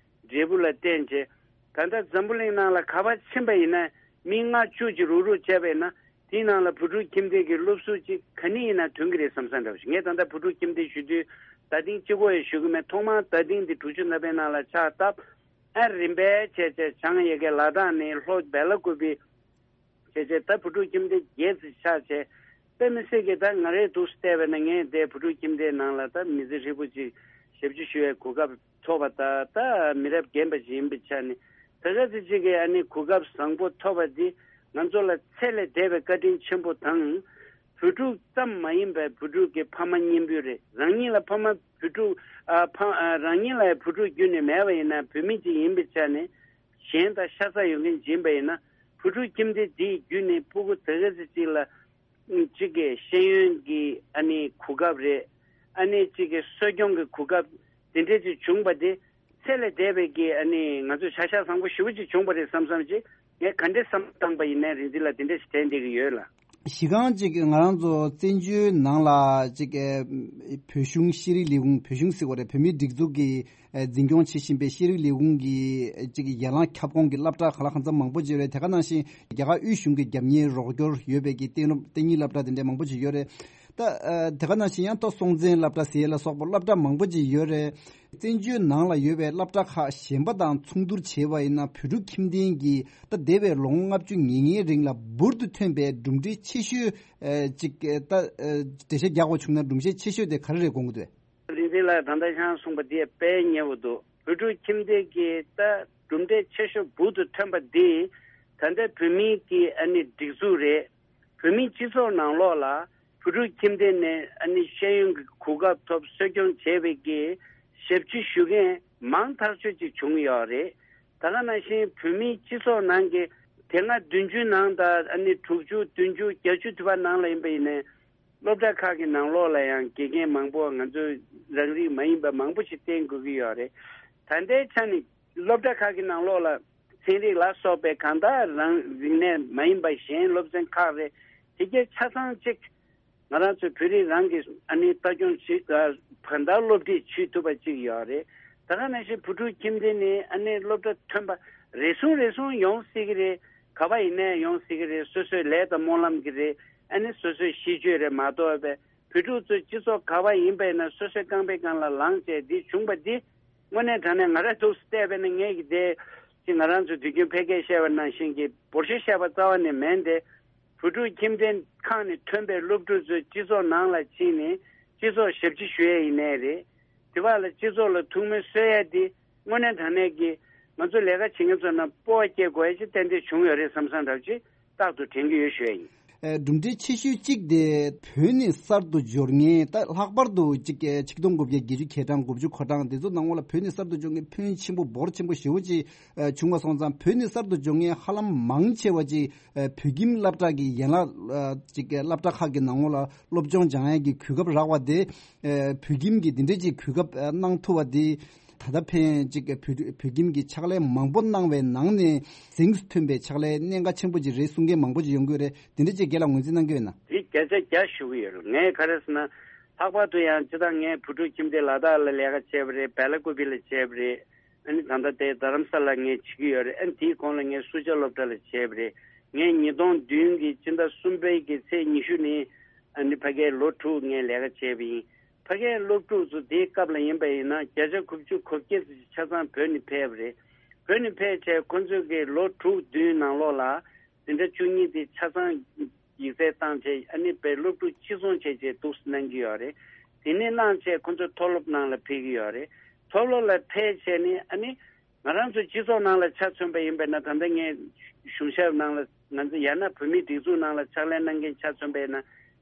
འབྲས་བུ་ལ་བརྟེན་བྱས། ད་ལྟ་འཛམ་བུ་གླིང་ནང་ལ་ག་པར་ཕྱིན་པ་ཡིན་ན་མི་ལྔ་བཅུ་ཅིག་རུག་རུག་བྱས་པ་ཡིན་ན། དེའི་ནང་ལ་བུ་ཕྲུག་ཁྱིམ་སྡེ་གི་སློབ་ཟུར་ཅིག་ག་ནས་ཡིན་ན་ཐོན་གྱི་རེད་བསམ་བསམ་འདྲ་བོ་ཞིག་ངས་ད་ལྟ་བུ་ཕྲུག་ཁྱིམ་སྡེ་ཞུ་དུས་ད་ཐེངས་གཅིག་པོ་ཡང་ཞུ་གི་མེད། ཐོག་མར་ད་ཐེངས་འདི་དྲུག་ཅུ་ཐམ་པའི་ནང་ལ་ཆགས་སྟབས། ཨ་རིམ་པས་བྱས་བྱས་བྱང་ཡ་གི་ལ་དྭགས་ནས་ལྷོ་སྦེ་ལ་ཀུ་པི་བྱས་བྱས་ད་བུ་ཕྲུག་ཁྱིམ་སྡེ་བརྒྱད་ཙམ་ཆགས་བྱས། དཔེ་མི་སྲིད་ཀྱི་ད་ང་རའི་འདུག་སེ་བལྟས་པ་ན་ངས་དེ་བུ་ཕྲུག་ཁྱིམ་སྡེའི་ནང་ལ་ད་མི་ཚེ་ཧྲིལ་པོ་ཅིག་ཞབས་ཕྱི་ཞུ་བའི་གོ་སྐབས་ཐོབ་པ་ད་ད་མི་རབས་རྒན་པ་ཞིག་ཡིན་པའི་ཆ་ནས་ད་ག་ཚོད་ཅིག་གི་ཨ་ནི་གོ་སྐབས་བཟང་པོ་ཐོབ་པ་འདི་ང་ཚོ་ལ་ཚད་ལས་འདས་པའི་བཀའ་དྲིན་ཆེན་པོ་དང་། བུ་ཕྲུག་ཙམ་མ་ཡིན་པར་བུ་ཕྲུག་གི་ཕ་མ་གཉེན་པོ་རེད། རང་ཉིད་ལ་ཕ་མ་བུ་ཕྲུག་ཨ་ཕ་ཨ་རང་ཉིད་ལ་བུ་ཕྲུག་རྒྱུད་ནས་མེད་པ་ཡིན་ན་བུད་མེད་ཅིག་ཡིན་པའི་ཆ་ནས་གཞན་དང་ཤ་ཚ་ཡོད་མཁན་ཅིག་ཡིན་པ་ཡིན་ན་བུ་ཕྲུག་ཁྱིམ་སྡེ་འདིའི་བརྒྱུད་ནས་ཕྲུ་གུ་ད་ག་ཚོད་ཅིག་ལ་གཅིག་གི་ཤེས་ཡོན་གྱི་ཨ་ནི་གོ་སྐབས་རེད། ཨ་ནི་གཅིག་གི་གསོ་སྐྱོང་གི་གོ་སྐབས་དེ་འདྲས་ཅིག་བྱུང་པ་དེ་ཚད་ལས་འདས་པའི་གི་ཨ་ནི་ང་ཚོས་བྱ་གཞག་བཟང་པོ་ཞེ་པོ་ཅིག་བྱུང་པ་རེད་བསམ་བསམ་ཅིག་ངས་ག་འདྲས་བསམ་བློ་བཏང་པ་ཡིན་ནའི་རིག་འཛིན་ལགས་དེ་འདྲས་ཞིག་དྲན་བསྡད་ཀྱི་ཡོད་ལ། གཞི་རྐང་ཅིག་ང་རང་ཚོ་བཙན་བྱོལ་ནང་ལ་ཅིག་བོད་གཞུང་ཤེས་རིག་ལས་ཁུངས། བོད་གཞུང་ཟེར་དགོས་རེད། བོད་མིའི་སྒྲིག་འཛུགས་ཀྱི་འཛིན་སྐྱོང་བྱེད་བཞིན་པའི་ཤེས་རིག་ལས་ཁུངས་ཀྱི་ཅིག་ཡན་ལག་ཁྱབ་ཁོངས་ཀྱི་སློབ་གྲྭ་གང་ལ་གང་འཚམ་མང་པོ་ཅིག་ཡོད་རེད། དེ་ག་ནང་བཞིན་རྒྱ་གར་དབུས་གཞུང་གི་རྒྱབ་གཉེར་རོགས་སྐྱོར་ཡོད་པའི་གི་གཏན་སློབ་གཏན་ཉིན་སློབ་གྲྭ་དེ་འདྲ་མང་པོ་ཅིག་ཡོད་རེད། ད་ཨ་དེ་ག་ནང་བཞིན་ཡང་ཏོག་སྲོང་བཙན་སློབ་གྲྭ་ཟེར་ཡས་ལ་སོགས་པ་སློབ་གྲྭ་མང་པོ་ཅིག་ཡོད་རེད། བཙན་བྱོལ་ནང་ལ་ཡོད་པའི་སློབ་གྲྭ་ཁག་གཞན་པ་དང་མཚུངས་བསྡུར་བྱས་པ་ཡིན་ན་བོད་ཕྲུག་ཁྱིམ་སྡེ་གིས་ད་འདས་པའི་ལོ་ངོ་ལྔ་བཅུ་ང་ལྔའི་རིང་ལ་འབུར་དུ་ཐོན་པའི་གྲུབ་འབྲས་ཆེ་ཤོས་ཨ་ཅིག་ད་ཨ་འགྲེལ་བཤད་རྒྱག་དགོས་བྱུང་ན་གྲུབ་འབྲས་ཆེ་ཤོས་དེ་ག་རེ་རེད་དགོངས་ཀྱི་འདུག་རིག་འཛིན་ལགས་ད་ལྟ་ཁྱེད་རང་གསུངས་པ་དེ་དཔེ་ཉེ་བོ་འདུག་བོད་ཕྲུག་ཁྱིམ་སྡེ་གི་ད་གྲུབ་འབྲས་ཆེ་ཤོས་འབུར་དུ་ཐོན་པ་འདི་ད་ལྟ་བོད་མིའི་གི་ཨ་ནི་སྒྲིག་འཛུགས་རེད། བོད་མིའི་སྤྱི་ཚོགས་ནང་ལོགས་ལ་བོད་ཕྲུག་ཁྱིམ་སྡེ་ནས་ཨ་ནི་ཤེས་ཡོན་གྱི་གོ་སྐབས་ཐོབ་གསོ་སྐྱོང་བྱས་པའི་གི་ཞབས་ཕྱི་ཞུ་མཁན་མང་ཐག་ཆོད་ཅིག་བྱུང་ཡོད་རེད། ད་ག་ནང་བཞིན་བོད་མིའི་སྤྱི་ཚོགས་ནང་གི་དེ་སྔ་བདུན་ཅུའི་ནང་དང་ཨ་ནི་དྲུག་ཅུ་བདུན་ཅུ་བརྒྱད་ཅུ་དུ་བ་ནང་ལ་ཡིན་པ་ཡིན་ནའི། སློབ་གྲྭ་ཁག་གི་ནང་ལོགས་ལ་ཡང་དགེ་རྒན་མང་པོ་ང་ཚོས་རང་རིགས་མ་ཡིན་པ་མང་པོ་ཞིག་བསྟེན་དགོས་ཀྱི་ཡོད་རེད། ད་ལྟའི་ཆ་ནས་སློབ་གྲྭ་ཁག་གི་ནང་ལོགས་ལ་ཚན་རིག་ལ་སོགས་པའི་གང་ལྟར་རང་རིག་གནས་མ་ཡིན་པ་གཞན་སློབ་ཚན་ཁག་རེད། དེ་གའི་ཆ་ཚང་གཅིག་ང་རང་ཚོའི་བོད་རིགས་རང་གིས་ཨ་ནི་ལྟ་སྐྱོང་བྱེད་ཨ་གང་ལྟར་སློབ་ཁྲིད་བྱེད་ཐུབ་པ་གཅིག་ཡོད་རེད། ད་ག་ནང་བཞིན་བོད་ཕྲུག་ཁྱིམ་སྡེ་ནས་ཨ་ནི་སློབ་གྲྭ་ཐོན་པ་རེ་ཟུང་རེ་ཟུང་ཡོང་སྲིད་ཀྱི་རེད། ག་པ་ཡིན་ནའི་ཡོང་སྲིད་ཀྱི་རེད། སོ་སོའི་ལས་དང་སྨོན་ལམ་གྱི་རེད། ཨ་ནི་སོ་སོའི་གཤིས་སྤྱོད་རེད་མ་གཏོགས་པའི་བོད་ཕྲུག་ཚོ་སྤྱི་ཚོགས་ག་པ་ཡིན་པ་ཡིན་ན་སོ་སོའི་རྐང་པའི་སྒང་ལ་ལངས་བྱས་འདི་བྱུང་པ་འདི་དངོས་གནས་དྲང་གནས་ང་རང་ཐུགས་སུ་བལྟས་པ་ཡིན་ན་ངས་ཀྱི་དེ་ཅི་ང་རང་ཚོ་དུས་རྒྱུན་ཕལ་སྐད་བཤད་པ་ནང་བཞིན་གྱི་འབོར་ཤོག་བཤད་པ་རྩ་བ་ནས་མིན་ཏེ། བོད་ཕྲུག་ཁྱིམ་སྡེ་ཁག་ནས་ཐོན་པའི་སློབ་ཕྲུག་ཚོས་སྤྱི་ཚོགས་ནང་ལ་ཕྱིན་ནས་སྤྱི་ཚོགས་ཞབས་ཕྱི་ཞུ་ཡས་ཡིན་ནའི་རེད། དེ་བར་ལ་སྤྱི་ཚོགས་ལ་ཐུགས་སྨོན་གསོ་ཡས་དེ་དངོས་གནས་དྲང་གནས་ཀྱི་ང་ཚོ་ལས་ཀ་བྱེད་མཁན་ཚོ་ནང་སྤོབས་པ་སྐྱེ་དགོས་ཡས་ཅིག་ཏན་ཏན་བྱུང་ཡོད་རེད་བསམ་བསམ་འདྲ་བོ་ཅིག་རྟག་ཏུ་དྲན་གྱི་ཡོད་ཞུ་ཡས་ཡིན། ཨེ། གྲུབ་འབྲས་ཆེ་ཤོས་གཅིག་དེ་བོད་ནས་གསར་དུ་འབྱོར་མཁན་ད་ལྷག་པར་དུ་གཅིག་ཆིག་སྟོང་དགུ་བརྒྱ་བརྒྱད་ཅུ་གྱ་གྲངས་དགུ་བཅུ་གོ་གྲངས་དེ་ཚོ་ནང་ལོགས་ལ་བོད་ནས་གསར་དུ་འབྱོར་མཁན་ཕོན་ཆེན་པོ་འབོར་ཆེན་པོ་ཞེ་པོ་ཅིག་ཨེ་བྱུང་བ་སོང་ཙང་བོད་ནས་གསར་དུ་འབྱོར་མཁན་ཧ་ལམ་མང་ཆེ་བ་ཅིག་ཨེ་བོད་ཁྱིམ་སློབ་གྲྭ་གི་ཡན་ལག་ཨེ་ཅིག་སློབ་གྲྭ་ཁག་གི་ནང་ལོགས་ལ་སློབ་སྦྱོང་སྦྱང་ཡས་ཀྱི་གོ་སྐབས་རག་པ་དེ་ཨེ་བོད་ཁྱིམ་གྱི་དེ་འདྲས་ཅིག་གོ་སྐབས་ཨེ་གནང་ཐུབ་པ་དེ། ད་ལྟ་ཕན་ཅིག་བོད་བོད་ཁྱིམ་གྱི་ཕྱག་ལས་མང་པོ་གནང་བའི་ནང་ནས་གཟེངས་སུ་ཐོན་པའི་ཕྱག་ལས་གནད་འགག་ཆེན་པོ་ཅིག་རེད་གསུང་མཁན་མང་པོ་ཅིག་ཡོང་གི་ཡོད་རེད། དེ་འདྲ་ཅིག་རྒན་ལགས་ངོས་འཛིན་གནང་གི་ཡོད་ན། དེ་བརྒྱ་ཆ་བརྒྱ་ཞུ་གི་ཡོད་རེད། ངས་ག་རེ་ཟེར་ན། ལྷག་པར་དུ་ཡང་སྤྱིར་བཏང་ངས་བོད་ཕྲུག་ཁྱིམ་སྡེ་ལ་དྭགས་ལ་ལས་ཀ་བྱས་པ་རེད། བལ་ཀོ་བི་ལ་བྱས་པ་རེད། ཨ་ནི་ད་ལྟ་དེ་རྡ་རམ་ས་ལ་ངས་བྱེད་ཀྱི་ཡོད་རེད། ཨ་ནི་དེའི་གོང་ལ་ངས་སུ་ཇཱ་སློབ་གྲྭ་ལ་བྱས་པ་རེད། ངས་ཉིས་སྟོང་བདུན་གྱི་སྤྱི་ཟླ་གསུམ་པའི་གི་ཚེས་ཉི་ཤུ་ནས་ཨ་ནི་ཕ་གིའི་ལོ་དྲུག་ངས་ལས་ཀ་བྱས་པ་ཡིན། ཕ་གིའི་སློབ་ཕྲུག་ཚོ་དེའི་སྐབས་ལ་ཡིན་པ་ཡིན་ན་བརྒྱ་ཆ་དགུ་བཅུ་གོ་བརྒྱད་ཙམ་ཆ་ཚང་བོད་ནས་ཕེབས་པ་རེད། བོད་ནས་ཕེབས་བྱས་ཁོ་ཚོས་ཀྱི་ལོ་དྲུག་བདུན་ནང་ལོགས་ལ་འཛིན་གྲྭ་བཅུ་གཉིས་དེ་ཆ་ཚང་ཡིག་ཚད་བཏང་བྱས་ཨ་ནི་བོད་སློབ་ཕྲུག་གཅིག་མཚུངས་བྱས་བྱས་འདུག་སེ་གནང་གི་ཡོད་རེད། དེ་ནས་གནང་བྱས་ཁོ་ཚོ་མཐོ་སློབ་ནང་ལ་ཕེབས་ཀྱི་ཡོད་རེད། མཐོ་སློབ་ལ་ཕེབས་བྱས་ནས་ཨ་ནི། ང་རང་ཚོ་སྤྱི་ཚོགས་ནང་ལ་ཆ་མཚོན་པ་ཡིན་པས་ན་ད་ལྟ་ངས་གཞུང་ཞབས་ནང་ལ་ང་ཚོ་ཡང་ན་བོད་མིའི་སྒྲིག་འཛུགས་ནང་ལ་ཕྱག་ལས་གནང་མཁན་ཆ་མཚོན་པས་ན་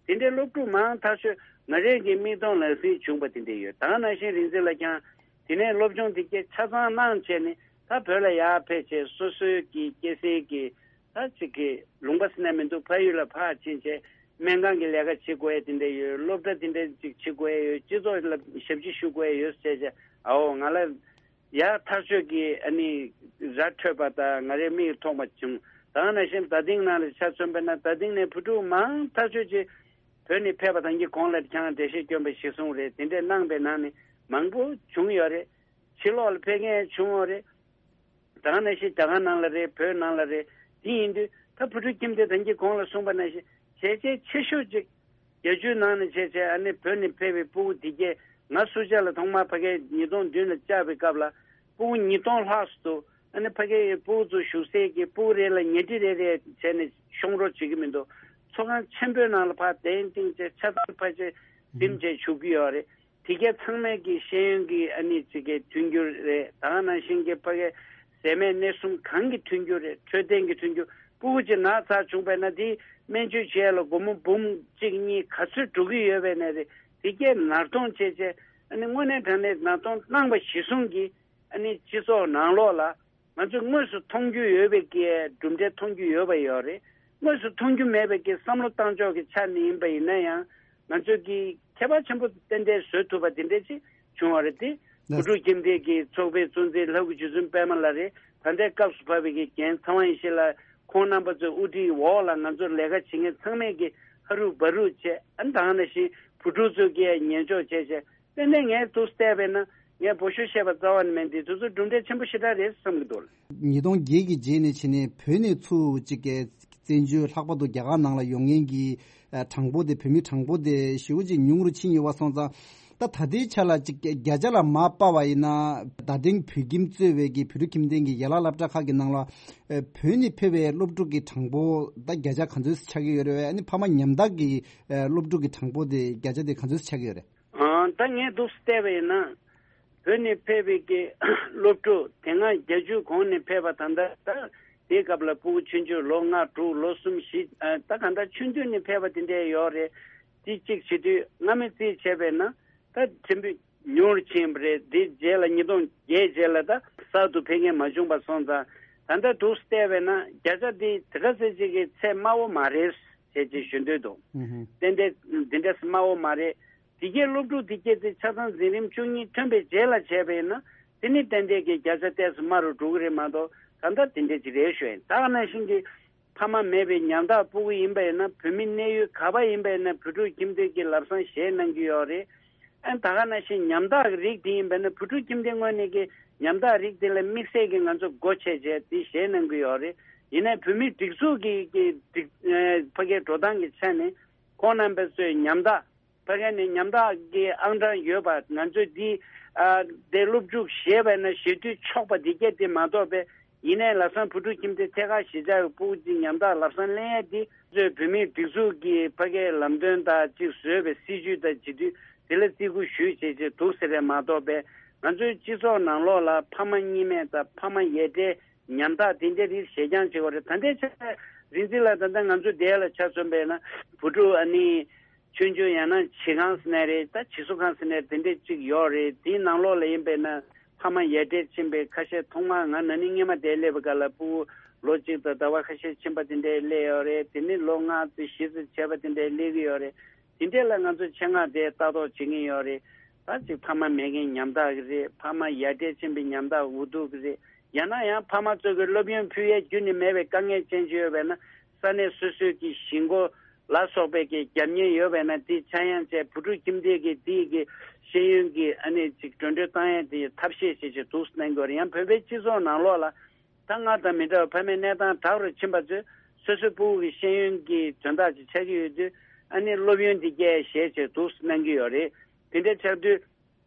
དེ་འདྲའི་སློབ་ཕྲུག་མང་ཐག་ཆོད་ང་རང་གི་མིག་མཐོང་ལག་ཟིན་བྱུང་པ་དེ་འདྲ་ཡོད། ད་ག་ནང་བཞིན་རིག་འཛིན་ལགས་ཀྱང་དེ་ནས་སློབ་སྦྱོང་དེ་གས་ཆ་ཚང་གནང་བྱས་ནས་ད་བོད་ལ་ཡར་ཕེབས་བྱས་སོ་སོའི་གི་སྐྱེ་སའི་གི་ད་ཅིག་གི་ལུང་པ་ཟེར་ན་མི་འདུག་ཕ་ཡུལ་ལ་ཕར་ཕྱིན་བྱས་སྨན་ཁང་གི་ལས་ཀ་བྱེད་དགོས་ཡ་དེ་འདྲ་ཡོད། སློབ་གྲྭ་དེ་འདྲ་ཅིག་བྱེད་དགོས་ཡ་ཡོད། སྤྱི་ཚོགས་ལ་ཞབས་ཕྱི་ཞུ་དགོས་ཡ་ཡོད་ཟེར་བྱས་ཨའོ་ང་ལ། ཡར་ཐག་ཆོད་ཀྱི་ཨ་ནི་ར་འཕྲོད་པ་དང་ང་རའི་མིག་མཐོང་བ་བྱུང་། ད་ག་ནང་བཞིན་རྡ་སྟེང་ནང་ལ་ཆ་མཚོན་པ་ན་རྡ་སྟེང་ནས་བུ་ཕྲུག་མང་ཐག་ཆོད་ཅིག་བོད་ནས་ཕེབས་པ་དང་གི་གོང་ལ་ཁྱང་འགྲེལ་བཤད་སྐྱོན་པ་གཞིར་བཟུང་རེད། དེ་འདྲས་གནང་པའི་ནང་ནས་མང་པོ་བྱུང་ཡོད་རེད། ཕྱི་ལོགས་ལ་ཕེབས་མཁན་བྱུང་ཡོད་རེད། ད་ག་ནང་བཞིན་རྒྱ་གར་ནང་ལ་རེད། བོད་ནང་ལ་རེད། དེ་ཡིན་དུས་ད་བུ་ཕྲུག་ཁྱིམ་སྡེ་ད་གིན་གོང་ལ་གསུངས་པ་ནང་བཞིན་བྱས་རྗེས་ཆེ་ཤོས་ཅིག་བརྒྱད་ཅུའི་ནང་ནས་བྱས་བྱས་ཨ་ནི་བོད་ནས་ཕེབས་པའི་སྤུ་གུ་དེ་གས་ང་སུ་ཇཱ་ལ་ཐོག་མར་ཕ་གིའི་ཉིས་སྟོང་བདུན་ལ་བཅར་བའི་སྐབས་ལ་སྤུ་གུ་ཉིས་སྟོང་ལྷག་ཙམ་འདུག་ཨ་ནི་ཕ་གིའི་སྤུ་གུ་ཚོ་བཞུགས་སའི་གི་སྤུ་གུ་རེ་ལ་ཉལ་ཁྲི་རེ་རེ་བྱས་ནས་ཤོང་རོགས་བྱེད་ཀྱི་མི་འདུག་ཚོགས་ཁང་ཆེན་པོའི་ནང་ལ་ཕར་གདན་བཏིང་བྱས་ཆ་ཚང་ཕལ་ཆེར་འཛིན་བྱས་བཞུགས་ཀྱི་ཡོད་རེད། དེ་གས་ཚང་མས་ཀྱི་ཤེས་ཡོན་གྱི་ཨ་ནི་ཅིག་གི་མཐུན་འགྱུར་རེད། ད་ག་ནང་བཞིན་གྱི་ཕ་གི་ཟས་མེད་གནས་གསུམ་གང་གི་མཐུན་འགྱུར་རེད། འཕྲོད་བསྟེན་གྱི་མཐུན་འགྱུར། སྤུ་གུ་ཅིག་ན་ཚ་བྱུང་བས་ན་དེ་སྨན་བཅོས་བྱས་ལ་སྒོར་མོ་འབུམ་གཅིག་གཉིས་ག་ཚོད་འགྲོ་གི་ཡོད་པས་ན་རེད། དེ་གས་ནར་གཏོང་བྱས་བྱས་ཨ་ནི་དངོས་གནས་དྲང་གནས་ནར་གཏོང་གནང་པ་གཞིར་བཟུང་གི་ཨ་ནི་སྤྱི་ཚོགས་ནང་ལོགས་ལ། ང་ཚོས་དངོས་སུ་མཐོང་རྒྱུ་ཡོད་པའི་གི་གྲུབ་འབྲས་མཐོང་རྒྱུ་ཡོད་པ་ཡོད་རེད། དངོས་སུ་མཐོང་རྒྱུ་མེད་པའི་གི་བསམ་བློ་བཏང་ཕྱོགས་ཀྱི་ཆ་ནས་ཡིན་པ་ཡིན་ན་ཡང་ང་ཚོས་ཀྱི་ཁྱད་པར་ཆེན་པོ་ཏན་ཏན་བཟོ་ཐུབ་པ་དེ་འདྲས་ཅིག་བྱུང་བ་རེད་དེ། ལགས། བུ་ཕྲུག་ཁྱིམ་སྡེ་གི་ཚོགས་པའི་གཙོ་འཛིན་ལྷ་སྐུ་རྗེ་བཙུན་པད་མ་ལགས་རེད། ད་ལྟའི་སྐབས་སུ་བབས་པའི་གི་རྒན་ཚངས་དབང་ཡེ་ཤེས་ལགས་ཁོང་རྣམ་པ་ཚོའི་དབུ་ཁྲིད་འོག་ལ་ང་ཚོར་ལས་ཀ་བྱེད་མཁན་ཚང་མས་ཀྱི་ཧ་རུ་བ་རུ་བྱས་ཨ་ནི་ད་ག་ནང་བཞིན་བུ་ཕྲུག་ཚོས་ཀྱི་ཉན་འཇོག་བྱས་བྱས། དེ་ནས་ངས་འདུག་བལྟས་པས་ན་ངས་འབོད་ཤོག་བཤད་པ་རྩ་བ་ནས་མེད་འདི་དུས་ཚོད་གྲུབ་འབྲས་ཆེན་པོ་ཞེ་དྲག་རེད་བསམ་གྱི་འདུག་ཉིས་སྟོང་བརྒྱད་ཀྱི་རྗེས་ནས་བྱས་ནས་བོད་ནས་ཚུར་གཅིག་གི་བཙན་བྱོལ་ལྷག་པར་དུ་རྒྱ་གར་ནང་ལ་ཡོང་མཁན་གྱི་ཨ་གྲངས་འབོར་དེ་བོད་མི་གྲངས་འབོར་དེ་ཞེ་པོ་ཅིག་ཉུང་རུ་ཕྱིན་ཡོད་པ་སོང་ཙང་། ད་ད་ལྟའི་ཆ་ལ་གཅིག་བརྒྱ་ཆ་ལ་མར་དཔག་པ་ཡིན་ན་རྡ་སྟེང་བོད་ཁྱིམ་གཙོས་པའི་གི་བོད་ཕྲུག་ཁྱིམ་སྡེ་གི་ཡན་ལག་སློབ་གྲྭ་ཁག་གི་ནང་ལ་ཨ་བོད་ནས་ཕེབས་པའི་སློབ་ཕྲུག་གི་གྲངས་འབོར་ད་བརྒྱ་ཆ་ག་ཚོད་ཆགས་ཀྱི་ཡོད་རེད། ཨ་ནི་ཕ་མ་ཉམ་ཐག་གི་ཨ་སློབ་ཕྲུག་གི་གྲངས་འབོར་དེ་བརྒྱ་ཆ་དེ་ག་ཚོད་ཆགས་ཀྱི་ཡོད་རེད། ཨང་། ད་ངས་འདུག་བལྟས་པ་ཡིན་ན། བོད་ནས་ཕེབས་པའི་གི་སློབ་ཕྲུག་དེ་སྔ་བརྒྱད་ཅུ་གོང་ནས་ཕེབས་པ་ད་ལྟ་ད་དེའི་སྐབས་ལ་སྤུ་གུ་ཆུང་ཆུང་ལོ་ལྔ་དྲུག་ལོ་གསུམ་བཞི་ཨ་ད་ག་འདྲ་ཆུང་དུས་ནས་ཕེབས་པ་དེ་འདྲས་ཡོད་རེད། དེ་གཅིག་བྱེད་དུས་སྔ་མའི་རྩིས་བྱས་པས་ན་ད་ཕྲན་བུ་ཉུང་རུ་ཕྱིན་པ་རེད། དེ་རྗེས་ལ་ཉིས་སྟོང་བརྒྱད་རྗེས་ལ་ད་གསར་དུ་ཕེབས་མཁན་མ་བྱུང་པ་སོང་ཙང་ད་ལྟ་འདུག་བལྟས་པས་ན་བརྒྱ་ཆ་དེ་དེ་ག་ཚད་ཅིག་གི་ཚད་དམའ་བོ་མ་རེད་ཟེར་ཅིག་ཞུ་འདོད་འདུག་ཨུ་ཧུ། ཏན་ཏན་འདི་འདྲ་དམའ་བོ་མ་རེད། དེ་གའི་སློབ་ཕྲུག་དེ་གའི་དེ་ཆ་ཚང་འཛིན་རིམ་བཅུ་གཉིས་ཐོན་པའི་རྗེས་ལ་བྱས་པས་ན་ དེ་ནི་ཏན་ཏན་གྱི་བརྒྱ་ཆ་ཏོག་ཙམ་དམའ་རུ་འགྲོ་གི་རེད་མ་གཏོགས། ད་ལྟ་དེ་འདྲ་ཅིག་རེད་ཞུ་ཡིན། ད་ག་ནང་བཞིན་གྱི་ཕ་མ་མེད་པའི་ཉམ་ཐག་སྤུ་གུ་ཡིན་པ་ཡིན་ན། བོད་མི་གནས་ཡུལ་ག་པ་ཡིན་པ་ཡིན་ན། བོད་ཕྲུག་ཁྱིམ་སྡེ་གི་ལམ་སང་བཞེས་གནང་གི་ཡོད་རེད། ཨ་ནི་ད་ག་ནང་བཞིན་ཉམ་ཐག་གི་རིགས་དེ་ཡིན་པ་ཡིན་ན། བོད་ཕྲུག་ཁྱིམ་སྡེ་ངོས་ནས་ཀྱི་ཉམ་ཐག་རིགས་དེ་ལ་དམིགས་བསལ་གྱི་ང་ཚོ་སྒོ་ཕྱེ་བྱས་དེ་བཞེས་གནང་གི་ཡོད་རེད། ཡིན་ནའི་བོད་མིའི་སྒྲིག་འཛུགས་ཀྱི་ཀྱི་སྒྲིག་ཨ་ཕ་གིའི་འགྲོ་སྟངས་ཀྱི་ཆ་ནས་ཁོང་རྣམ་པ་ཚོས་ཉམ་ཐག་ཕ་གི་ནས་ཉམ་ཐག་གི་ཨང་གྲངས་ཡོད་པ་ང་ཚོས་འདི་ཨ་དེ་སློབ་ཕྲུག་བཞེས་པ་ན་བཞེས་དུས་ཆོག་པ་འདི་སྐད་དེ་མ་གཏོགས་པས། ཡིན་ནའི་ལམ་སང་བོད་ཕྲུག་ཁྱིམ་སྡེ་ཐད་ཀར་གཞིས་ཆགས་ཀྱི་སྤུ་གུ་ཅིག་ཉམ་ཐག་ལམ་སང་ལེན་ཡས་འདི་ཚོས་བོད་མིའི་སྒྲིག་འཛུགས་ཀྱི་ཕ་གིའི་ལམ་སྟོན་དང་གཅིག་བཟོས་པའི་སྲིད་བྱུས་དང་བྱེད་དུས་དེ་ལ་བརྩི་བཀུར་ཞུས་བྱས་བྱས་འདུག་ཟེར་རེད་མ་གཏོགས་པས། ང་ཚོའི་སྤྱི་ཚོགས་ནང་ལོགས་ལ་ཕ་མ་གཉིས་མེད་དང་ཕ་མ་ཡ་བྲལ། ཉམ་ཐག་དེ་འདྲའི་རིགས་ཞེ་རྐྱང་བྱེད་དགོས་རེད། ད་ལྟའི་ཆ་རིག་འཛིན་ལགས། ད་ལྟ་ང་ཚོ་འདིར་ལ་ཆ་མཚོན་པས་ན་བུ་ཕྲུག་ཨ་ནི་ཆུང་ཆུང་ཡང་ན་བྱིས་ཁང་ཟེར་ནའི་རེད། ད་བྱིས་གསོ་ཁང་ཟེར་ནའི་དེ་འདྲས་གཅིག་ཡོད་རེད། དེའི་ནང་ལོགས་ལ་ཡིན་པས་ན་ཕ་མ་ཡ་བྲལ་ཕྱིན་པའི་ཁ་ཤས། ཐོག་མར་ང་ན་ནིང་སྔོན་མ་དེར་སླེབས་པའི་སྐབས་ལ་ཕྲུ་གུ་ལོ་གཅིག་དང་ཟླ་བ་ཁ་ཤས་ཕྱིན་པ་དེ་འདྲས་སླེབས་ཡོད་རེད། དེ་ནས་ལོ་ལྔ་ཙམ་བཞི་ཙམ་བྱས་པ་དེ་འདྲས་སླེབས་ཀྱི་ཡོད་རེད། དེ་འདྲས་ལ་ང་ཚོ་ཆེད་མངགས་དེ་ལྟ་རྟོག་བྱེད་ཀྱི་ཡོད་རེད། ད་ཅིག་ཕ་མ་མེད་མཁན་ཉམ་ཐག་གི་རེད། ཕ་མ་ཡ་བྲལ་ཕྱིན་པའི་ཉམ་ཐག་འུ་ཐུག་གི་རེད། ཡང་ན་ཡང་ཕ་མ་ཚོ་གི་སློབ་ཡོན་ཕུལ་ཡས་རྒྱུ་ནི་མེད་པའི་དཀའ་ངལ་ཅན་ཅིག་ཡོད་པས་ན། ས་གནས་སོ་སོའི་གི་གཞིས་འགོ་ལ་སོགས་པའི་གི་རྒྱབ་གཉེར་ཡོད་པས་ན། དེ་ཆག་ཡང་བྱས་བུ་ཕྲུག་ཁྱིམ་སྡེ་གི་དེའི་གི་ཤེས་ཡོན་གི་ཨ་ནི་ཅིག་འགྲོ་གྲོན་བཏང་ཡས་དེ་ཐབས་ཤེས་བྱེད་ཆེད་འདུག་གནང་དགོས་རེད། ཡང་བོད་པའི་སྤྱི་ཚོགས་ནང་ལོགས་ལ་ད་སྔར་དང་མི་འདྲ་བའི་ཕ་མའི་གནས་སྟངས་དྲག་རུ་ཕྱིན་པ་ཚོས་སོ་སོའི་ཕྲུ་གུ་གི་ཤེས་ཡོན་གི་དོན་དག་ཅིག་ཆགས་ཀྱི་ཡོད་དུས། ཨ་ནི་སློབ་ཡོན་དེ་སྐྱེལ་བྱེད་ཆེད་འདུག་གནང་གི་ཡོད་རེད། དེ་འདྲ་ཆགས་དུས།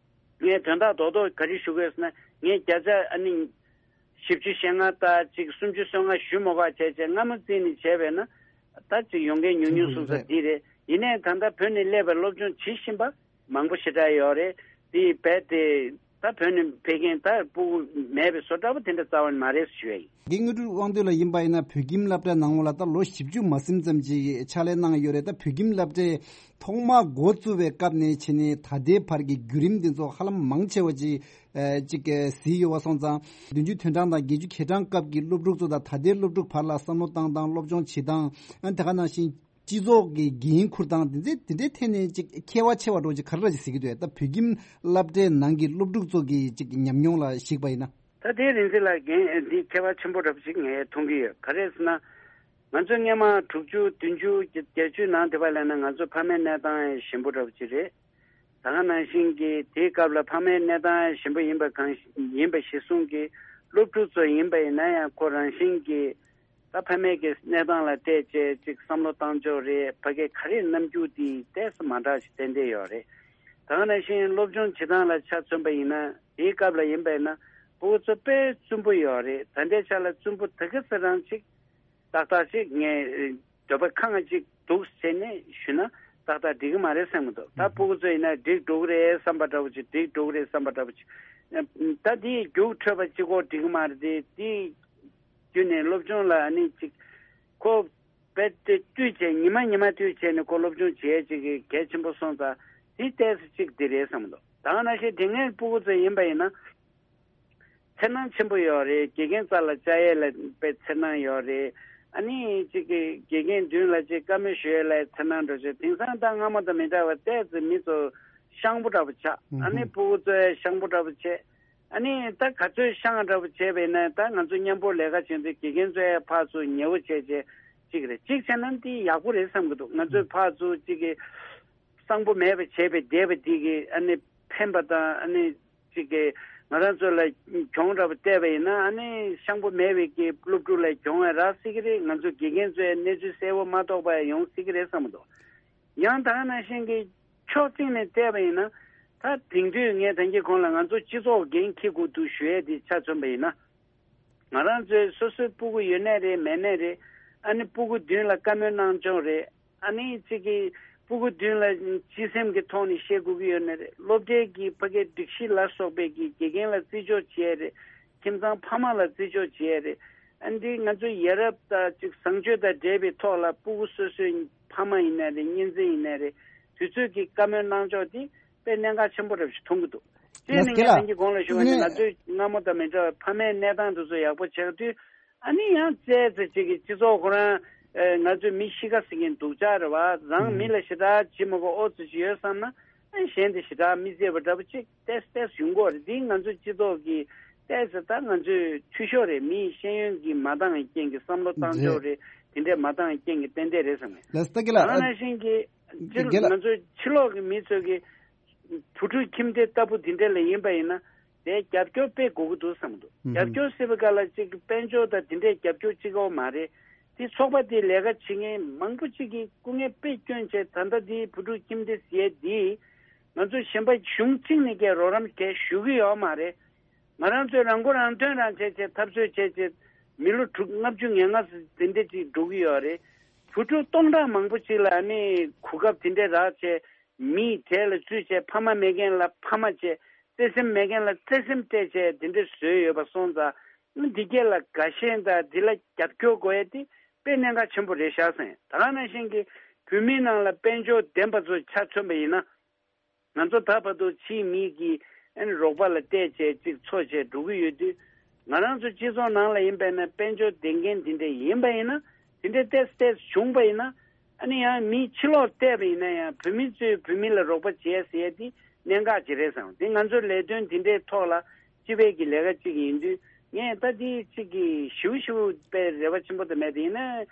ངས་དོན་དག་རྡོག་རྡོག་ག་རེ་ཞུ་དགོས་ཟེར་ན། ངས་བརྒྱ་ཆ་ཨ་ནི་བཞི་བཅུ་ཞེ་ལྔ་དང་ཅིག་སུམ་ཅུ་སོ་ལྔ་ཞུ་མ་དགོས་བྱས་བྱས་སྔ་མོ་རྩིས་ནས་བྱས་པས་ན། ད་ཅིག་ཡོང་མཁན་ཉུང་ཉུང་སོང་ས་འདི་རེད། ཡིན་ནའི་ད་ལྟ་བོད་ནས་སླེབས་པའི་སློབ་སྦྱོང་བྱེད་བཞིན་པ་མང་པོ་ཞེ་དྲག་ཡོད་རེད། དེ་རྦད་དེ་ད་བོད་ནས་ཕེབས་མཁན་ད་ཕྲུ་གུ་མེད་པའི་བཟོ་འདྲ་པོ་དེ་འདྲ་རྩ་བ་ནས་མ་རེད་ཞུ་ཡ་ཡིན། རྒན་དངོས་གྲུབ་དབང་འདུས་ལགས་ཡིན་པ་ཡིན་ན། བོད་ཁྱིམ་སློབ་གྲྭའི་ནང་ལོགས་ལ་ད་ལོ་བཞི་བཅུ་མ་ཟིན་ཙམ་ཅིག་ཕྱག་ལས་གནང་ཡོད་རེད། ད་བོད་ཁྱིམ་སློབ་གྲྭའི་ཐོག་མར་འགོ་བཙུགས་པའི་སྐབས་ནས་བྱས་ནས་ད་ལྟའི་བར་གྱི་བརྒྱུད་རིམ་འདི་ཚོ་ཧ་ལམ་མང་ཆེ་བ་ཅིག་ཨ་ཅིག་གཟིགས་ཡོད་པ་སོང་ཙང་། བདུན་ཅུ་དོན་གྲངས་དང་བརྒྱད་ཅུ་གྱ་གྲངས་སྐབས་ཀྱི་སློབ་ཕྲུག་ཚོ་དང་ད་ལྟའི་སློབ་ཕྲུག་བར་ལ་བསམ་བློ་བཏང་སྟངས། སློབ་སྦྱོང་བྱེད་སྟངས། ཨ་ད་ག་ནང་བཞིན་སྤྱི་ཚོགས་ཀྱི་འགན་འཁུར་སྟངས། དེ་ཚོ་དེ་འདྲའི་ཐད་ནས་ཅིག་ཁྱད་པར་ཆེ་བ་འདྲ་ཅིག་ག་རེ་ར་ཅིག་གཟིགས་ཀྱི་འདུག་ད་བོད་ཁྱིམ་སློབ་གྲྭའི་ནང་གི་སློབ་ཕྲུག་ཚོ་གི་ཅིག་ཉམས་མྱོང་ལ་གཞིགས་པ་ཡིན་ན། ད་དེ་རིང་འདི་ལ་འགན་འདི་ཁྱད་པར་ཆེན་པོ་འདྲ་པོ་ཅིག་ངས་མཐོང་གི་ཡོད། ག་རེ་ཟེར་ན། ང་ཚོ་སྔོན་མ་དྲུག་ཅུ་བདུན་ཅུ་བརྒྱད་ཅུའི་ནང་དེ་བ་ལ་ན་ང་ཚོ་ཕ་མའི་གནས་སྟངས་ཞན་པོ་འདྲ་པོ་ཅིག་རེད། ད་ག་ནང་བཞིན་གྱི་དེའི་སྐབས་ལ་ཕ་མའི་གནས་སྟངས་ཞན་པོ་ཡིན་པ་གང་ཡིན་པ་གཞིར་བཟུང་གིས། སློབ་ཕྲུག་ཚོ་ཡིན་པ་ཡིན་ན་ཡང་ཁོ་རང་བཞིན་གྱིས་ད་ཕ་མའི་གི་གནས་སྟངས་ལ་བལྟས་བྱས་ཅིག་བསམ་བློ་བཏང་ཕྱོགས་རེད། ཕ་གིའི་ག་རེ་རྣམ་འགྱུར་དེ་ཏོག་ཙམ་མ་འདྲ་ཞིག་ཏན་ཏན་ཡོད་རེད། ད་ག་ནང་བཞིན་སློབ་སྦྱོང་བྱེད་སྟངས་ལ་ཆ་མཚོན་པ་ཡིན་ན། དེའི་སྐབས་ལ་ཡིན་པ་ཡིན་ན་ཕྲུ་གུ་ཚོ་དཔེ་བཙུན་པོ་ཡོད་རེད། ད་ལྟའི་ཆ་ལ་བཙུན་པོ་དེ་ག་ཚོད་རང་ཅིག་ཏག་ཏག་ཅིག་ངས་འདོད་པ་ཁེངས་ཅིག་འདུག་ཟེར་ནས་ཞུས་ན་ཏག་ཏག་འགྲིག་གི་མ་རེད་བསམ་གི་འདུག་ད་ཕྲུ་གུ་ཚོ་ཡིན་ན་འགྲིག་འགྲོ་གི་རེད་བསམ་པ་འདྲ་པོ་ཅིག་འགྲིག་འགྲོ་གི་རེད་བསམ་པ་འདྲ་པོ་ཅིག་ད་དེའི་རྒྱུགས་འཕྲོད་པ་གཅིག་པོ་འགྲིག་གི་མ་རེད་དེ། དེའི་བརྒྱུད་ནས་སློབ་སྦྱོང་ལ་ཨ་ནི་ཅིག་ཁོ་རྦད་དེ་བཏུས་བྱས། ཉི་མ་ཉི་མ་བཏུས་བྱས་ནས་ཁོ་སློབ་སྦྱོང་བྱེད་ཡས་ཅིག་གི་གལ་ཆེན་པོ་སོང་ཙང་། དེ་ཏོག་ཙམ་ཅིག་འདི་རེད་བསམ་གི་འདུག་ད་ག་ནང་བཞིན་དེ་སྔའི་ཕྲུ་གུ་ཚོ་ཡིན་པ་ཡིན་ན། འཚེར་སྣང་ཆེན་པོ་ཡོད་རེད། དགེ་རྒན་རྩ་ལ་བཅར་ཡས་ལ་དཔེ་འཚེར་སྣང་ཡོད་རེད། ཨ་ནི་གཅིག་གི་དགེ་རྒན་མདུན་ལ་ཅིག་བཀའ་མོལ་ཞུ་ཡས་ལ་འཚེར་སྣང་འགྲོ་བྱས། དེང་སང་ད་སྔ་མོ་དང་མི་འདྲ་བ་ཏོག་ཙམ་མི་ཚོ་ཤངས་པོ་འདྲ་པོ་ཆགས། ཨ་ནི་ཕྲུ་གུ་ཚོ་ཡང་ཤངས་པོ་འདྲ་པོ་བྱས། ཨ་ནི་ད་ག་ཚོད་ཤངས་འདྲ་པོ་བྱས་པས་ན། ད་ང་ཚོ་མཉམ་པོ་ལས་ཀ་བྱེད་དུས་དགེ་རྒན་ཚོ་ཡང་ཕར་ཚུར་ཉེ་བོ་བྱས་བྱས་ཅིག་རེད། ཅིག་བྱས་ན་འདི་ཡག་པོ་རེད་བསམ་གི་འདུག་ང་ཚོས་ཕར་ཚུར་ཅིག་གི་གསང་པོ་མེད་པ་བྱས་པའི་བསྡད་པ་འདི་གི་ཨ་ནི་ཕན་པ་དང་། ཨ་ནི་ཅིག་གི་ང་རང་ཚོ་ལ་གྱོང་འདྲ་པོ་བལྟས་པ་ཡིན་ན། ཨ་ནི་ཤངས་པོ་མེད་པའི་གི་སློབ་ཕྲུག་ལ་གྱོང་ཡང་རག་སྲིད་ཀྱི་རེད། ང་ཚོ་དགེ་རྒན་ཚོས་གནས་ཚུལ་གསལ་པོ་མ་རྟོགས་པ་ཡང་ཡོང་སྲིད་ཀྱི་རེད་བསམ་གི་འདུག་ཡང་ད་ག་ནང་བཞིན་གྱི་ཕྱོགས་གཅིག་ནས་བལྟས་པ་ཡིན་ན། ད་དེང་དུས་ངས་ད་གིན་གོང་ལ་ང་ཚོ་སྤྱི་ཚོགས་འགན་འཁྱེར་དགོས་འདུག་ཞུ་ཡས་དེ་ཆ་མཚོན་པ་ཡིན་ན། ང་རང་ཚོའི་སོ་སོའི་སྤུ་གུ་ཡོད་ནའི་རེད། མེད་ནའི་རེད། ཨ་ནི་སྤུ་གུ་མདུན་ལ་བཀའ་མོལ་གནང་ཕྱོགས་རེད། ཨ་ནི་གཅིག་གི་སྤུ་གུ་མདུན་ལ་སྤྱི་སེམས་ཀྱི་ཐོག་ནས་བཤད་དགོས་ཀྱི་ཡོད་ནའི་རེད། སློབ་གྲྭའི་གི་ཕ་གིའི་སྒྲིག་གཞི་ལ་སོགས་པའི་གི་དགེ་རྒན་ལ་བརྩི་འཇོག་བྱེད་ཡས་རེད། ཁྱིམ་ཚང་ཕ་མ་ལ་བརྩི་འཇོག་བྱེད་ཡས་རེད། ཨ་འདི་ང་ཚོ་ཡ་རབས་དང་ཅིག་བཟང་སྤྱོད་དང་འབྲེལ་བའི་ཐོག་ལ་སྤུ་གུ་སོ་སོའི་ཕ་མ་ཡིན་ནའི་རེད། གཉེན་ཚན་ཡིན་ནའི་རེད། དུས་ཚོད་ཀྱི་བཀའ་མོལ་གནང་ཕྱོགས་དེ་དཔེ་གནད་འགག་ཆེན་པོ་རེད་ཞེས་མཐོང་གི་འདུག་དེ་ནི་ངས་ད་གིན་གོང་ལ་ཞུས་པ་ནི་ང་ཚོས་སྔ་མོ་དང་མི་འདྲ་བར་ཕ་མའི་གནས་སྟངས་དེ་ཚོ་ཡག་པོ་ཆགས་དུས། ཨ་ནི་ཡང་བཙལ་ཚེ་ཅིག་གི་སྤྱི་ཚོགས་ཁོ་རང་ཨེ་ང་ཚོས་མི་གཤིས་ཀ་ཟེར་མཁན་སྡུག་ཅག་རེད་བ། རང་མི་ལ་ཞེ་དྲག་བྱེད་མི་དགོས། ཨོ་ཙི་ཅིག་ཡོད་བསམ་ན། གཞན་དེ་ཞེ་དྲག་མི་བརྩི་བ་འདྲ་པོ་ཅིག་ཏོག་ཙམ་ཏོག་ཙམ་ཡོང་གི་ཡོད་རེད། འདི་ང་ཚོའི་སྤྱི་ཚོགས་ཀྱི་ཏོག་ཙམ་ད་ང་ཚོའི་འཐུས་ཤོར་རེད། མིའི་ཤེས་ཡོན་གྱི་མ་འདང་རྐྱེན་གྱིས་བསམ་བློ་བཏང་ཕྱོགས་རེད། དེ་འདྲས་མ་འདང་རྐྱེན་གྱིས་ཏན་ཏན་རེད་བསམ་ངེས། ལགས་སོ། ད་གི་ལ་ད་ག་ནང་བཞིན་གྱི་སྤྱིར་ང་ཚོའི་ཕྱི་ལོགས་ཀྱི་མི་ཚོས་ཀྱི་བུ་ཕྲུག་ཁྱིམ་སྡེ་ལྟ་བུ་དེ་འདྲས་ལ་ཡིན་པ་ཡིན་ན། དེ་རྒྱབ་སྐྱོར་དཔེ་དགོས་ཀྱི་འདུག་བསམ་གྱི་འདུག། རྒྱབ་སྐྱོར་ཟེར་བའི་སྐབས་ལ་ཅིག་དཔལ་འབྱོར་དང་དེ་འདྲས་རྒྱབ་སྐྱོར་གཅིག་པོ་མ་རེད། དེ་ཚོགས་པ་དེའི་ལས་ཀ་བྱེད་མཁན་མང་པོ་ཅིག་གིས་སྐུ་ངལ་དཔེ་བསྐྱོན་བྱས། ད་ལྟ་དེའི་བུ་ཕྲུག་ཁྱིམ་སྡེ་ཟེར་ཡས་དེ་ང་ཚོ་གཞན་པ་གཞུང་གཅིག་ནས་ཀྱང་རོགས་རམ་གང་ཞུ་གི་ཡོད་མ་རེད། ང་རང་ཚོས་རང་མགོ་རང་ཐོན་རང་བྱས་བྱས་འཐབ་རྩོད་བྱས་བྱས་མི་ལོ་དྲུག་ལྔ་བཅུ་ང་ལྔ་དེ་འདྲས་ཅིག་འགྲོ་གི་ཡོད་རེད། བུ་ཕྲུག་སྟོང་ཕྲག་མང་པོ་ཅིག་ལ་ཨ་ནི་གོ་སྐབས་དེ་འདྲས་རག་བྱས། མིའི་གྲས་ལ་བཙུད་བྱས། ཕ་མ་མེད་མཁན་ལ་ཕ་མ་བྱས། བརྩེ་སེམས་མེད་མཁན་ལ་བརྩེ་སེམས་སྤྲད་བྱས་དེ་འདྲས་བཟོས་ཡོད་པ་སོང་ཙང་། འདི་སྐད་ལ་དགའ་ཞེན་དང་འདི་ལ་རྒྱབ་སྐྱོར་དགོས་ཡས་དེ་དཔེ་གནད་འགག་ཆེན་པོ་རེད་ཤག་བསམ། ད་ག་ནང་བཞིན་གྱི་བོད་མིའི་ནང་ལ་དཔལ་འབྱོར་ལྡན་པ་ཚོ་ཆ་མཚོན་པ་ཡིན་ན། ང་ཚོ་ད་བར་དུ་ཕྱིའི་མི་གི་ཨ་ནི་རོགས་པ་ལ་བལྟས་བྱས་ཅིག་འཚོ་བྱས་འགྲོ་གི་ཡོད་དུས། ང་རང་ཚོ་སྤྱི་ཚོགས་ནང་ལ་ཡིན་པས་ན་དཔལ་འབྱོར་ལྡན་མཁན་དེ་འདྲས་ཡིན་པ་ཡིན་ན། དེ་འདྲས་ཏོག་ཙམ་ཏོག་ཙམ་བྱུང་པ་ཡིན་ན། ཨ་ནི་ཡང་མི་ཕྱི་ལོགས་བལྟས་པ་ཡིན་ན་ཡང་བོད་མི་ཚོས་བོད་མི་ལ་རོགས་པ་བྱས་ཟེར་ཡས་དེ་གནད་འགག་ཅིག་རེད་བསམ། དེ་ང་ཚོའི་ལས་དོན་དེ་འདྲའི་ཐོག་ལ་སྤྱི་པའི་གི་ལས་ཀ་ཅིག་ཡིན་དུས། ངས་ད་དེ་གཅིག་གི་ཞིའུ་ཞིའུ་པའི་རེ་བ་ཆེན་པོ་དེ་མེད། དེ་ཡིན་ན་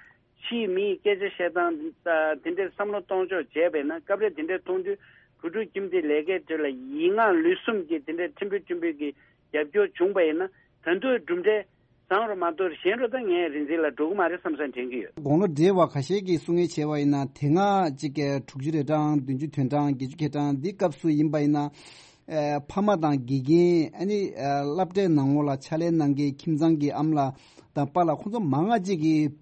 ཕྱིའི་མིའི་སྐད་ཆ་བཤད་སྟངས་དང་དེ་འདྲའི་བསམ་བློ་གཏོང་ཕྱོགས་བྱས་པས་ན། སྐབས་རེ་དེ་འདྲའི་མཐོང་དུས་བུ་ཕྲུག་ཁྱིམ་སྡེ་ལས་ཀའི་ཁྲོད་ལ་ཡིག་ངག་ལུས་གསུམ་གྱི་དེ་འདྲའི་ཕྲན་བུ་ཕྲན་བུ་གི་རྒྱབ་སྐྱོར་བྱུང་པ་ཡིན་ན། ད་དུང་གྲུབ་འབྲས་བཟང་རུ་མ་གཏོགས་ཞན་རུ་ད་ངས་རིག་འཛིན་ལ་འགྲོ་གི་མ་རེད་བསམ་བསམ་དྲན་གྱི་ཡོད། དགུང་ལོ་བགྲེས་པ་ཁ་ཤས་ཀྱིས་གསུང་ངེས་བྱས་པ་ཡིན་ན། དེ་སྔ་གཅིག་གི་དྲུག་ཅུ་རེ་གྲངས་བདུན་ཅུ་དོན་གྲངས་བརྒྱད་ཅུ་གྱ་གྲངས་འདི་སྐབས་སུ་ཡིན་པ་ཡིན་ན། ཨ་ཕ་མ་དང་དགེ་རྒན་ཨ་ནི་ཨ་སློབ་གྲྭའི་ནང་ལོགས་ལ་ཕྱག་ལས་གནང་མཁན་ཁྱིམ་ཚང་གི་ཨ་མ་ལགས་དང་པཱ་ལགས་ཁོང་ཚོ་མང་ང་ཅིག་གིས་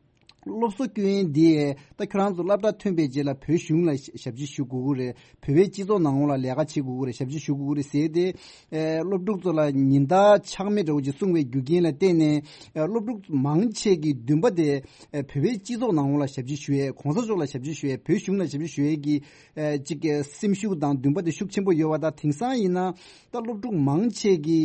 སློབ་གསོ་སྐྱོན་ཡས་འདི་ད་ཁྱོད་རང་ཚོ་སློབ་གྲྭ་ཐོན་པའི་རྗེས་ལ་བོད་གཞུང་ལ་ཞབས་ཕྱི་ཞུ་དགོས་ཀྱི་རེད། བོད་པའི་སྤྱི་ཚོགས་ནང་ལོགས་ལ་ལས་ཀ་བྱེད་དགོས་ཀྱི་རེད། ཞབས་ཕྱི་ཞུ་དགོས་ཀྱི་རེད་ཟེར་ཏེ། ཨེ་སློབ་ཕྲུག་ཚོ་ལ་ཉེན་བརྡ་ཆག་མེད་འདྲ་བོ་ཅིག་གསུངས་པའི་རྒྱུ་རྐྱེན་ལ་བརྟེན་ནས། ཨེ་སློབ་ཕྲུག་མང་ཆེ་གི་འདུན་པ་དེ་ཨེ་བོད་པའི་སྤྱི་ཚོགས་ནང་ལོགས་ལ་ཞབས་ཕྱི་ཞུ་ཡས། གོང་ས་མཆོག་ལ་ཞབས་ཕྱི་ཞུ་ཡས། བོད་གཞུང་ལ་ཞབས་ཕྱི་ཞུ་ཡས་ཀྱི་ཨེ་ཅིག་ཨེ་སེམས་ཤུགས་དང་འདུན་པ་དེ་ཤུགས་ཆེན་པོ་ཡོད་པ་དང་། དེང་སང་ཡིན་ན་ད་སློབ་ཕྲུག་མང་ཆེ་གི་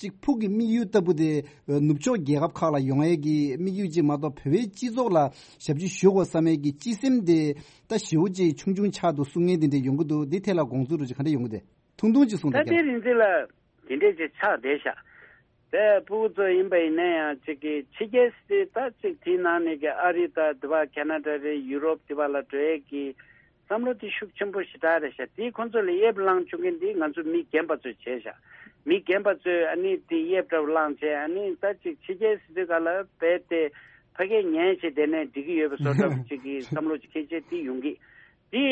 གཅིག་ཕུགས་ཀྱི་དམིགས་ཡུལ་ལྟ་བུ་དེ་ནུབ་ཕྱོགས་རྒྱལ་ཁབ་ཁག་ལ་ཡོང་ཡས་ཀྱི་དམིགས་ཡུལ་ཅིག་མ་གཏོགས། བོད་པའི་སྤྱི་ཚོགས་ལ་ཞབས་ཕྱི་ཞུ་དགོས་བསམ་ཡས་ཀྱི་སྤྱི་སེམས་དེ་ད་ཞེ་པོ་ཅིག་ཆུང་ཆུང་ཆགས་འདུག་གསུང་མཁན་དེ་འདྲ་ཡོང་གི་འདུག། འདི་ཐད་ལ་དགོངས་ཚུལ་འདྲ་ཅིག་ག་འདྲ་ཡོང་གི་འདུག། ཐུང་ཐུང་ཅིག་གསུངས་ད་དང་རྒྱབ། དེ་རིང་འདི་ལ་དེ་འདྲས་ཅིག་ཆགས་བསྡད་ཤག། དེ་ཕྲུ་གུ་ཚོ་ཡིན་པ་ཡིན་ན་ཡང་གཅིག་གི་ཕྱི་རྒྱལ་སྲིད་ད་གཅིག་དེའི་ནང་ནས་ཀྱི་ཨ་རི་དང་དེ་བ་ཁེ་ན་ཌ་རེད། ཡུ་རོབ་དེ་བ་ལ་འགྲོ་ཡས་ཀྱི་བསམ་བློ་དེ་ཤུགས་ཆེན་པོ་ཞེ་དྲག་རེད་ཤག། དེ་ཁོང་ཚོ་ལ་དབྱིབས་བླངས་བཅུག་མཁན་དེ་ང་ཚོ་མི་རྒན་པ་ཚོས་བྱས་ཤག། མི་རྒན་པ་ཚོས་ཨ་ནི་དེ་དབྱིབས་འདྲ་བོ་བླངས་བྱས། ཨ་ནི་ད་ཅིག་ཕྱི་རྒྱལ་སྲིད་དུས་ག་ལ་བས་ཏེ་ཕ་གིར་ཉལ་བྱས་བསྡད་ནས་འགྲིག་གི་ཡོད་པའི་བཟོ་འདྲ་བོ་ཅིག་གི་བསམ་བློ་ཅིག་འཁྱེར་བྱས་དེ་ཡོང་གི། དེ་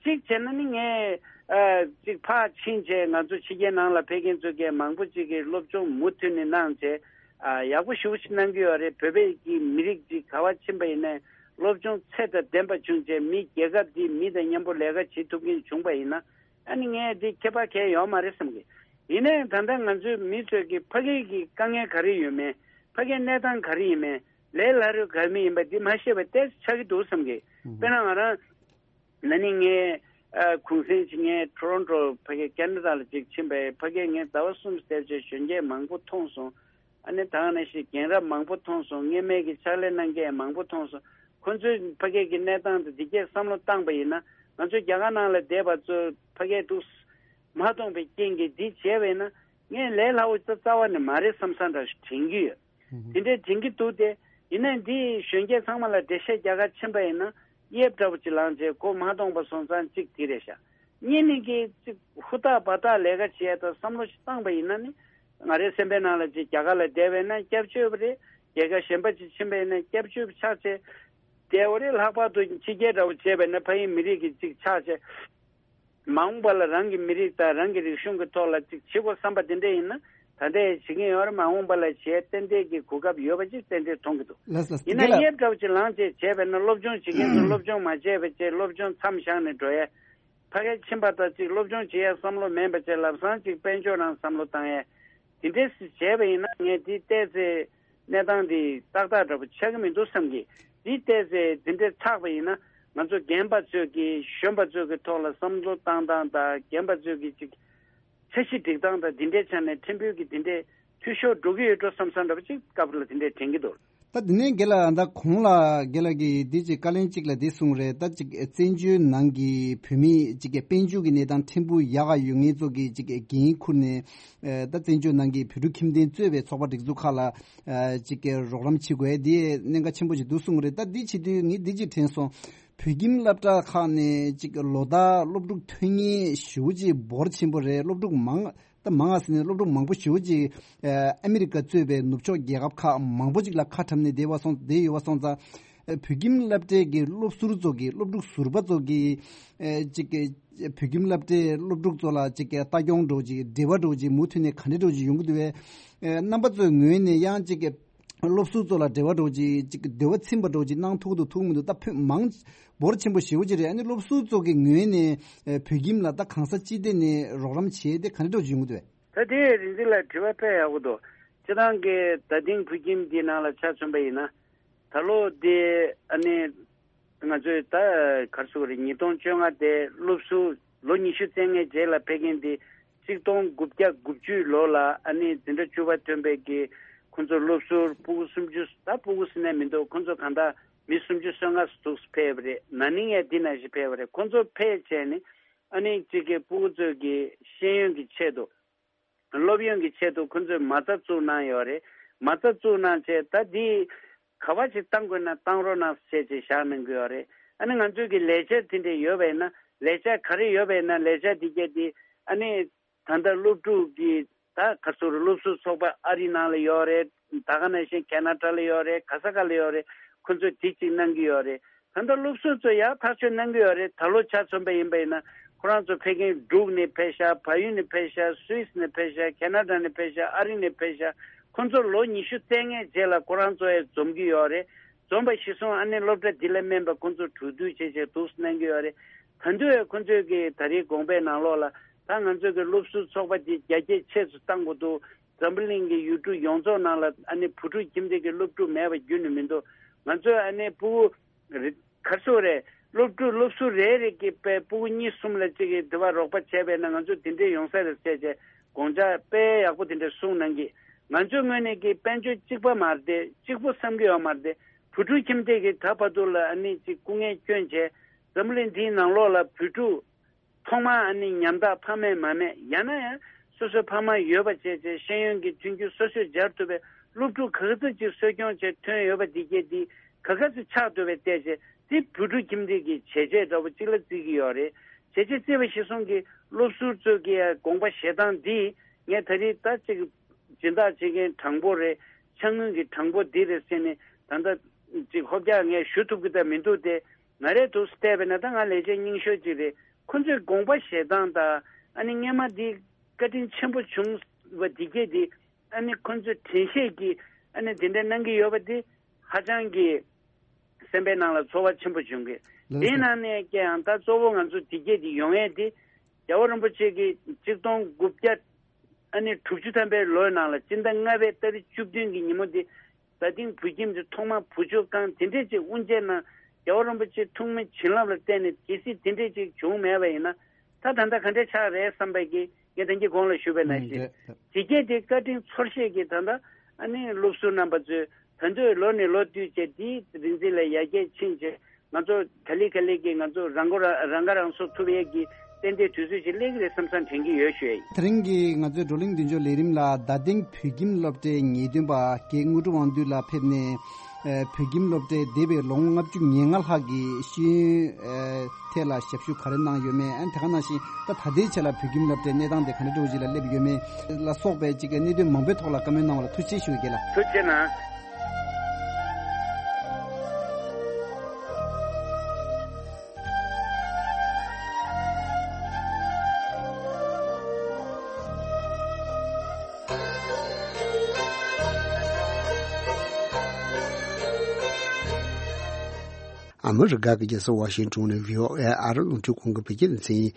གཅིག་བྱས་ན་ནི་ངས་ཨ་གཅིག་ཕར་ཕྱིན་བྱས། ང་ཚོ་ཕྱི་རྒྱལ་ནང་ལ་ཕེབས་མཁན་ཚོ་གས་མང་པོ་ཅིག་གིས་སློབ་སྦྱོང་མུ་མཐུད་ནས་གནང་བྱས། ཨ་ཡག་པོ་ཞེ་པོ་ཅིག་གནང་གི་ཡོད་རེད། བོད་པའི་གི་མི་རིགས་ཅིག་ག་བ་ཕྱིན་པ་ཡིན་ནའི་སློབ་སྦྱོང་ཚད་དང་ལྡན་པ་བྱུང་བྱས། མི་རྒྱལ་ཁབ་འདིའི་མི་དང་མཉམ་པོ་ལས་ཀ་བྱེད་ཐུབ་མཁན་བྱུང་པ་ཡིན་ན། ཨ་ནི་ངས་འདི་ཁྱད་པར་གང་ཡང་ཡོད་མ་རེད་བསམ་གི། ཡིན་ནའི་ད་ལྟ་ང་ཚོའི་མི་ཚོས་ཀྱི་ཕ་གི་གི་དཀའ་ངལ་ག་རེ་ཡོད་མེད། ཕ་གིའི་གནས་སྟངས་ག་རེ་ཡིན་མེད། ལས་སླ་རོད་ག་རེ་མི་ཡིན་པ་འདི་མ་ཤེས་པ་ཏོག་ཙམ་ཆགས་ཀྱི་འདུག་བསམ་གི། དཔེར་ན་ང་རང་ན་ནིང་ངས་ཨ་གུང་སེང་ཅིག་ངས་ཊོ་རོན་ཊོ་ཕ་གི་ཁེ་ན་ཌ་ལ་ཅིག་ཕྱིན་པས། ཕ་གིར་ངས་ཟླ་བ་གསུམ་བསྡད་བྱས་གཞོན་སྐྱེས་མང་པོ་མཐོང་སོང་། ཨ་ནི་ད་ག་ནང་བཞིན་རྒན་རབས་མང་པོ་མཐོང་སོང་། སྔོན་མའི་གི་ཕྱག་ལས་གནང་མཁན་མང་པོ་མཐོང་སོང་། ཁོ་ཚོའི་ཕ་གི་གི་གནས་སྟངས་དང་འདི་གས་བསམ་བློ་བཏང་པ་ཡིན་ན། ང་ཚོ་རྒྱ་གར་ནང་ལ་བསྡད་པ་ཚོ་ཕ་གིར་འདུག་མ་མཐོང་པའི་རྐྱེན་གྱིས་འདི་བྱས་པ་ཡིན་ན། ངས་ལས་སླ་བོ་རྩ་རྩ་བ་ནས་མ་རེད་བསམ་བསམ་འདྲ་ཞིག་དྲན་གྱི་ཡོད། དེ་འདྲའི་དྲན་གྱི་འདུག་སྟེ། ཡིན་ནའི་འདི་གཞོན་སྐྱེས་ཚང་མ་ལ་འགྲེལ་བཤད་རྒྱག་ག་ཕྱིན་པ་ཡིན་ན། དབྱིབས་འདྲ་བོ་ཅིག་ལངས་བྱས་མགོ་མ་ཐོན་པ་སོང་ཙང་གཅིག་དེ་རེད་ཤག། གཉིས་ནི་གི་གཅིག་ཧུར་ཐག་འབད་ཐག་ལས་ཀ་བྱས་དང་བསམ་བློ་ཞིག་བཏང་པ་ཡིན་ན་ནི། ང་རའི་སེམས་པའི་ནང་ལ་ཅིག་རྒྱ་གར་ལ་བསྡད་པ་ཡིན་ན་སྐྱབས་བཅོལ་བ་རེད། རྒྱལ་ཁབ་གཞན་པ་ཅིག་ཕྱིན་པ་ཡིན་ན་སྐྱབས་བཅོལ་བ་ཆགས་བྱས་བསྡད་པ་རེད། ལྷག་པར་དུ་ཕྱི་རྒྱལ་འདྲ་བོ་བྱས་པ་ཡིན་ན་ཕ་ཡུལ་མི་རིགས་ཀྱི་ཅིག་ཆགས་བྱས། མ་འོངས་པ་ལ་རང་གི་མི་རིགས་དང་རང་གི་རིག་གཞུང་གི་ཐོག་ལ་ཅིག་བྱེད་དགོས་བསམ་པ་དེ་འདྲ་ཡིན་ན། ད་ལྟ་ཡང་བྱེད་ཀྱིན་ཡོད་རེད། མ་འོངས་པ་ལ་བྱེད་ཏན་ཏན་གྱི་གོ་སྐབས་ཡོད་པ་ཅིག་ཏན་ཏན་མཐོང་གི་འདུག། ལགས་ལགས། ཡིན་ན་དེ་ལ་དབྱིབས་འདྲ་བོ་ཅིག་ལངས་བྱས་བྱས་པས་ན་སློབ་སྦྱོང་བྱེད་མཁན་ཚོ་སློབ་སྦྱོང་མ་བྱས་པ་བྱས། སློབ་སྦྱོང་མཚམས་བཞག་ནས་འགྲོ་ཡས། ཕ་གིར་ཕྱིན་པ་དང་ཅིག་སློབ་སྦྱོང་བྱེད་ཡས་བསམ་བློ་མེད་པ་བྱས། ལམ་སང་ཅིག་དཔལ་འབྱོར་རང་བསམ་བློ་བཏང་ཡས། དེ་འདྲས་སུ་བྱས་པ་ཡིན་ན་ངས་དེ་བལྟས་ཚེ་གནས་སྟངས་འདི་ཏག་ཏག་འདྲ་པོ་ཆགས་ཀྱི་མི་འདུག་བསམ་གི། འདི་བལྟས་ཚེ་འདི་འདྲས་ཆགས་པ་ཡིན་ན། ང་ཚོ་རྒན་པ་ཚོས་ཀྱི་གཞོན་པ་ཚོས་ཀྱི་ཐོག་ལ་བསམ་བློ་བཏང་སྟངས་དང་། རྒན་པ་ཚོས་ཀྱི་ཅིག་འཆར་གཞི་སྒྲིག་སྟངས་དང་། འདི་འདྲའི་ཆ་ནས་ཕྲན་བུ་གི་འདི་འདྲའི་འཐུས་ཤོར་འགྲོ་གི་ཡོད་འགྲོ་བསམ་བསམ་འདྲ་པོ་ཅིག་སྐབས་ལ་འདི་འདྲའི་དྲན་གྱི་འདུག། ད་དེ་ནས་རྒན་ལགས་ད་གོང་ལ་རྒན་ལགས་ཀྱིས་འདི་ཅིག་བཀའ་ལན་གཅིག་ལ་འདི་གསུངས་རེད། ད་ཅིག་བཙན་བྱོལ་ནང་གི་བོད་མི་ཅིག་གི་དཔལ་འབྱོར་གྱི་གནས་སྟངས་ཕྲན་བུ་ཡག་ག་ཡོད་མཁན་ཚོ་གི་ཅིག་འགན་ཁུར་ནས་ད་བཙན་བྱོལ་ནང་གི་བོད་ཕྲུག་ཁྱིམ་སྡེ་གཙོས་པའི་ཚོགས་པ་སྒྲིག་འཛུགས་ཁག་ལ་ཅིག་གི་རོགས་རམ་བྱེད་དགོས་དེ་གནད་འགག་ཆེན་པོ་ཞིག་འདུག་གསུངས་རེད། ད་འདི་བྱེད་དུས་ངས་འདི་ཅིག་དྲན་སོང་། བོད་ཁྱིམ་སློབ་གྲྭ་ཁག་ནས་ཅིག་ལོ་ལྟར་སློབ་ཕྲུག་ཐོན་མཁན་ཞེ་པོ་ཅིག་འབོར་ཆེན་པོ་རེད། སློབ་ཕྲུག་མང་ད་མང་ང་ཟེར་ནས་སློབ་ཕྲུག་མང་པོ་ཞེ་པོ་ཅིག་ཨ་མི་རི་ཀ་གཙོས་པའི་ནུབ་ཕྱོགས་རྒྱལ་ཁབ་ཁག་མང་པོ་ཅིག་ལ་ཁ་འཁྲབ་ནས་བསྡད་པ་སོང་བསྡད་ཡོད་པ་སོང་ཙང་། ཨ་བོད་ཁྱིམ་སློབ་གྲྭའི་གི་སློབ་ཟུར་ཚོ་གི་སློབ་ཕྲུག་ཟུར་པ་ཚོ་གི་ཨ་ཅིག་གི་བོད་ཁྱིམ་སློབ་གྲྭའི་སློབ་ཕྲུག་ཚོ་ལ་ཅིག་གི་ལྟ་སྐྱོང་འདྲ་བོ་ཅིག་འབྲེལ་བ་འདྲ་བོ་ཅིག་མུ་མཐུད་ནས་ག་འདྲ་འདྲ་བོ་ཅིག་ཡོང་གི་འདུག་བས། ཨ་རྣམ་པ་ཚོའི་ངོས་ནས་ཡང་ཅིག་གི་སློབ་ཟུར་ཚོ་ལ་འབྲེལ་བ་འདྲ་བོ་ཅིག་ཅིག་འབྲེལ་བ་ཚིམ་པ་འདྲ་བོ་ཅིག་གནང་ཐུབ་ཀྱི་འདུག་ཐུབ་མི་འདུག་ད་བོད་མང་འབོར་ཆེན་པོ་ཞེ་པོ་ཅིག་རེད། ཨ་ནི་སློབ་ཟུར་ཚོ་གི་ངོས་ནས་ཨ་བོད་ཁྱིམ་ལ་ད་གང་ས་ཅི་ཐད་ནས་རོགས་རམ་བྱས་ཏེ་ག་འདྲ་འདྲ་བོ་ཅིག་ཡོང་གི་འདུག་བས། ད་དེ་རིག་འཛིན་ལགས་དྲི་བ་དཔེ་ཡག་པོ་འདུག་སྤྱིར་བཏང་གི་ད་ཐེངས་བོད་ཁྱིམ་འདི་ནང་ལ་ཆ་མཚོན་པ་ཡིན་ན། ད་ལོ་འདི་ཨ་ནི་ང་ཚོས་ད་ག་རེ་ཟེར་དགོས་རེད། ཉིས་སྟོང་བཅོ་ལྔ་དེ་སློབ་ཟུར་ལོ་ཉི་ཤུ་རྩ་ལྔའི་རྗེས་ལ་ཕེབས་མཁན་དེ་གཅིག་སྟོང་དགུ་བརྒྱ་དགུ་བཅུའི་ལོ་ལ་ཨ་ནི་འཛིན་གྲྭ་བཅུ་པ་ཐོན་པའི་གི་ཁོང་ཚོ་སློབ་ཟུར་སྤུ་གུ་སུམ་ཅུ། ད་སྤུ་གུ་ཟེར་ན་མི་འདུག་ཁོང་ཚོ་གང་ལྟར་མི་སུམ་ཅུ་སོ་ལྔ་ཙམ་ཕེབས་པ་རེད། ན་ནིང་ཡང་འདི་ནང་བཞིན་ཕེབས་པ་རེད། ཁོང་ཚོ་ཕེབས་བྱས་ནས་ཨ་ནི་གཅིག་གི་སྤུ་གུ་ཚོའི་གི་ཤེས་ཡོན་གྱི་ཆེད་དུ། སློབ་ཡོན་གྱི་ཆེད་དུ་ཁོང་ཚོས་མ་རྩ་བཙུགས་གནང་ཡོད་རེད། མ་རྩ་བཙུགས་གནང་བྱས་ད་འདི་ག་བ་ཞིག་བཏང་དགོས་ན་བཏང་རོགས་གནང་ཟེར་བྱས་བཞག་གནང་གི་ཡོད་རེད། ཨ་ནི་ང་ཚོས་ཀྱི་ལས་འཆར་དེ་འདྲ་ཡོད་པ་ཡིན་ན། ལས་འཆར་ག་རེ་ཡོད་པ་ཡིན་ན། ལས་འཆར་དེ་གྱད་དེ་ཨ་ནི་ད་ལྟ་སློབ་ཕྲུག་གི་ད་ག་ཚོད་རེད། སློབ་ཟུར་ཚོགས་པ་ཨ་རི་ནང་ལ་ཡོད་རེད། ད་ག་ནང་བཞིན་ཁེ་ན་ཌ་ལ་ཡོད་རེད། ག་ས་ག་ལ་ཡོད་རེད། ཁོང་ཚོས་དེ་གཅིག་གནང་གི་ཡོད་རེད། ད་ལྟ་སློབ་ཟུར་ཚོ་ཡར་ཐག་གཅོད་གནང་གི་ཡོད་རེད། ད་ལོ་ཆ་མཚོན་པ་ཡིན་པ་ཡིན་ན་ཁོ་རང་ཚོ་ཕེབས་མཁན་འབྲུག་ནས་ཕེབས་ཤག་བལ་ཡུལ་ནས་ཕེབས་ཤག་སུད་སི་ནས་ཕེབས་ཤག་ཁེ་ན་ཌ་ནས་ཕེབས་ཤག་ཨ་རི་ནས་ཕེབས་ཤག་ཁོང་ཚོ་ལོ་ཉི་ཤུ་རྩ་ལྔའི་རྗེས་ལ་ཁོ་རང་ཚོ་ཡང་འཛོམས་ཀྱི་ཡོད་རེད། འཛོམས་པ་གཞིར་བཟུང་ཨ་ནི་སློབ་གྲྭ་འདི་ལ་སྨན་པ་ཁོང་ཚོ་གྲོས་བསྡུར་བྱས་བྱས་འདུག་སེ་གནང་གི་ཡོད་རེད། ད་དུང་ཡང་ཁོང་ཚོས་ཀྱི་ད་རེས་དགོངས་པའི་ནང་ལོགས་ལ་ད་ང་ཚོ་གི་སློབ་ཟུར་ཚོགས་པ་འདི་རྒྱ་སྐྱེད་ཆེ་ཙམ་གཏང་དགོས་འདུག་འཛམ་བུ་གླིང་གི་ཡུལ་གྲུ་ཡོངས་རྫོགས་ནང་ལ་ཨ་ནི་བུ་ཕྲུག་ཁྱིམ་སྡེ་གི་སློབ་ཕྲུག་མེད་པ་རྒྱུན་ནས་མི་འདུག་ང་ཚོས་ཨ་ནི་ཕྲུ་གུ་རེ་ག་རེ་ཟེར་དགོས་རེད། སློབ་ཕྲུག་སློབ་ཟུར་རེ་རེ་གི་དཔེ་ཕྲུ་གུ་གཉིས་གསུམ་ལ་གཅིག་གི་དེ་བ་རོགས་པ་བྱས་པས་ན་ང་ཚོ་དེ་འདྲས་ཡོང་ས་རེད་ཟེར་བྱས་དགོངས་འཆར་དཔེ་ཡག་པོ་དེ་འདྲས་གསུངས་གནང་གི། ང་ཚོའི་ངོས་ནས་ཀྱི་དཔལ་འབྱོར་གཅིག་པ་མ་རེད་དེ། གཅིག་པོ་བསམ་གྱི་ཡོད་མ་རེད་དེ། བུ་ཕྲུག་ཁྱིམ་སྡེ་གི་ད་བར་དུ་ལ་ཨ་ནི་གཅིག་སྐུ་ངལ་བསྐྱོན་བྱས་འཛམ་བུ་གླིང་འདིའི་ནང་ལོགས་ལ་བུ་ཕྲུག་ཐོག་མར་ཨ་ནི་ཉམ་ཐག་ཕ་མས་མ་སྨྲས། ཡང་ན་ཡང་སོ་སོའི་ཕ་མ་ཡོད་པ་བྱས་བྱས་ཤེས་ཡོན་གྱི་མཐུན་འགྱུར་སོ་སོས་སྦྱར་ཐུབ་པའི་སློབ་ཕྲུག་ག་ཚོད་ཅིག་གསོ་སྐྱོང་བྱས་ཐོན་ཡོད་པ་འདི་གྱད་འདི་ག་ག་ཚོད་ཆགས་ཐུབ་པའི་བལྟས་བྱས་དེ་བུ་ཕྲུག་ཁྱིམ་སྡེ་གི་བྱས་རྗེས་འདྲ་བོ་གཅིག་ལ་བརྩི་གི་ཡོད་རེད། བྱས་རྗེས་བརྩི་བ་གཞིར་བཟུང་གི་སློབ་ཟུར་ཚོས་ཀྱི་དགོངས་པ་བཞེས་སྟངས་འདི་ངས་ད་རེས་ད་ཅིག་སྦྱིན་བདག་བྱེད་མཁན་དྲང་པོ་རེད། ཕྱག་དངུལ་གྱི་དྲང་པོ་འདི་རེད་ཟེར་ནས་ད་ལྟ་ཅིག་ཧོབ་རྒྱག་ངས་ཞུ་ཐུབ་ཀྱི་ད་མི་འདུག་སྟེ། ང་རའི་འདུག་སེ་བལྟས་པས་ན་ད་ང་ལས་བྱེད་རྙིང་ཤོས་ཅིག་རེད། ཁོ་ཚོས་དགོངས་པ་བཞེས་སྟངས་དང་ཨ་ནི་སྔས་མ་འདི་བཀའ་དྲིན་ཆེན་པོ་བྱུང་བ་འདི་གྱད་འདི་ཨ་ནི་ཁོ་ཚོས་དྲན་ཤེས་ཀྱིས་ཨ་ནི་དེ་འདྲ་གནང་གི་ཡོད་པ་འདི་ཧ་ཅང་གི་སེམས་པའི་ནང་ལ་ཚོར་བ་ཆེན་པོ་བྱུང་གི། ལགས་དེའི་སོ། ནང་ནས་ཀྱང་ད་གཙོ་བོ་ང་ཚོ་འདི་གྱད་འདི་ཡོང་ཡས་འདི་རྒྱལ་བ་རིན་པོ་ཆེ་གིས་གཅིག་སྟོང་དགུ་བརྒྱ་ཨ་ནི་དྲུག་ཅུ་ཐམ་པའི་ལོའི་ནང་ལ་སྤྱི་ཟླ་ལྔ་པའི་ཏ་རིག་བཅུ་བདུན་གྱི་ཉིན་མོ་འདི་ད་ཐེངས་བོད་ཁྱིམ་དུ་ཐོག་མར་བུ་བཅོལ་བསྐང་དེ་འདྲས་ཅིག་དབུ་འབྱེད་གནང་། རྒྱལ་བ་རིན་པོ་ཆེ་ཐུགས་སྨོན་བྱིན་རླབས་ལ་བརྟེན་ནས་གལ་སྲིད་དེ་འདྲས་ཅིག་བྱུང་མེད་པ་ཡིན་ན་ད་ད་ལྟ་ག་འདྲས་ཆགས་རེད་བསམ་པའི་གི་ངས་ད་གིན་གོང་ལ་ཞུས་པ་ནང་བཞིན་ལགས་སོ། དེ་གྱད་དེ་བཀའ་དྲིན་ཚོར་ཤེས་ཀྱིས་ད་ལྟ་ཨ་ནི་སློབ་ཟུར་རྣམ་པ་ཚོས་ད་དུང་ལོ་ནས་ལོ་བསྟུད་བྱས་དེའི་རིག་འཛིན་ལ་ཡར་རྒྱས་ཕྱིན་བྱས་ང་ཚོ་ག་ལེ་ག་ལེ་གི་ང་ཚོ་རང་མགོ་རང་རང་ཁ་རང་གསོ་ཐུབ་ཡས་ཀྱི་ཏན་ཏན་དུས་ཚོད་ཅིག་སླེབས་ཀྱི་རེད་བསམ་བསམ་དྲན་གྱི་ཡོད་ཞུ་ཡ་ཡིན། དེ་རིང་གི་ང་ཚོའི་བགྲོ་གླེང་མདུན་ལྕོག་ལས་རིམ་ལ་རྡ་སྟེང་བོད་ཁྱིམ་སློབ་གྲྭའི་ངེས་སྟོན་པ་རྒན་དངོས་གྲུབ་དབང་འདུས་ལགས་ཕེབས་ནས་ཨ་བོད་ཁྱིམ་སློབ་གྲྭའི་འདས་པའི་ལོ་ངོ་ལྔ་བཅུ་ང་ལྔ་ལྷག་གི་ཤེས་ཡོན་ཨ་ཐད་ལ་ཞབས་ཞུ་ག་རེ་གནང་ཡོད་མེད། ཨ་ནི་དེ་ག་ནང་བཞིན་ད་ད་ལྟའི་ཆ་ལ་བོད་ཁྱིམ་སློབ་གྲྭའི་གནས་སྟངས་དེ་ག་འདྲ་འདྲ་བོ་ཞིག་ལ་སླེབས་ཡོད་མེད་ལ་སོགས་པའི་ཅིག་གི་གནད་དོན་མང་པོའི་ཐོག་ལ་བཀའ་མོལ་གནང་བ་ལ་ཐུགས་རྗེ་ཆེ་ཞུ་རྒྱུ་ལགས། ཐུགས་རྗེ་གནང་། ཨ་མི་རི་ཀ་གི་རྒྱལ་ས་ཝ་ཤིང་ཊོན་ནས་བྷི་ཨོ་ཨེ་ཨ་རི་རླུང་འཕྲིན་ཁང་གི་བོད་སྐད་སྡེ་ཚན་ཡིན།